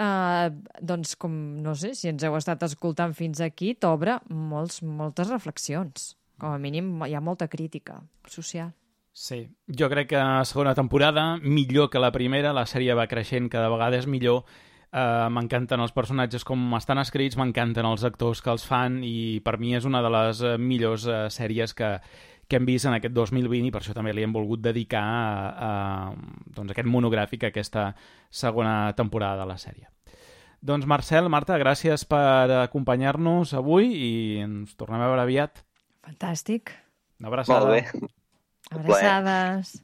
doncs, com, no sé, si ens heu estat escoltant fins aquí, t'obre moltes reflexions. Com a mínim hi ha molta crítica social. Sí, jo crec que la segona temporada, millor que la primera, la sèrie va creixent cada vegada és millor, m'encanten els personatges com estan escrits, m'encanten els actors que els fan i per mi és una de les millors sèries que hem vist en aquest 2020 i per això també li hem volgut dedicar doncs aquest monogràfic a aquesta segona temporada de la sèrie. Doncs Marcel, Marta, gràcies per acompanyar-nos avui i ens tornem a veure aviat. Fantàstic. Una abraçada. Molt bé. Abraçades.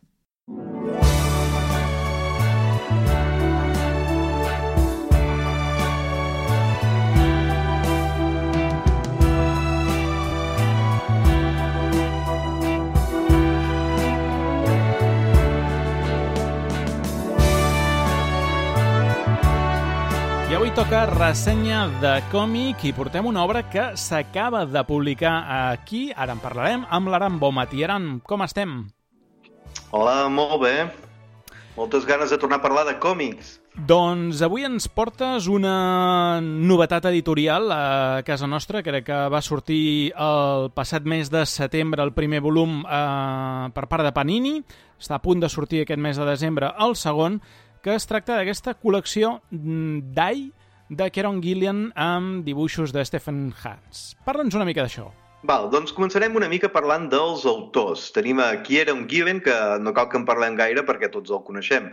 I avui toca ressenya de còmic i portem una obra que s'acaba de publicar aquí, ara en parlarem, amb l'Aran Bonmatí. Aran, com estem? Hola, molt bé. Moltes ganes de tornar a parlar de còmics. Doncs avui ens portes una novetat editorial a casa nostra. Crec que va sortir el passat mes de setembre el primer volum per part de Panini. Està a punt de sortir aquest mes de desembre el segon, que es tracta d'aquesta col·lecció Die de Kieron Gillen amb dibuixos de Stephen Hans. Parla'ns una mica d'això. Doncs començarem una mica parlant dels autors. Tenim a Kieron Gillen, que no cal que en parlem gaire perquè tots el coneixem.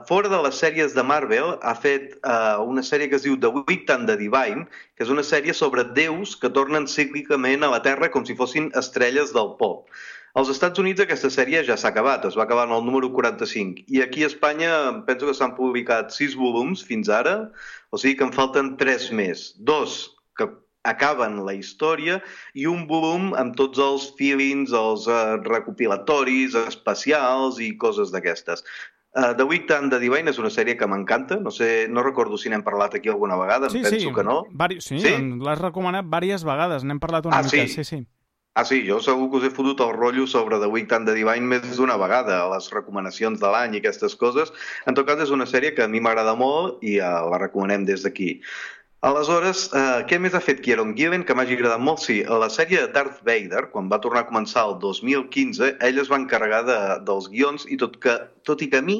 Fora de les sèries de Marvel, ha fet una sèrie que es diu The Wicked and the Divine, que és una sèrie sobre déus que tornen cíclicament a la Terra com si fossin estrelles del pop. Als Estats Units aquesta sèrie ja s'ha acabat, es va acabar en el número 45, i aquí a Espanya penso que s'han publicat 6 volums fins ara, o sigui que en falten 3 més, 2 que acaben la història i un volum amb tots els feelings, els recopilatoris, especials i coses d'aquestes. The Wicked and the Divine és una sèrie que m'encanta, no recordo si n'hem parlat aquí alguna vegada, penso que no. Sí, l'has recomanat diverses vegades, n'hem parlat una mica. Sí, jo segur que us he fotut el rotllo sobre The Wicked and the Divine més d'una vegada, les recomanacions de l'any i aquestes coses. En tot cas, és una sèrie que a mi m'agrada molt i la recomanem des d'aquí. Aleshores, què més ha fet Kieron Gillen que m'hagi agradat molt? Sí, a la sèrie de Darth Vader, quan va tornar a començar el 2015, ell es va encarregar dels guions i tot i que a mi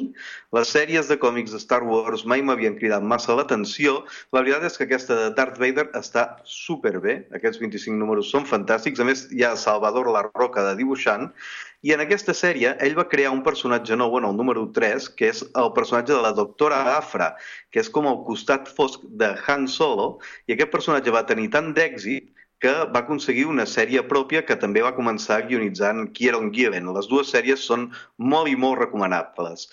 les sèries de còmics de Star Wars mai m'havien cridat massa l'atenció, la veritat és que aquesta de Darth Vader està superbé, aquests 25 números són fantàstics, a més hi ha Salvador La Roca de dibuixant, i en aquesta sèrie ell va crear un personatge nou en el número 3, que és el personatge de la doctora Aphra, que és com el costat fosc de Han Solo, i aquest personatge va tenir tant d'èxit que va aconseguir una sèrie pròpia que també va començar guionitzant Kieron Gillen. Les dues sèries són molt i molt recomanables.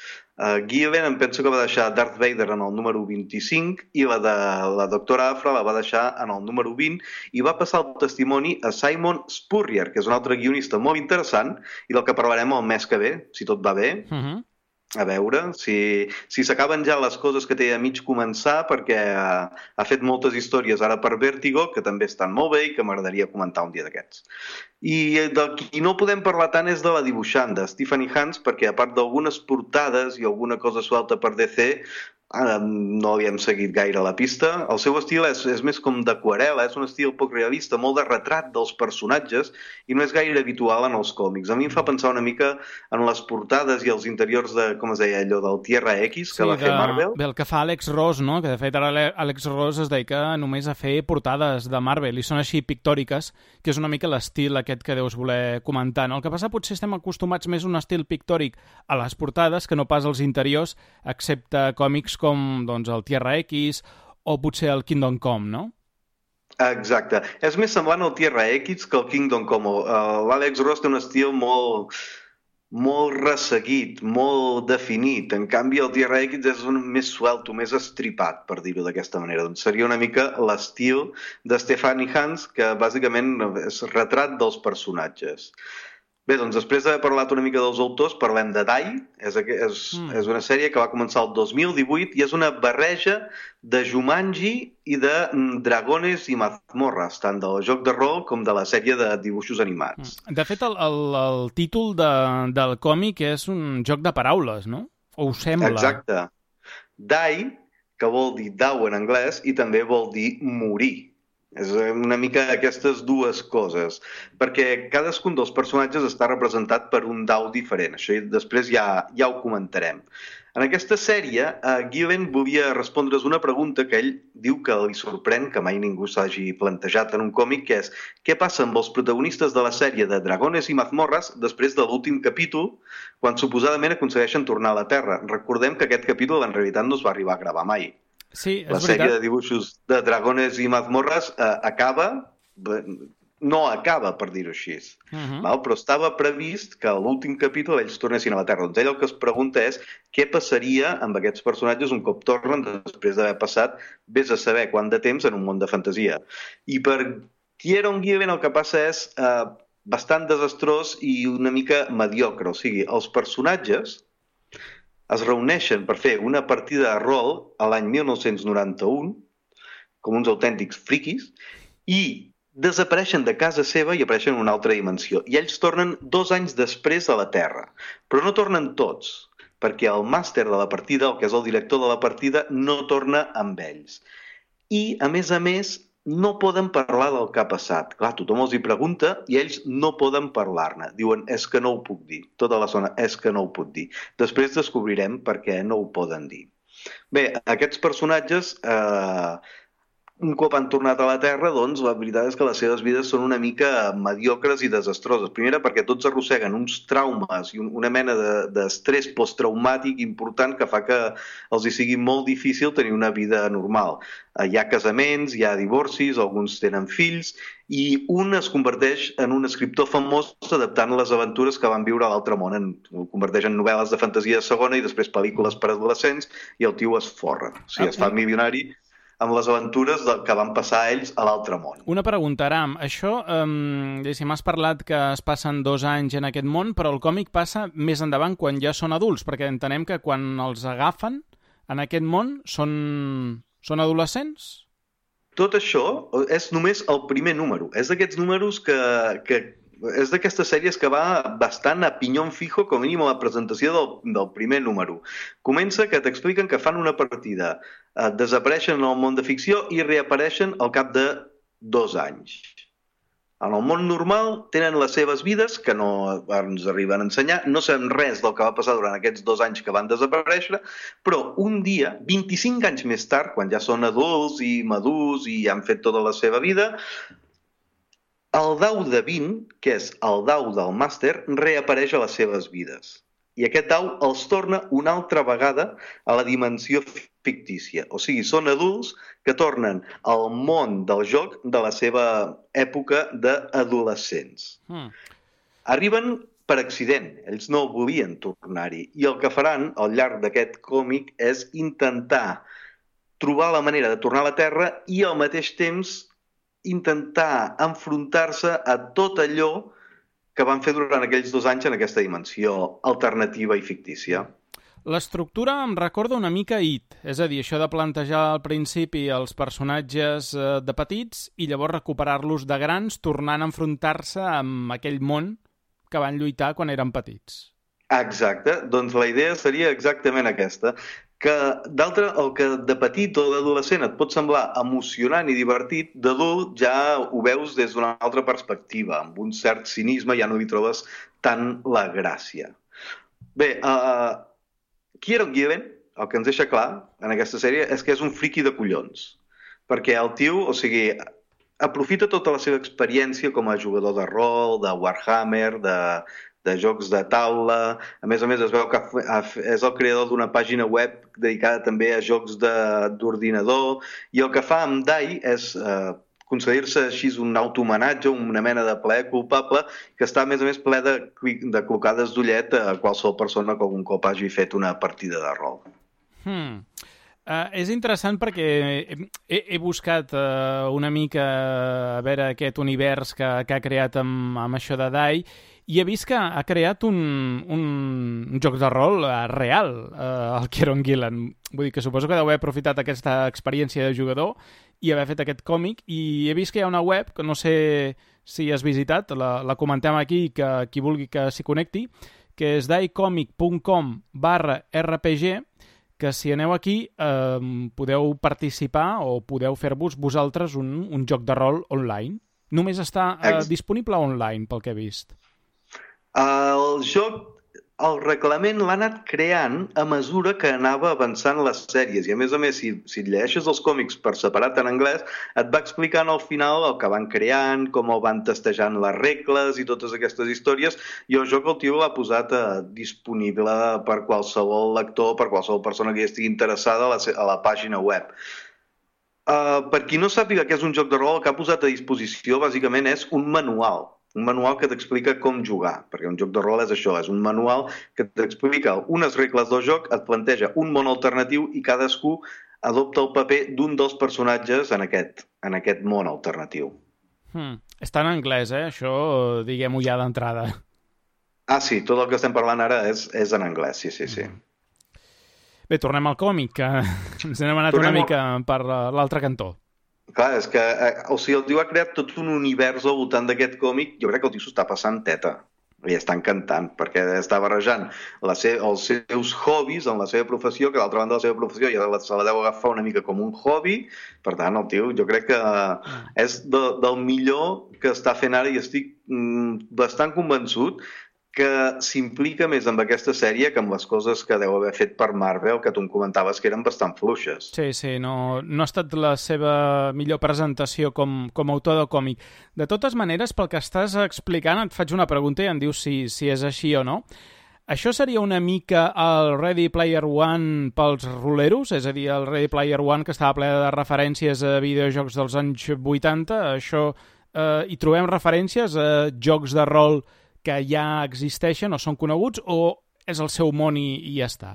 Gillen em penso que va deixar Darth Vader en el número 25 i la de la doctora Aphra la va deixar en el número 20 i va passar el testimoni a Simon Spurrier, que és un altre guionista molt interessant i del que parlarem el mes que ve, si tot va bé. A veure si s'acaben ja les coses que té a mig començar, perquè ha fet moltes històries ara per Vértigo, que també estan molt bé i que m'agradaria comentar un dia d'aquests. I del qui no podem parlar tant és de la dibuixant, de Stephanie Hans, perquè a part d'algunes portades i alguna cosa suelta per DC, no havíem seguit gaire la pista. El seu estil és més com d'aquarel·la, és un estil poc realista, molt de retrat dels personatges i no és gaire habitual en els còmics. A mi em fa pensar una mica en les portades i els interiors de, com es deia allò, del Tierra X que va fer Marvel. Del que fa Alex Ross, no? Que de fet ara Alex Ross es dedica només a fer portades de Marvel i són així pictòriques, que és una mica l'estil aquest que deus voler comentar, no? El que passa potser estem acostumats més a un estil pictòric a les portades que no pas als interiors, excepte còmics com doncs, el Tierra X o potser el Kingdom Come, no? Exacte. És més semblant al Tierra X que al Kingdom Come. L'Alex Ross té un estil molt resseguit, molt definit. En canvi, el Tierra X és més suelto, més estripat, per dir-ho d'aquesta manera. Doncs seria una mica l'estil de Stephanie Hans, que bàsicament és retrat dels personatges. Bé, doncs després d'haver parlat una mica dels autors, parlem de Die. És una sèrie que va començar el 2018 i és una barreja de Jumanji i de Dragones i Mazmorras, tant del joc de rol com de la sèrie de dibuixos animats. De fet, el títol del còmic és un joc de paraules, no? O ho sembla? Exacte. Die, que vol dir dau en anglès, i també vol dir morir. És una mica aquestes dues coses, perquè cadascun dels personatges està representat per un dau diferent. Això després ja ho comentarem. En aquesta sèrie, Gillen volia respondre's una pregunta que ell diu que li sorprèn que mai ningú s'hagi plantejat en un còmic, que és què passa amb els protagonistes de la sèrie de Dragones i Mazmorras després de l'últim capítol, quan suposadament aconsegueixen tornar a la Terra. Recordem que aquest capítol en realitat no es va arribar a gravar mai. Sí, la sèrie de dibuixos de Dragones i Mazmorras no acaba, per dir-ho així. Però estava previst que a l'últim capítol ells tornessin a la Terra. Doncs ell el que es pregunta és què passaria amb aquests personatges un cop tornen després d'haver passat vés a saber quant de temps en un món de fantasia. I per Kieron Gillen el que passa és bastant desastrós i una mica mediocre. O sigui, els personatges es reuneixen per fer una partida de rol a l'any 1991, com uns autèntics friquis, i desapareixen de casa seva i apareixen en una altra dimensió. I ells tornen 2 anys després a la Terra. Però no tornen tots. perquè el màster de la partida, el que és el director de la partida, no torna amb ells. I, a més, no poden parlar del que ha passat. Clar, tothom els hi pregunta i ells no poden parlar-ne. Diuen, és que no ho puc dir. Tota la zona, és que no ho puc dir. Després descobrirem per què no ho poden dir. Bé, aquests personatges, un cop han tornat a la Terra, doncs la veritat és que les seves vides són una mica mediocres i desastroses. Primera, perquè tots arrosseguen uns traumes i una mena d'estrès posttraumàtic important que fa que els hi sigui molt difícil tenir una vida normal. Hi ha casaments, hi ha divorcis, alguns tenen fills, i un es converteix en un escriptor famós adaptant les aventures que van viure a l'altre món. Ho converteix en novel·les de fantasia de segona i després pel·lícules per adolescents, i el tio es forra. O sigui, es fa milionari amb les aventures que van passar a ells a l'altre món. Una pregunta, Aram. Això, m'has parlat que es passen 2 anys en aquest món, però el còmic passa més endavant quan ja són adults, perquè entenem que quan els agafen en aquest món són adolescents? Tot això és només el primer número. És d'aquests números que és d'aquestes sèries que va bastant a pinyón fijo, com a mínim a la presentació del primer número. Comença que t'expliquen que fan una partida, desapareixen en el món de ficció i reapareixen al cap de 2 anys. En el món normal tenen les seves vides, que no ens arriben a ensenyar, no sabem res del que va passar durant aquests 2 anys que van desaparèixer, però un dia, 25 anys més tard, quan ja són adults i madurs i han fet tota la seva vida, el dau de 20, que és el dau del màster, reapareix a les seves vides. I aquest dau els torna una altra vegada a la dimensió fictícia. O sigui, són adults que tornen al món del joc de la seva època d'adolescents. Arriben per accident, ells no volien tornar-hi. I el que faran al llarg d'aquest còmic és intentar trobar la manera de tornar a la Terra i al mateix temps intentar enfrontar-se a tot allò que van fer durant aquells 2 anys en aquesta dimensió alternativa i fictícia. L'estructura em recorda una mica It, és a dir, això de plantejar al principi els personatges de petits i llavors recuperar-los de grans tornant a enfrontar-se amb aquell món que van lluitar quan eren petits. Exacte, doncs la idea seria exactament aquesta, que d'altre, el que de petit o d'adolescent et pot semblar emocionant i divertit, d'adult ja ho veus des d'una altra perspectiva, amb un cert cinisme ja no hi trobes tant la gràcia. Bé, Kieron Gillen, el que ens deixa clar en aquesta sèrie és que és un friqui de collons, perquè el tio, o sigui, aprofita tota la seva experiència com a jugador de rol, de Warhammer, de jocs de taula. A més, es veu que és el creador d'una pàgina web dedicada també a jocs d'ordinador, i el que fa amb Dai és concedir-se així un autohomenatge, una mena de plaer culpable, que està, a més, ple de clocades d'ullet a qualsevol persona que algun cop hagi fet una partida de rol. És interessant perquè he buscat una mica a veure aquest univers que ha creat amb això de Dai, i he vist que ha creat un joc de rol real, el Kieron Gillen. Vull dir que suposo que deu haver aprofitat aquesta experiència de jugador i haver fet aquest còmic, i he vist que hi ha una web, que no sé si has visitat, la comentem aquí, que qui vulgui que s'hi connecti, que és daicomic.com/RPG, que si aneu aquí podeu participar o podeu fer-vos vosaltres un joc de rol online. Només està disponible online, pel que he vist. El joc, el reglament l'ha anat creant a mesura que anava avançant les sèries, i a més, si et llegeixes els còmics per separat en anglès, et va explicant al final el que van creant, com el van testejant les regles i totes aquestes històries, i el joc el tio l'ha posat disponible per qualsevol lector, per qualsevol persona que hi estigui interessada a la pàgina web. Per qui no sàpiga què és un joc de rol, el que ha posat a disposició bàsicament és un manual que t'explica com jugar, perquè un joc de rol és això, és un manual que t'explica unes regles del joc, et planteja un món alternatiu i cadascú adopta el paper d'un dels personatges en aquest món alternatiu. Està en anglès, això diguem-ho ja d'entrada. Sí, tot el que estem parlant ara és en anglès, sí. Bé, tornem al còmic, que ens n'hem anat una mica per l'altre cantó. Clar, és que el tio ha creat tot un univers al voltant d'aquest còmic. Jo crec que el tio s'ho està passant teta. i està encantant, perquè està barrejant els seus hobbies en la seva professió, que d'altra banda la seva professió ja se la deu agafar una mica com un hobby. Per tant, el tio jo crec que és del millor que està fent ara, i estic bastant convençut que s'implica més amb aquesta sèrie que amb les coses que deu haver fet per Marvel, que tu em comentaves que eren bastant fluixes. Sí, no ha estat la seva millor presentació com a autor de còmic. De totes maneres, pel que estàs explicant, et faig una pregunta i em dius si és així o no. Això seria una mica el Ready Player One pels roleros? És a dir, el Ready Player One que estava ple de referències a videojocs dels anys 80, això hi trobem referències a jocs de rol que ja existeixen o són coneguts, o és el seu món i ja està?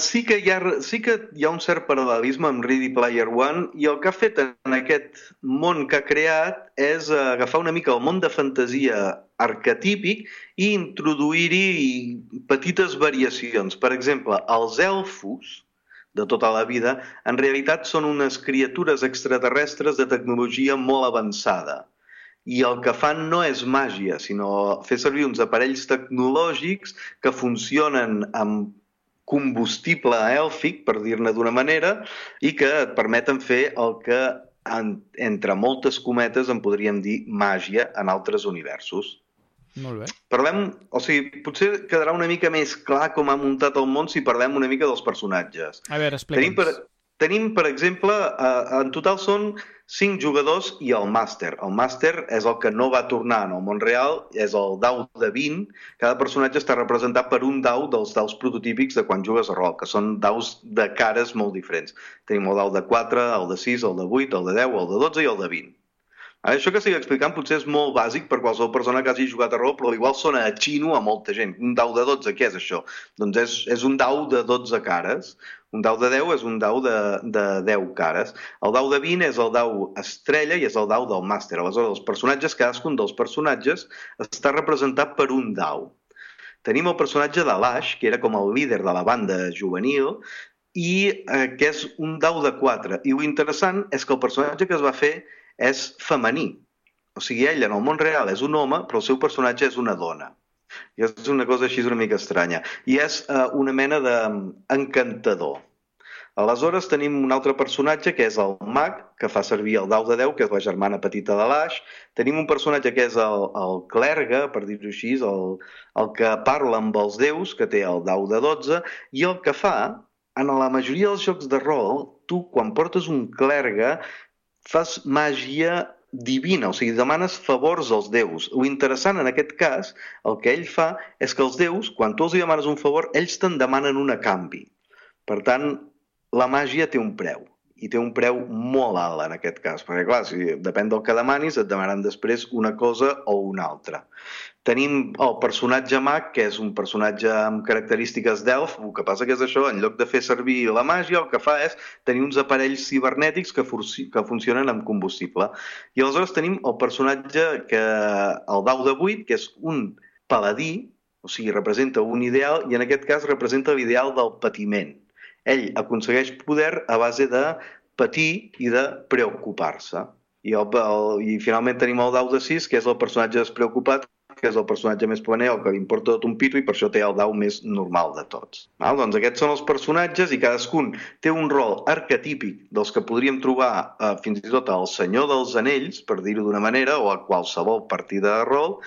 Sí que hi ha un cert paral·lelisme amb Ready Player One, i el que ha fet en aquest món que ha creat és agafar una mica el món de fantasia arquetípic i introduir-hi petites variacions. Per exemple, els elfos de tota la vida en realitat són unes criatures extraterrestres de tecnologia molt avançada. I el que fan no és màgia, sinó fer servir uns aparells tecnològics que funcionen amb combustible èlfic, per dir-ne d'una manera, i que et permeten fer el que, entre moltes cometes, en podríem dir màgia en altres universos. Molt bé. Potser quedarà una mica més clar com ha muntat el món si parlem una mica dels personatges. A veure, explica'ns. Tenim, per exemple, en total són 5 jugadors i el màster. El màster és el que no va tornar en el món real, és el dau de 20. Cada personatge està representat per un dau dels daus prototípics de quan jugues a rol, que són daus de cares molt diferents. Tenim el dau de 4, el de 6, el de 8, el de 10, el de 12 i el de 20. Això que estic explicant potser és molt bàsic per qualsevol persona que hagi jugat a rol, però igual sona a xino a molta gent. Un dau de 12, què és això? Doncs és un dau de 12 cares. Un dau de 10 és un dau de 10 cares. El dau de 20 és el dau estrella i és el dau del màster. Aleshores, cadascun dels personatges està representat per un dau. Tenim el personatge de l'Ash, que era com el líder de la banda juvenil, i que és un dau de 4. I l'interessant és que el personatge que es va fer és femení. O sigui, ell en el món real és un home, però el seu personatge és una dona. I és una cosa així una mica estranya. I és una mena d'encantador. Aleshores tenim un altre personatge que és el mag, que fa servir el dau de 10, que és la germana petita de l'Ash. Tenim un personatge que és el clergue, per dir-ho així, el que parla amb els déus, que té el dau de 12, i el que fa, en la majoria dels jocs de rol, tu quan portes un clergue fas màgia divina, o sigui, demanes favors als déus. L'interessant en aquest cas, el que ell fa, és que els déus, quan tu els demanes un favor, ells te'n demanen un a canvi. Per tant, la màgia té un preu, i té un preu molt alt en aquest cas, perquè clar, si depèn del que demanis, et demanen després una cosa o una altra. Tenim el personatge mag, que és un personatge amb característiques d'elf, el que passa que és això, en lloc de fer servir la màgia, el que fa és tenir uns aparells cibernètics que funcionen amb combustible. I aleshores tenim el personatge, el dau de 8, que és un paladí, o sigui, representa un ideal, i en aquest cas representa l'ideal del patiment. Ell aconsegueix poder a base de patir i de preocupar-se. I finalment tenim el dau de 6, que és el personatge despreocupat, que és el personatge més planer, el que li importa tot un pito, i per això té el dau més normal de tots. Doncs aquests són els personatges, i cadascun té un rol arquetípic dels que podríem trobar fins i tot al Senyor dels Anells, per dir-ho d'una manera, o a qualsevol partida de rol,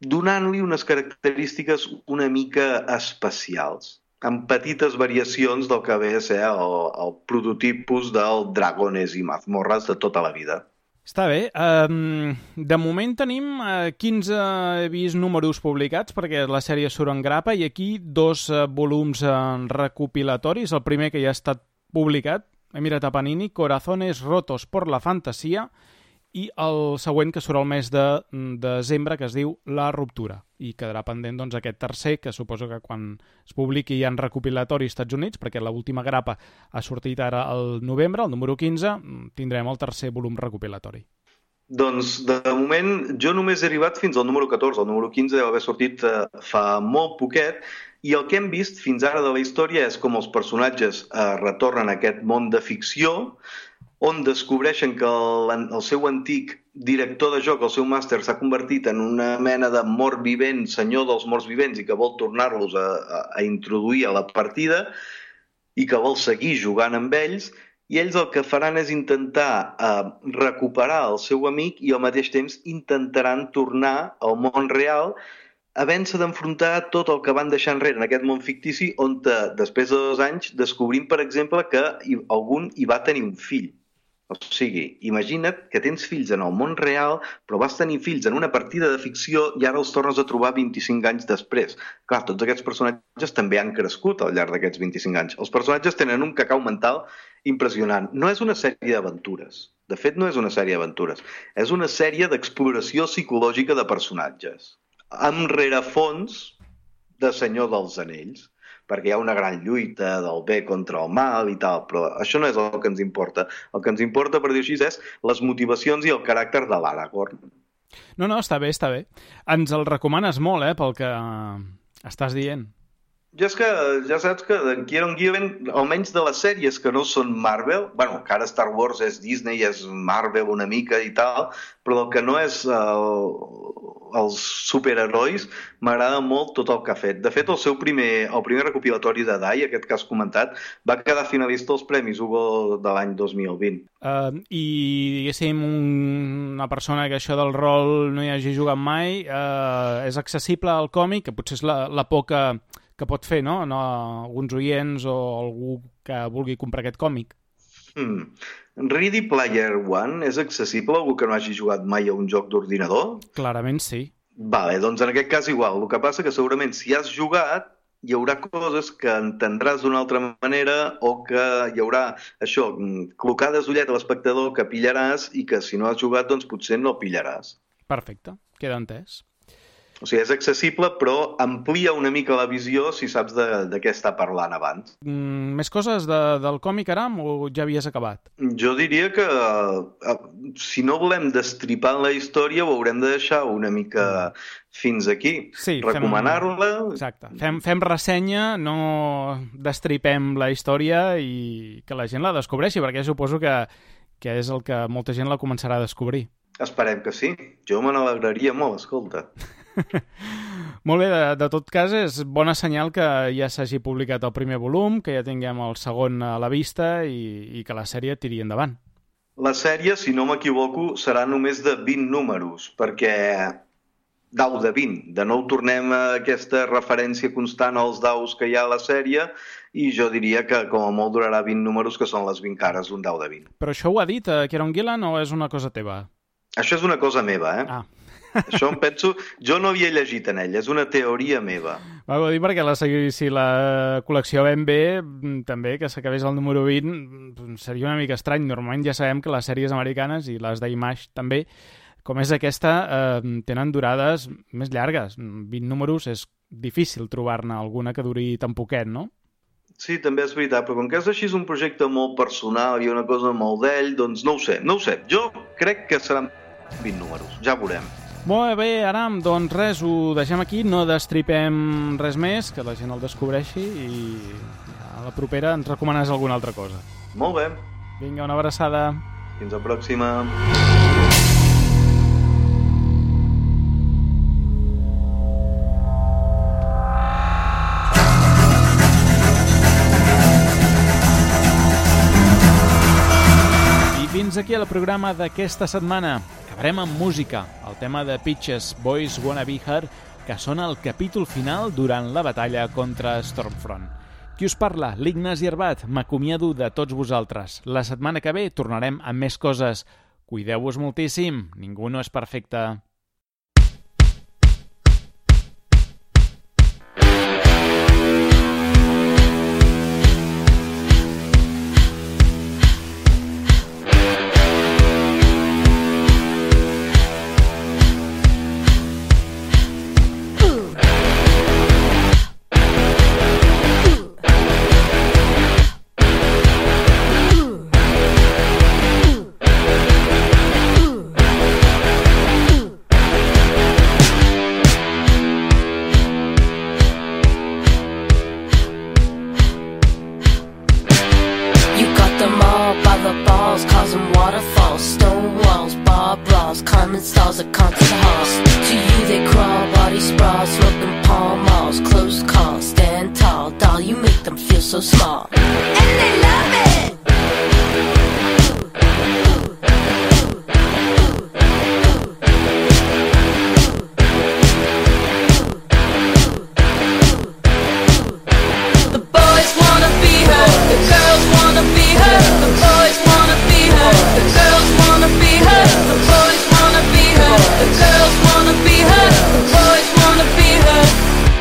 donant-li unes característiques una mica especials, amb petites variacions del que ve a ser el prototipus del Dragones i Mazmorras de tota la vida. Està bé. De moment tenim 15 números publicats, perquè la sèrie surt en grapa, i aquí 2 volums recopilatoris. El primer que ja ha estat publicat, he mirat a Panini, Corazones rotos por la fantasía, i el següent que surt al mes de desembre, que es diu La ruptura, i quedarà pendent doncs aquest tercer, que suposo que quan es publiqui ja en recopilatori als Estats Units, perquè l'última grapa ha sortit ara al novembre, el número 15, tindrem el tercer volum recopilatori. Doncs, de moment, jo només he arribat fins al número 14. El número 15 deu haver sortit fa molt poquet, i el que hem vist fins ara de la història és com els personatges retornen a aquest món de ficció, on descobreixen que el seu antic director de joc, el seu màster, s'ha convertit en una mena de mort vivent, senyor dels morts vivents, i que vol tornar-los a introduir a la partida i que vol seguir jugant amb ells, i ells el que faran és intentar recuperar el seu amic i al mateix temps intentaran tornar al món real havent-se d'enfrontar tot el que van deixar enrere en aquest món fictici on després de 2 anys descobrim, per exemple, que algun hi va tenir un fill. O sigui, imagina't que tens fills en el món real, però vas tenir fills en una partida de ficció i ara els tornes a trobar 25 anys després. Clar, tots aquests personatges també han crescut al llarg d'aquests 25 anys. Els personatges tenen un cacau mental impressionant. No és una sèrie d'aventures. De fet, no és una sèrie d'aventures. És una sèrie d'exploració psicològica de personatges. Amb rerefons de Senyor dels Anells, perquè hi ha una gran lluita del bé contra el mal i tal, però això no és el que ens importa. El que ens importa, per dir així, és les motivacions i el caràcter de l'Aragorn. No, està bé, està bé. Ens el recomanes molt, pel que estàs dient. Jo és que ja saps que d'en Kieron Gillen, almenys de les sèries que no són Marvel, bueno, que ara Star Wars és Disney, és Marvel una mica i tal, però el que no és els superherois, m'agrada molt tot el que ha fet. De fet, el primer recopilatori de Die, aquest que has comentat, va quedar finalista als Premis Hugo de l'any 2020. I, diguéssim, una persona que això del rol no hi hagi jugat mai, és accessible al còmic, que potser és la por que pot fer, no? Alguns oients o algú que vulgui comprar aquest còmic. Ready Player One és accessible a algú que no hagi jugat mai a un joc d'ordinador? Clarament sí. Vale, doncs en aquest cas igual. El que passa que segurament si has jugat hi haurà coses que entendràs d'una altra manera o que hi haurà això, clocades d'ullet a l'espectador que pillaràs i que si no has jugat doncs potser no pillaràs. Perfecte, queda entès. O sigui, és accessible, però amplia una mica la visió si saps de què està parlant abans. Més coses del còmic, Aram, o ja havies acabat? Jo diria que si no volem destripar la història ho haurem de deixar una mica fins aquí. Sí, recomanar-la... Exacte. Fem ressenya, no destripem la història i que la gent la descobreixi, perquè suposo que és el que molta gent la començarà a descobrir. Esperem que sí. Jo me n'alegraria molt, escolta. Molt bé, de tot cas és bona senyal que ja s'hagi publicat el primer volum, que ja tinguem el segon a la vista i que la sèrie tiri endavant. La sèrie, si no m'equivoco, serà només de 20 números, perquè dau de 20. De nou tornem a aquesta referència constant als daus que hi ha a la sèrie i jo diria que com a molt durarà 20 números, que són les 20 cares d'un dau de 20. Però això ho ha dit Kieron Gillen o és una cosa teva? Això és una cosa meva, Ah. Això em penso... Jo no havia llegit en ell, és una teoria meva. Ho dir perquè si la col·lecció ben bé, també, que s'acabés el número 20, seria una mica estrany. Normalment ja sabem que les sèries americanes i les d'Image també, com és aquesta, tenen durades més llargues. 20 números és difícil trobar-ne alguna que duri tan poquet, no? Sí, també és veritat, però com que és així un projecte molt personal i una cosa molt d'ell, doncs no ho sé. Jo crec que seran 20 números, ja veurem. Molt bé, Aram, doncs res, ho deixem aquí, no destripem res més, que la gent el descobreixi i a la propera ens recomanes alguna altra cosa. Molt bé. Vinga, una abraçada. Fins la pròxima. Fins aquí el programa d'aquesta setmana. Acabarem amb música, el tema de Peaches, Boys Wanna Be Her, que sona al capítol final durant la batalla contra Stormfront. Qui us parla? L'Ignasi Herbat. M'acomiado de tots vosaltres. La setmana que ve tornarem amb més coses. Cuideu-vos moltíssim. Ningú no és perfecte. walls, bar brawls, common stalls at concert halls. To you they crawl, body sprawl, smoking palm malls, close calls, stand tall, doll, you make them feel so small. And they love it! The boys wanna be her, the girls wanna be her, the boys wanna be her, the girls wanna be her, the boys wanna be her, the girls wanna be her, the boys wanna be her.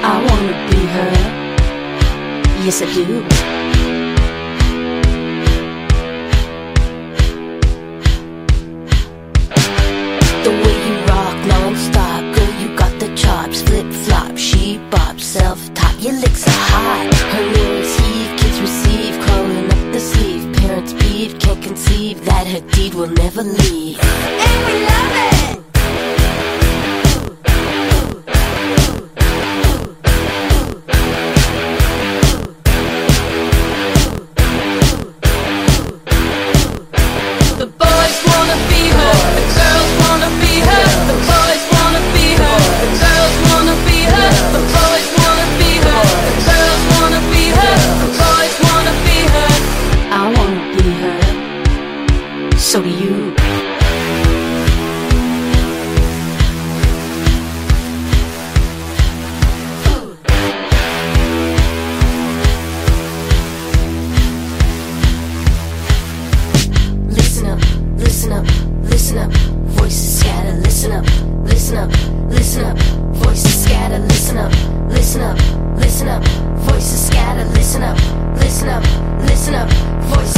I wanna be her, yes I do. The way you rock non-stop, girl, you got the chops, flip-flop, she bop, self-top, your licks are hot. Her lyrics heave, kids receive, crawling up the sleeve. Parents peeve, can't conceive that her deed will never leave. And we love it! The boys wanna be her, the girls wanna be her, the boys wanna be her, the girls wanna be her, the boys wanna be her, the girls wanna be her, the boys wanna be her. I wanna be her, so do you. Listen up, listen up, listen up, voices scatter, listen up, listen up, listen up, voices scatter, listen up, listen up, listen up, voices scatter, listen up, listen up, listen up, voices